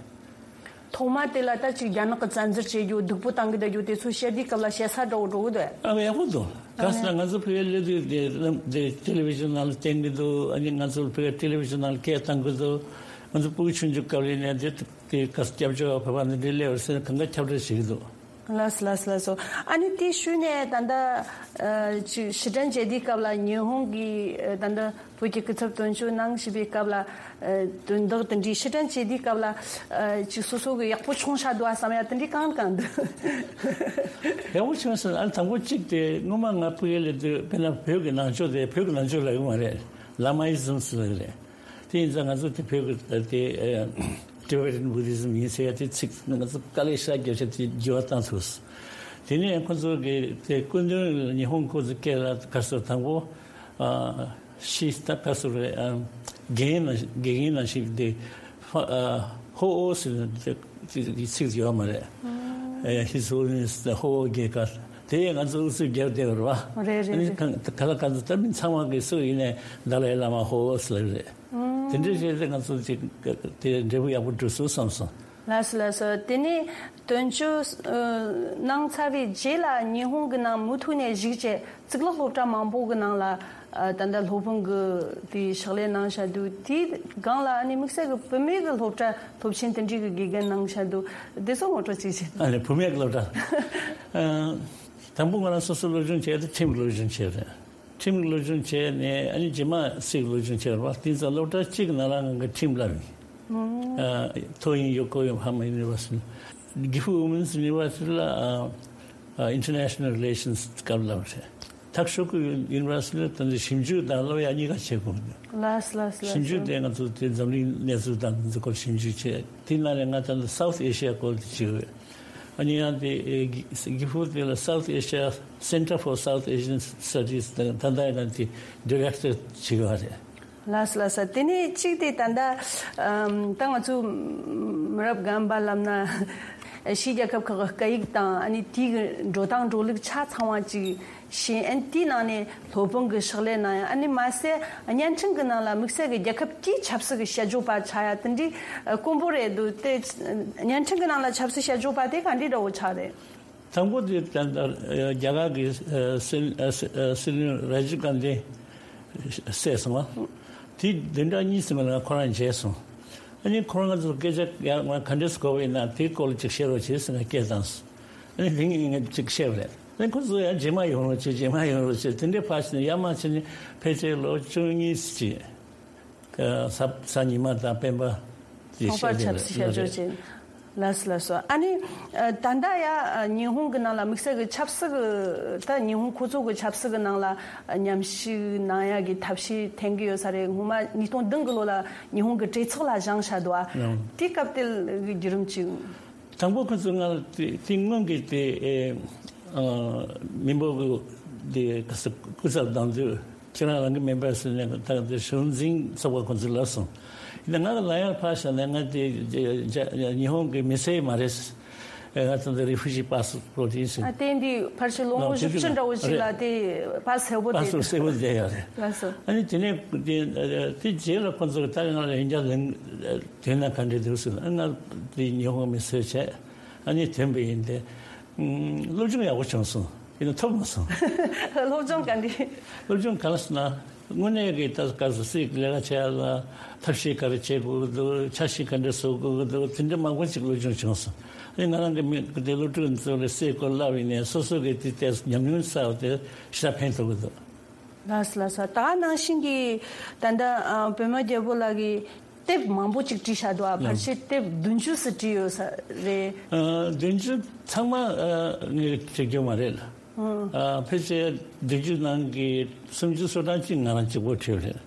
ཐོག་མ་དེ་ལ་ད་ཅིག་རྒྱ་ནག་གི་བཙན་འཛུལ་བྱེད་རྒྱུ་སྡུག་པོ་བཏང་གི་བསྡད་རྒྱུ་དེ་ཚོ་བཤད་དུས་སྐབས་ལ་བཤད་ས་འདྲ་བོ་འགྲོ་གི་འདུག་ཨ་ཡག་པོ་འདུག་ག་ཟེར་ན་ང་ཚོ་ཕ་གིར་སླེབས་དུས་དེ་དེ་ཊེ་ལི་ཝི་ཤན་ནང་ལ་བསྟན་གི་འདུག་ཨ་ནི་ང་ཚོ་ཕ་གིར་ཊེ་ལི་ཝི་ཤན་ནང་ལ་སྐད་བཏང་གི་འདུག་ང་ཚོ་ཕྲུ་གུ་ཆུང་ཆུང་སྐབས་ལ་ནས་དེ་དེ་ག་ས་སྐྱབས་བཅོལ་བ་བོད་པ་འདི་འདྲའི་སླེབས་པ་རེད་ཟེར་ན་གང་ག་ཁྱབ་བསྒྲགས་བྱེད་ཀྱི་འདུག་ལགས་སོ་ལགས་སོ་ལགས་སོ། ཨ་ནི་དེའི་ཤུལ་ནས་ད་ལྟ་ཨ་ཅིག་ཕྱིར་དྲན་བྱེད་དུས་སྐབས་ལ་ཉི་ཧོང་གི་ཨ་ད་ལྟ་བོད་ཀྱི་སྐུ་ཚབ་དོན་གཅོད་གནང་བཞིན་པའི་སྐབས་ལ་ཨ་དོན་དག་དེ་འདྲའི་ཕྱིར་དྲན་བྱེད་དུས་སྐབས་ལ་ཨ་ཅིག་སོ་སོ་གི་ཡག་པོ་བྱུང་ཤག་འདུག་ཨ་བསམ་ཡ་དེ་འདྲའི་གང་གང་འདུག་ཡག་པོ་བྱུང་ཟེར་ན་ཨ་དང་པོ་གཅིག་དེ་སྔོན་མ་ང་ཕ་གིར་སླེབས་དུས་དཔེར་ན་བོད་ཀྱི་ནང་ཆོས་དེ་བོད་ཀྱི་ནང་ཆོས་ལབ་ཀྱི་མ་རེད། ལ་མ་ཨི་ཛམ་ཟེར་གྱི་རེད། དེ་ཡིན་ཙང་ང་ཚོ་དེ་བོད་ཀྱི་དེ་Tibetan Buddhism ཡིན་ཟེར་ཡ་དེ་ཚིག་ང་ཚོ་དཀའ་ལས་ཤ་རྒྱབ་བྱས་དེ་འགྱུར་བ་བཏང་ཐུབ། དེ་ནས་ཁོ་ཚོ་གི་དེ་སྐུ་མདུན་ཉི་ཧོང་ཁོ་ཚོ་སྐད་ལ་ག་ཚོད་དང་པོ་ཤི་ད་ག་ཚོད་རེད། དགེ་རྒན་ནང་དགེ་རྒན་ནང་བཞིན་དེ་ཧོ་ཨོ་ཟེར་ནས་དེ་ཚིག་ཡོད་མ་རེད། His Holiness the ཧོ་ཨོ་དགེ་དཀར་དེ་ང་ཚོ་ཨུ་ཚུགས་རྒྱབ་བསྡད་པ་རེད་བ། རེད་རེད་རེད། ག་ལ་ག་ཚོད་ད་མི་ཚང་མ་གི་སུ་ཡིན་ནའི་ད་ལའི་བླ་མ་ཧོ་ཨོ་ཟེར་རེད། དེ་འདྲའི་བྱས་ཏེ་ང་ཚོ་ཅིག་དེ་འབྲས་བུ་ཡག་པོ་འགྲོ་སོང་བསམ་སོང་། ལགས་སོ་ལགས་སོ། དེ་ནས་དོན་གཅོད་གནང་ཚར་བའི་རྗེས་ལ་ཉི་ཧོང་གི་ནང་མུ་མཐུད་ནས་བཞུགས་བྱས་གཙུག་ལག་སློབ་གྲྭ་མང་པོ་གི་ནང་ལ་ད་ལྟ་སློབ་དཔོན་གི་དེའི་ཕྱག་ལས་གནང་བཞག་འདུག་དེའི་སྒང་ལ་ཨ་ནི་དམིགས་བསལ་གི་བུད་མེད་གི་སློབ་གྲྭ་སློབ་ཆེན་དེ་འདྲའི་གི་དགེ་རྒན་གནང་བཞག་འདུག་དེ་ཚོ་ངོ་སྤྲོད་ཅིག་བྱེད། ཨ་ནི་བུད་མེད་གི་སློབ་གྲྭ། དང་པོ་ང་རང་སོ་སོ་སློབ་སྦྱོང་བྱས་ཏེ་ཁྲིམས་སློབ་སྦྱོང་བྱས་རེད། ཁྲིམས་སློབ་སྦྱོང་བྱས་ནས་ཨ་ནི་རྗེས་མ་སྲིད་སློབ་སྦྱོང་བྱས་པ་དེ་ཙང་སློབ་གྲྭ་གཅིག་གི་ནང་ལ་ང་གི་ཁྲིམས་བསླབས་ཡིན། ཐོ་ཡིན་ཡོ་ཀོ་ཡོ་ཧ་མ་ཡུ་ནི་ཝར་སི་ཊི། གི་ཧྥུ་ཝུ་མེན་སི་ཡུ་ནི་ཝར་སི་ཊི་ལ་ཨིན་ཊར་ནེ་ཤ་ནལ་རི་ལེ་ཤན་སི་སྐབས་བསླབས་རེད། ཐག་ཤོད་ཀྱི་ཡུ་ནི་ཝར་སི་ཊི་ལ་ད་ལྟ་ཞིབ་འཇུག་དང་སློབ་ཡ་གཉིས་ཀ་བྱེད་དགོས་འདུག་ལགས་ལགས་ལགས། ཞིབ་འཇུག་དེ་ང་ཚོ་དེ་འཛམ་གླིང་གནས་ཚུལ་དང་འདི་ཚོ་སྐོར་ཞིབ་འཇུག་བྱས་དེ་ནང་ནས་ང་ད་ལྟ་South Asia སྐོར་དེ་བྱེད་འོས། ཨ་ནི་ཡང་དེ་གི་ཧྥུ་དེ་ལ་South Asia Center for South Asian Studies ད་ད་ལྟ་ཡང་དེ་ཌི་རེག་ཊར་བྱེད་ཀྱི་ཡོད་རེད། ལགས་སོ་ལགས་སོ། དེ་ནས་གཅིག་དེ་ད་ལྟ་ཨམ་ད་ང་ཚོ་མི་རབས་རྒན་པ་ལབ་ན་ཕྱིའི་རྒྱལ་ཁབ་ཁག་གི་སྐད་ཡིག་དང་ཨ་ནི་དེའི་གི་འགྲོ་སྟངས་འགྲོ་ལུགས་ཆ་ཚང་བ་ཅིག་ཤེས། ཨ་ནི་དེའི་ནང་ནས་སློབ་དཔོན་གི་ཕྱག་ལས་གནང་ཡ། ཨ་ནི་མ་ཟད་བརྙན་འཕྲིན་གི་ནང་ལ་དམིགས་བསལ་གི་རྒྱལ་ཁབ་དེའི་ཆབ་སྲིད་གི་དཔྱད་བརྗོད་པ་ཆགས་ཡ་དེ་འདྲའི་དཀོན་པོ་རེད་འདུག་དེ་བརྙན་འཕྲིན་གི་ནང་ལ་ཆབ་སྲིད་དཔྱད་བརྗོད་པ་དེ་ག་འདྲའི་འདྲ་བོ་ཆགས་རེད། དང་པོ་དེ་ད་ལྟ་རྒྱ་གར་གི་སྲིད་སྲིད་བློན་ར་ཇིབ་གྷན་དྷི་བསད་སོང་བ། དེ་བདུན་ཕྲག་གཉིས་ཙམ་ལ་ཁོ་རང་མཇལ་སོང་། ཨ་ནི་ཁོ་རང་ཚོ་སྐད་ཆ་ཡང་ང་ག་འདྲས་གོ་བ་ཡིན་ན་དེའི་སྐོར་ལ་ཅིག་བཤད་རོགས་བྱེད་ཟེར་ང་སྐད་བཏང་སོང་། ཨ་ནི་དེ་ངས་ཅིག་བཤད་པ་རེད། ཨ་ནི་ཁོ་ཚོ་ཡང་རྗེས་མ་ཡོང་རོགས་བྱེད་རྗེས་མ་ཡོང་རོགས་བྱེད་དེ་འདྲའི་ཕར་ཕྱིན་ནས་ཡར་མར་ཕྱིན་ནས་ཕལ་ཆེར་ལོ་བཅུ་གཉིས་ཅིག་ས་ས་ཉི་མ་དང་སྤེན་པ་དེ་ཚོགས་པར་ཆབ་སྲིད་བཤད་སྦྱོར་བྱེད། ལགས་སོ་ལགས་སོ། ཨ་ནི་ད་ལྟ་ཡ་ཉི་ཧོང་གི་ནང་ལ་དམིགས་བསལ་གྱི་ཆབ་སྲིད་ཀྱི་ད་ཉི་ཧོང་ཁོ་ཚོ་གི་ཆབ་སྲིད་ཀྱི་ནང་ལ་མཉམ་ཞུགས་གནང་ཡ་གི་ཐབས་ཤེས་འཐེན་གྱི་ཡོད་ས་རེད། སྔོན་མ་ཉིས་སྟོང་བདུན་གི་ལོ་ལ་ཉི་ཧོང་གི་གྲོས་ཚོགས་ལ་བཞེངས་བཞག་འདུག་ཨ། དེ་སྐབས་དེ་གི་བརྒྱུད་རིམ་ཅིག་དང་པོ་ཁོ་ཚོས་ང་ལ་དེ་དེ་སྔོན་གྱི་དེ་ཨེ་ཨ་མི་འབོར་གྱི་དེ་ག་ས་སྐུ་ཚབ་དང་དུ་ཁྱེད་རང་རང་གི་མེམ་བར་ཟེར་ནས་ད་དེ་གཞུང་འཛིན་ཚོགས་པ་ཁོ་ཚོས་ལབ་སོང་། ཡིན་ན་ང་ལ་ལབ་ཡག་ཕར་བཞག་ནས་ང་དེ་ཉི་ཧོང་གི་མི་སེར་མ་རེད། ཨེ་ང་ད་ལྟ་རི་ཕུ་ཇི་པ་སི་པོར་ཊི་ཡིན་ཟེར། ཨ་དེ་འདི་ཕལ་ཆེར་ལོ་ངོ་བཞི་བཅུ་འདྲ་བོ་ཞིག་ལ་དེ་པ་སི་གསལ་པོ་པ་སི་དེ་པོ་གསལ་པོ་བསྡད་ཡོད་རེད། ལགས་སོ། ཨ་ནི་དེ་ནས་དེ་དེ་རྗེས་ལ་ཁོ་ཚོས་ད་ང་ལ་ཡིན་ཀྱང་ལན་དེ་ན་ག་འདྲ་འདུག་ཟེར་ན་ང་དེ་ཉི་ཧོང་མི་སེར་བྱས་ཨ་ནི་ཐོན་པ་ཡིན་ཏེ། སློབ་སྦྱོང་ཡག་པོ་བྱུང་སོང་། ཡིན་ན་ཐོབ་མ་སོང་། སློབ་སྦྱོང་ག་འདྲ། སློབ་སྦྱོང་ག་ལ་ཟེར་ན། དངོས་གནས་ཀྱི་ད་ག་ཟེར་སྲིད་ཀྱི་ལས་ཀ་བྱེད་ཡ་ལ་ཐབས་ཤེས་ག་རེ་བྱེད་དགོས་ཀྱི་འདུག་འཆར་གཞི་ག་འདྲ་བཟོ་དགོས་ཀྱི་འདུག་དེ་འདྲ་མང་པོ་ཅིག་སློབ་སྦྱོང་བྱུང་སོང་། ཨ་ནི་ང་རང་གི་མི་དེ་སློབ་ཕྲུག་ཚོ་ལ་སྲིད་སྐོར་བསླབས་ཡིན་ནའི་སོ་སོ་གི་དེ་ལྟས་ཉམས་མྱོང་བསགས་ཏེ་ཞེ་དྲག་ཕན་ཐོགས་ཀྱི་འདུག་ལགས་སོ་ལགས་སོ། ད་ནང་བཞིན་གྱི་ད་ལྟ་ཨ་བོད་མི་རྒྱལ་པོ་ལགས་ཀྱིས་དེབ་མང་པོ་ཅིག་བྲིས་བཞག་འདུག་ཨ། ཕལ་ཆེར་དེབ་བདུན་ཅུ་ཙམ་བྲིས་ཡོད་ས་རེད། ཨ་བདུན་ཅུ་ཚང་མ་ཨ་ངས་བྲིས་རྒྱུ་མ་རེད། ཨ་ཕལ་ཆེར་བདུན་ཅུ་ནང་གི་སུམ་ཅུ་སོ་གྲངས་ཅིག་ང་རང་གཅིག་པོ་བྲིས་པ་རེད།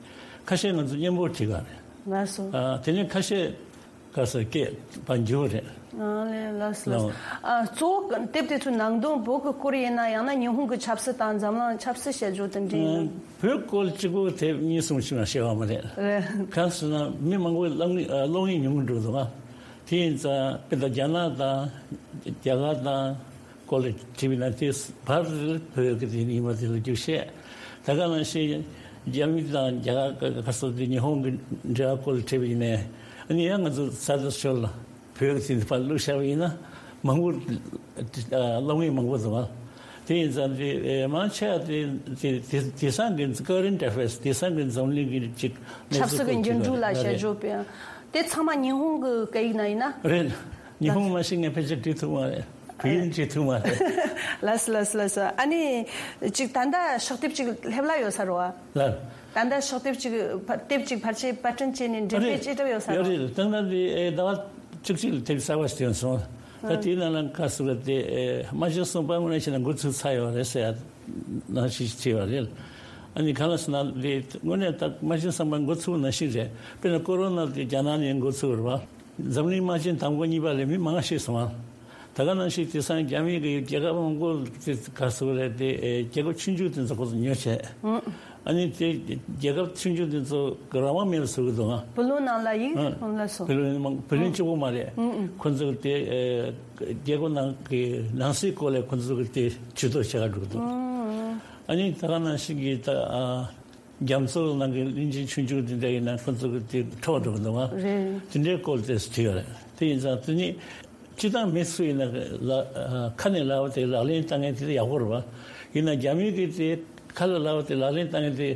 ཁ་ཤས་ང་ཚོ་མཉམ་པོ་བྲིས་པ་རེད། ལགས་སོ། ཨ་དེ་ནས་ཁ་ཤས་ག་ས་སྐད་པ་འགྱུར་རེད། ཨ་ལས་ལགས་སོ་ལགས་སོ། ལགས། ཨ་གཙོ་བོ་དེབ་དེ་ཚོའི་ནང་དོན་བོད་ཀྱི་སྐོར་ཡིན་ན་ཡང་ན་ཉི་ཧོང་གི་ཆབ་སྲིད་དང་འཛམ་གླིང་ཆབ་སྲིད་དཔྱད་བརྗོད་དེ་འདྲ་ཡིན་ན། ཨ་བོད་སྐོར་གཅིག་པོ་དེབ་གཉིས་གསུམ་ཞིག་མ་བཤད་པ་མ་རེད། རེད། གང་ཟེར་ན་མི་མང་པོས་གློག་བརྙན་ཨ་གློག་བརྙན་ཉུང་གི་འགྲོ་འདུག་ཨ། དེ་ཡིན་ཙང་དཔེར་ན་རྒྱ་ནག་དང་རྒྱ་གར་དང་སྐོར་ལ་དྲིས་པ་ཡིན་ན། དེ་བར་དུ་བོད་ཀྱི་དེ་ཡིན་པ་དེ་ལ་རྒྱུགས་བཤད། ད་ག་ནང་བཞིན་རྒྱ་མི་དང་རྒྱ་གར་ག་སོགས་དེ་ཉི་ཧོང་གི་འབྲེལ་བ་སྐོར་ལ་དྲིས་པ་ཡིན་ནའི། ཨ་ནི་ཡང་ང་ཚོ་ས་དེ་ཕྱོགས་ལ་བོད་ཀྱི་དེ་ཕར་བླུགས་བཞག་པ་ཡིན་ན་མང་པོ་སློབ་མཁན་མང་པོ་འདུག་ཨ། དེ་ཡིན་ཙང་དེ་ཨེ་མང་ཆེ་བ་དེ་དེ་དེ་དེང་སང་གི་current affairs། དེང་སང་གི་འཛམ་གླིང་གི་ཅིག་གནས་ཆབ་སྲིད་ཚུལ་ཀྱི་འགྱུར་འགྲོས་ལ་དཔྱད་བརྗོད་སྤེལ། དེ་ཚང་མ་ཉི་ཧོང་གི་སྐད་ཡིག་ནང་ཡིན་ན། རེད། ཉི་ཧོང་མ་ཤེས་ངས་ཕལ་ཆེར་བྲིས་ཐུབ་མ་རེད། བོད་ཡིག་བྲིས་ཐུབ་མ་རེད། ལགས་སོ་ལགས་སོ་ལགས་སོ། ཨ་ནི་ཅིག་ད་ལྟ་ཕྱག་དེབ་ཅིག་སླེབས་ལ་ཡོད་ས་རེད་བ། ལགས། ད་ལྟ་ཕྱག་དེབ་ཅིག་ཕ་དེབ་ཅིག་ཕལ་ཆེར་པར་སྐྲུན་བྱས་ནས་འགྲེམས་སྤེལ་བྱེད་གྲབས་ཡོད་ས་རེད། ཡོད་རེད། ད་ལྟ་དེ་ཨེ་ཟླ་བ་བཅུ་གཅིག་ལ་དེབ་གསར་པ་ཞིག་ཐོན་སོང་། ད་དེའི་ནང་ལ་ག་ཟེར་བ་དེ་ཨེ་རྨ་ཆེན་གསུམ་པ་དངོས་གནས་བྱས་ན་འགོ་ཚུགས་ཚར་ཡོད་རེད་ཟེར་ཡ་ནང་བཞིན་བྱས་པ་རེད། ཨ་ནི་གང་ལ་ཟེར་ན་དེ་དངོས་གནས་ད་རྨ་ཆེན་གསུམ་པ་འགོ་ཚུགས་ནང་བཞིན་རེད། དཔེར་ན་ཀོ་རོ་ན་དེ་རྒྱ་ནག་ནས་འགོ་ཚུགས་རེད་བ། འཛམ་གླིང་དམག་ཆེན་དང་པོ་གཉིས་པ་ལས་མི་མང་ཤེས་སོང་ཨ། ད་ག་ནང་བཞིན་དེང་སང་རྒྱ་མི་གི་རྒྱལ་ཁབ་མང་པོ་དེ་ག་ཟེར་བ་རེད་དེ་ཨེ་རྒྱལ་ཁབ་ཆུང་ཆུང་དེ་ཚོ་ཁོ་ཚོ་ཉོ་བྱས། ཨ་ནི་དེ་རྒྱལ་ཁབ་ཆུང་ཆུང་དེ་ཚོ་གི་རང་དབང་མེད་པ་བཟོ་གི་འདུག་ཨ། བུ་ལོན་ནང་ལ་ཡིག་ཨ། ལ་སོ། བུ་ལོན་མང་བུ་ལོན་གཅིག་པོ་མ་རེད། ཁོ་ཚོ་གི་དེ་ཨེ་རྒྱལ་ཁབ་ནང་གི་ནང་སྲིད་སྐོར་ལ་ཁོ་ཚོ་གི་དེ་ཇུས་གཏོགས་བྱེད་ག་འགྲོ་གི་འདུག་ཨ་ནི་ད་ག་ནང་བཞིན་གི་ད་ཨ། རྒྱ་མཚོ་ནང་གི་གླིང་ཆེན་ཆུང་ཆུང་དེ་འདྲ་ཡིན་ན་ཁོ་ཚོ་གི་དེ་འཕྲོག་འགྲོ་གི་འདུག་བ། རེད། དེ་འདྲའི་སྐོར་དེ་བྲིས་ཡོད་རེད། དེ་ཡིན་ཙང་དེ་ནི་སྤྱི་བཏང་མི་སུ་ཡིན་ན་ལ་ཁ་ནས་ལབ་པ་དེ་ལག་ལེན་བསྟར་མཁན་དེ་ཡག་པོ་རེད་བ། ཡིན་ན་རྒྱ་མི་གི་དེ་ཁ་ལ་ལབ་པ་དེ་ལག་ལེན་བསྟར་མཁན་དེ་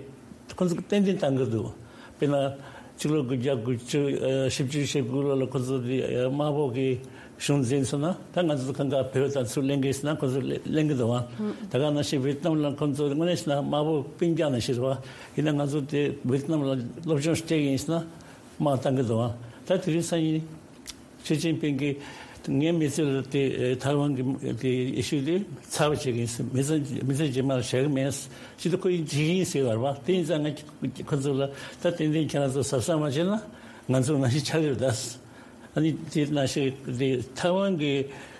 ཁོ་ཚོ་གི་ཏན་ཏན་བཏང་གི་འདུག་དཔེར་ན་ཕྱི་ལོ་དགུ་བརྒྱ་དགུ་བཅུ་ཨ་བཞི་བཅུ་ཞེ་དགུ་ལོ་ལ་ཁོ་ཚོ་དེ་ཨ་དམར་པོ་གི་གཞུང་འཛིན་སོང་ན་ད་ང་ཚོ་གང་ག་བོད་དང་ཚུར་ལེན་གི་ཟེར་ན་ཁོ་ཚོ་ལེ་ལེན་གི་འདུག་བ། ད་ག་ནང་བཞིན་ཝེ་ཏི་ནམ་ལ་ཁོ་ཚོ་དངོས་གནས་བྱས་ན་དམར་པོ་སྤུན་ཀྱག་ནང་བཞིན་རེད་བ། ཡིན་ན་ང་ཚོ་དེ་ཝེ་ཏི་ནམ་ལ་སློབ་སྦྱོང་སྤྲད་ཀྱི་ཡིན་ཟེར་ན་དམག་བཏང་གི་འདུག་བ། ད་དེ་རིང་སང་ཉིན་ཞི་ཅིན་ཕིང་གིས་ངའི་མི་ཚེ་ལ་དེ་ཐའེ་ཝན་གྱི་དེ་ཨི་ཤུ་དེ་ཚར་བ་བྱེད་ཀྱི་ཡིན་ཟེར། མི་ཚེ་མི་ཚེ་རྗེས་མ་ལ་བཞག་གི་མེད་ཟེར། ཅི་ད་ཁོ་ཡིན་བྱེད་ཀྱི་ཡིན་ཟེར་བ་རེད་བ། དེ་ཡིན་ཙང་ང་ཁོ་ཚོ་ལ་ད་ཏན་ཏན་ཁྱེད་རང་ཚོ་གཟབ་གཟབ་མ་བྱས་ན་ང་ཚོ་ནང་བཞིན་ཆགས་ཀྱི་རེད་ད། ཨ་ནི་དེ་ནང་བཞིན་དེ་ཐའེ་ཝན་གྱི་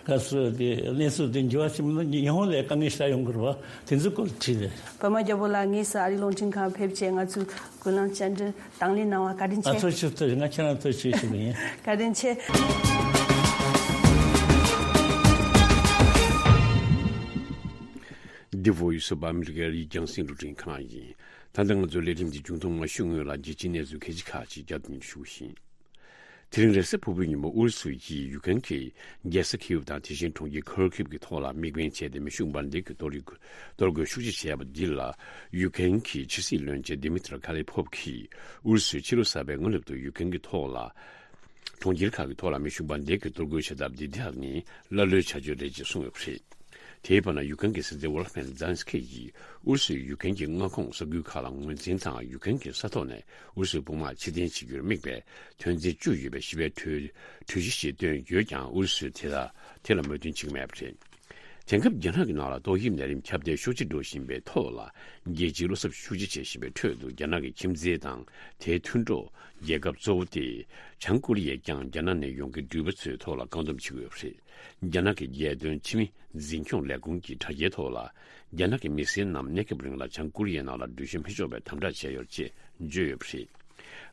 ག་ཚོད་དེ་གནས་ཚུལ་དེ་འགྱུར་བ་ཕྱིན་མིན་ན་ཉི་ཧོང་ལ་དཀའ་ངལ་ཞེ་དྲག་ཡོང་གི་རེད་བ། དེ་ཚོའི་སྐོར་བྲིས་རེད། པདྨ་རྒྱལ་པོ་ལགས་དངོས་སུ་ཨ་རིའི་རླུང་འཕྲིན་ཁང་ཕེབས་བྱས་ང་ཚོའི་གུ་ལང་བཅར་འདྲི་དང་ལེན་གནང་བ་བཀའ་དྲིན་ཨ་ཆེ། ཐུགས་རྗེ་ཆེ། ང་ཁྱེད་རང་ཐུགས་རྗེ་ཆེ་ཞུ་གི་ཡིན། བཀའ་དྲིན་ཆེ། འདི་བོད་ཡུལ་སུ་བ་ཨ་མི་རི་ཀའི་རྒྱང་སྲིང་རླུང་འཕྲིན་ཁང་ཡིན། ད་ལྟ་ང་ཚོའི་ལས་རིམ་འདི་མཇུག་བསྡོམས་ཞུ་སྔོན་ལ་རྒྱལ་སྤྱིའི་གནས་ཚུལ་ཁག་ཅིག་བསྐྱར་ཟློས་ཞུ་བཞིན། དེ་རིང་རེས་གཟའ་ཕུར་བུའི་ཉིན་མོ་ཨུ་རུ་སུ་ཡིས་ཡུཀ་རེན་གྱི་རྒྱལ་ས་ཁིའུ་དང་དེ་བཞིན་གྲོང་ཁྱེར་ཁོར་ཁིབ་ཀྱི་ཐོག་ལ་དམིགས་འབེན་བྱས་ཏེ་མེ་ཤུགས་འབར་མདེལ་གྱི་གཏོར་རྒོལ་གཏོར་རྒོལ་ཤུགས་ཆེ་བྱས་པ་འདི་ལ་ཡུཀ་རེན་གྱི་ཕྱི་སྲིད་བློན་ཆེན་ཌི་མི་ཏྲ་ཁ་ལེ་ཕོབ་ཀྱིས་ཨུ་རུ་སུས་ཕྱི་ལོ་གསར་པའི་སྔ་གནས་སུ་ཡུཀ་རེན་གྱི་ཐོག་ལ་གྲོང་ཁྱེར་ཁག་གི་ཐོག་ལ་མེ་ཤུགས་འབར་མདེལ་གྱི་གཏོར་རྒོལ་བྱེད་ཐབས་འདི་དག་ནི་ཀླ་ཀློའི་བྱ་སྤྱོད་རེད་ཅེས་གསུངས་ཡོད་པ་རེད། དེའི་བར་ན་ཡུཀ་རེན་གྱི་སྲིད་འཛིན་ཝོ་ལོ་ཌི་མིར་ཛེ་ལན་སི་ཀི་ཡིས་ཨུ་རུ་སུས་ཡུཀ་རེན་གྱི་མངའ་ཁོངས་ས་ཁུལ་ཁག་ལ་ངོས་འཛིན་དང་ཡུཀ་རེན་གྱི་ས་ཐོག་ནས་ཨུ་རུ་སུའི་དཔུང་དམག་ཕྱིར་འཐེན་བྱེད་རྒྱུར་དམིགས་པའི་དོན་ཚན་བཅུ་ཡོད་པའི་ཞི་བའི་གྲོས་གྲོས་གཞི་ཞིག་བཏོན་ཡོད་ཀྱང་ཨུ་རུ་སུས་དེ་ལ་དེ་ལ་མོས་མཐུན་བྱེད་ཀྱི་མེད་པ་རེད། དེང་སྐབས་རྒྱ་ནག་གི་ནང་ལ་ཏོག་དབྱིབས་ནད་རིམས་ཁྱབ་གདལ་ཤུགས་ཆེ་འགྲོ་བཞིན་པའི་ཐོག་ལ་རྒྱལ་སྤྱིའི་བློ་འཚབ་ཤུགས་ཆེ་བྱེད་བཞིན་པའི་ཁྲོད་དུ་རྒྱ་ནག་གི་ཁྱིམ་མཚེས་དང་དེའི་མཐུན་གྲོགས་རྒྱལ་ཁབ་གཙོ་བོ་སྟེ་བྱང་ཀོ་རི་ཡས་ཀྱང་རྒྱ་ནག་ནས་ཡོང་མཁན་འགྲུལ་པ་ཚོའི་ཐོག་ལ་བཀག་སྡོམ་བྱེད་ཀྱི་ཡོད་པ་རེད། རྒྱ་ནག་གི་རྒྱལ་དོན་ཕྱི་མི་འཛིན་སྐྱོང་ལས་ཁུངས་ཀྱི་དྲ་རྒྱའི་ཐོག་ལ་རྒྱ་ནག་གི་མི་སེར་རྣམས་གནས་སྐབས་རིང་ལ་བྱང་ཀོ་རི་ཡའི་ནང་ལ་འགྲུལ་བཞུད་མི་ཆོག་པའི་དམ་དྲག་བྱས་ཡོད་ཅེས་བརྗོད་ཡོད་པ་རེད།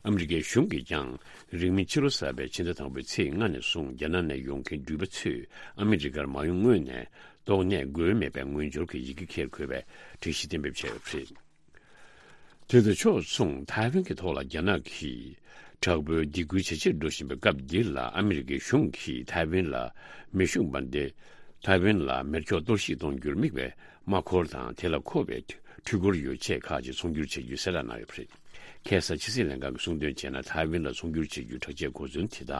ཨ་མི་རི་ཀའི་གཞུང་གིས་ཀྱང་རིང་མིན་ཕྱི་ལོ་གསར་པའི་ཕྱི་ཟླ་དང་པོའི་ཚེས་ལྔ་ནས་བཟུང་རྒྱ་ནག་ནས་ཡོང་མཁན་འགྲུལ་པ་ཚོས་ཨ་མི་རི་ཀར་མ་ཡོང་སྔོན་ནས་ཏོག་ནད་འགོས་མེད་པའི་ངོས་སྦྱོར་གྱི་ཡི་གེ་འཁྱེར་དགོས་པའི་སྒྲིག་གཞི་གཏན་འབེབས་བྱས་ཡོད་པ་རེད། དེ་དང་ཕྱོགས་མཚུངས་ཐའེ་ཝན་གྱི་ཐོག་ལ་རྒྱ་ནག་གིས་དྲག་པོའི་སྡིགས་སྐུལ་ཇེ་ཆེར་འགྲོ་བཞིན་པའི་སྐབས་འདི་ལ་ཨ་མི་རི་ཀའི་གཞུང་གིས་ཐའེ་ཝན་ལ་མེ་ཤུགས་འབར་མདེལ། ཐའེ་ཝན་ལ་མེ་སྒྱོགས་གཏོར་བཤིག་གཏོང་རྒྱུར་དམིགས་པའི་དམག་འཁོར་དང་དེ་ལ་མཁོ་བའི་འཕྲུལ་འཁོར་ཡོ་ཆས་ཁག་ཅིག་ཚོང་སྒྱུར་བྱ་རྒྱུའི་གསལ་བསྒྲགས་གནང་ཡོད་པ་རེད། ཁ་སང་ཕྱི་སྲིད་ལྷན་ཁང་གིས་གསུངས་དོན་བྱས་ན་ཐའེ་ཝན་ལ་ཚོང་སྒྱུར་བྱ་རྒྱུའི་དྲག་ཆས་གོ་མཚོན་དེ་དག་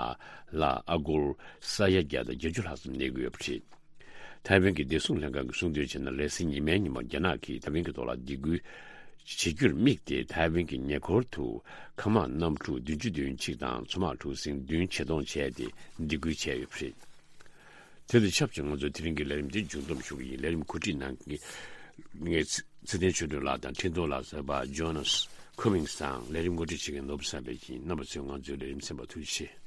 ལ་ཨ་སྒོར་ས་ཡ་བརྒྱ་དང་བརྒྱད་ཅུ་ལྷག་ཙམ་གནས་ཀྱི་ཡོད་པ་རེད། ཐའེ་ཝན་གྱི་བདེ་སྲུང་ལྷན་ཁང་གིས་གསུངས་དོན་བྱས་ན་རེས་གཟའ་ཉི་མའི་ཉིན་མོ་རྒྱ་ནག་གིས་ཐའེ་ཝན་གྱི་ཐོག་ལ་སྡིགས་སྐུལ་བྱེད་རྒྱུར་དམིགས་ཏེ་ཐའེ་ཝན་གྱི་ཉེ་འཁོར་དུ་མཁའ་དམག་གནམ་གྲུ་བདུན་ཅུ་དོན་གཅིག་དང་མཚོ་དམག་གྲུ་གཟིངས་བདུན་ཆེད་གཏོང་བྱས་ཏེ་སྡིགས་སྐུལ་བྱས་ཡོད་པ་རེད། དེ་དང་ཆབས་ཅིག་ང་ཚོས་དེ་རིང་གི་ལས་རིམ་འདི་མཇུག་བསྡོམས་ཞུ་གི་ཡིན། ལས་རིམ་གོ་སྒྲིག་གནང་མཁན་ངས་ཚེ་བརྟན་ཆོས་སྒྲོན་ལགས་དང་འཕྲིན་གཏོང་ལག་གསར་པ་ཇོ་ནཱ་སི་ཁོ་མིང་སི་དང་ལས་རིམ་ངོ་སྤྲོད་བྱེད་མཁན་ནོར་བུ་བསམ་འཕེལ་ཡིན། རྣམ་པ་ཚོས་ང་ཚོའི་ལས་རིམ་གསན་པར་ཐུགས་རྗེ་ཆེ།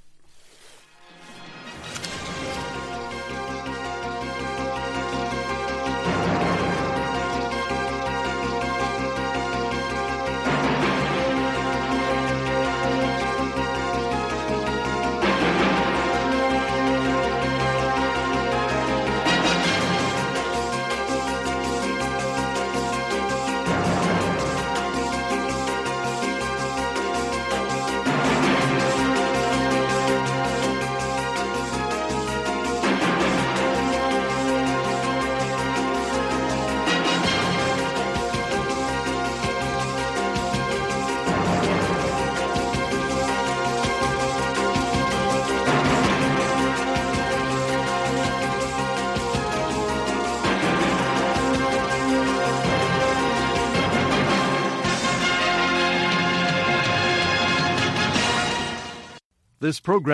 This program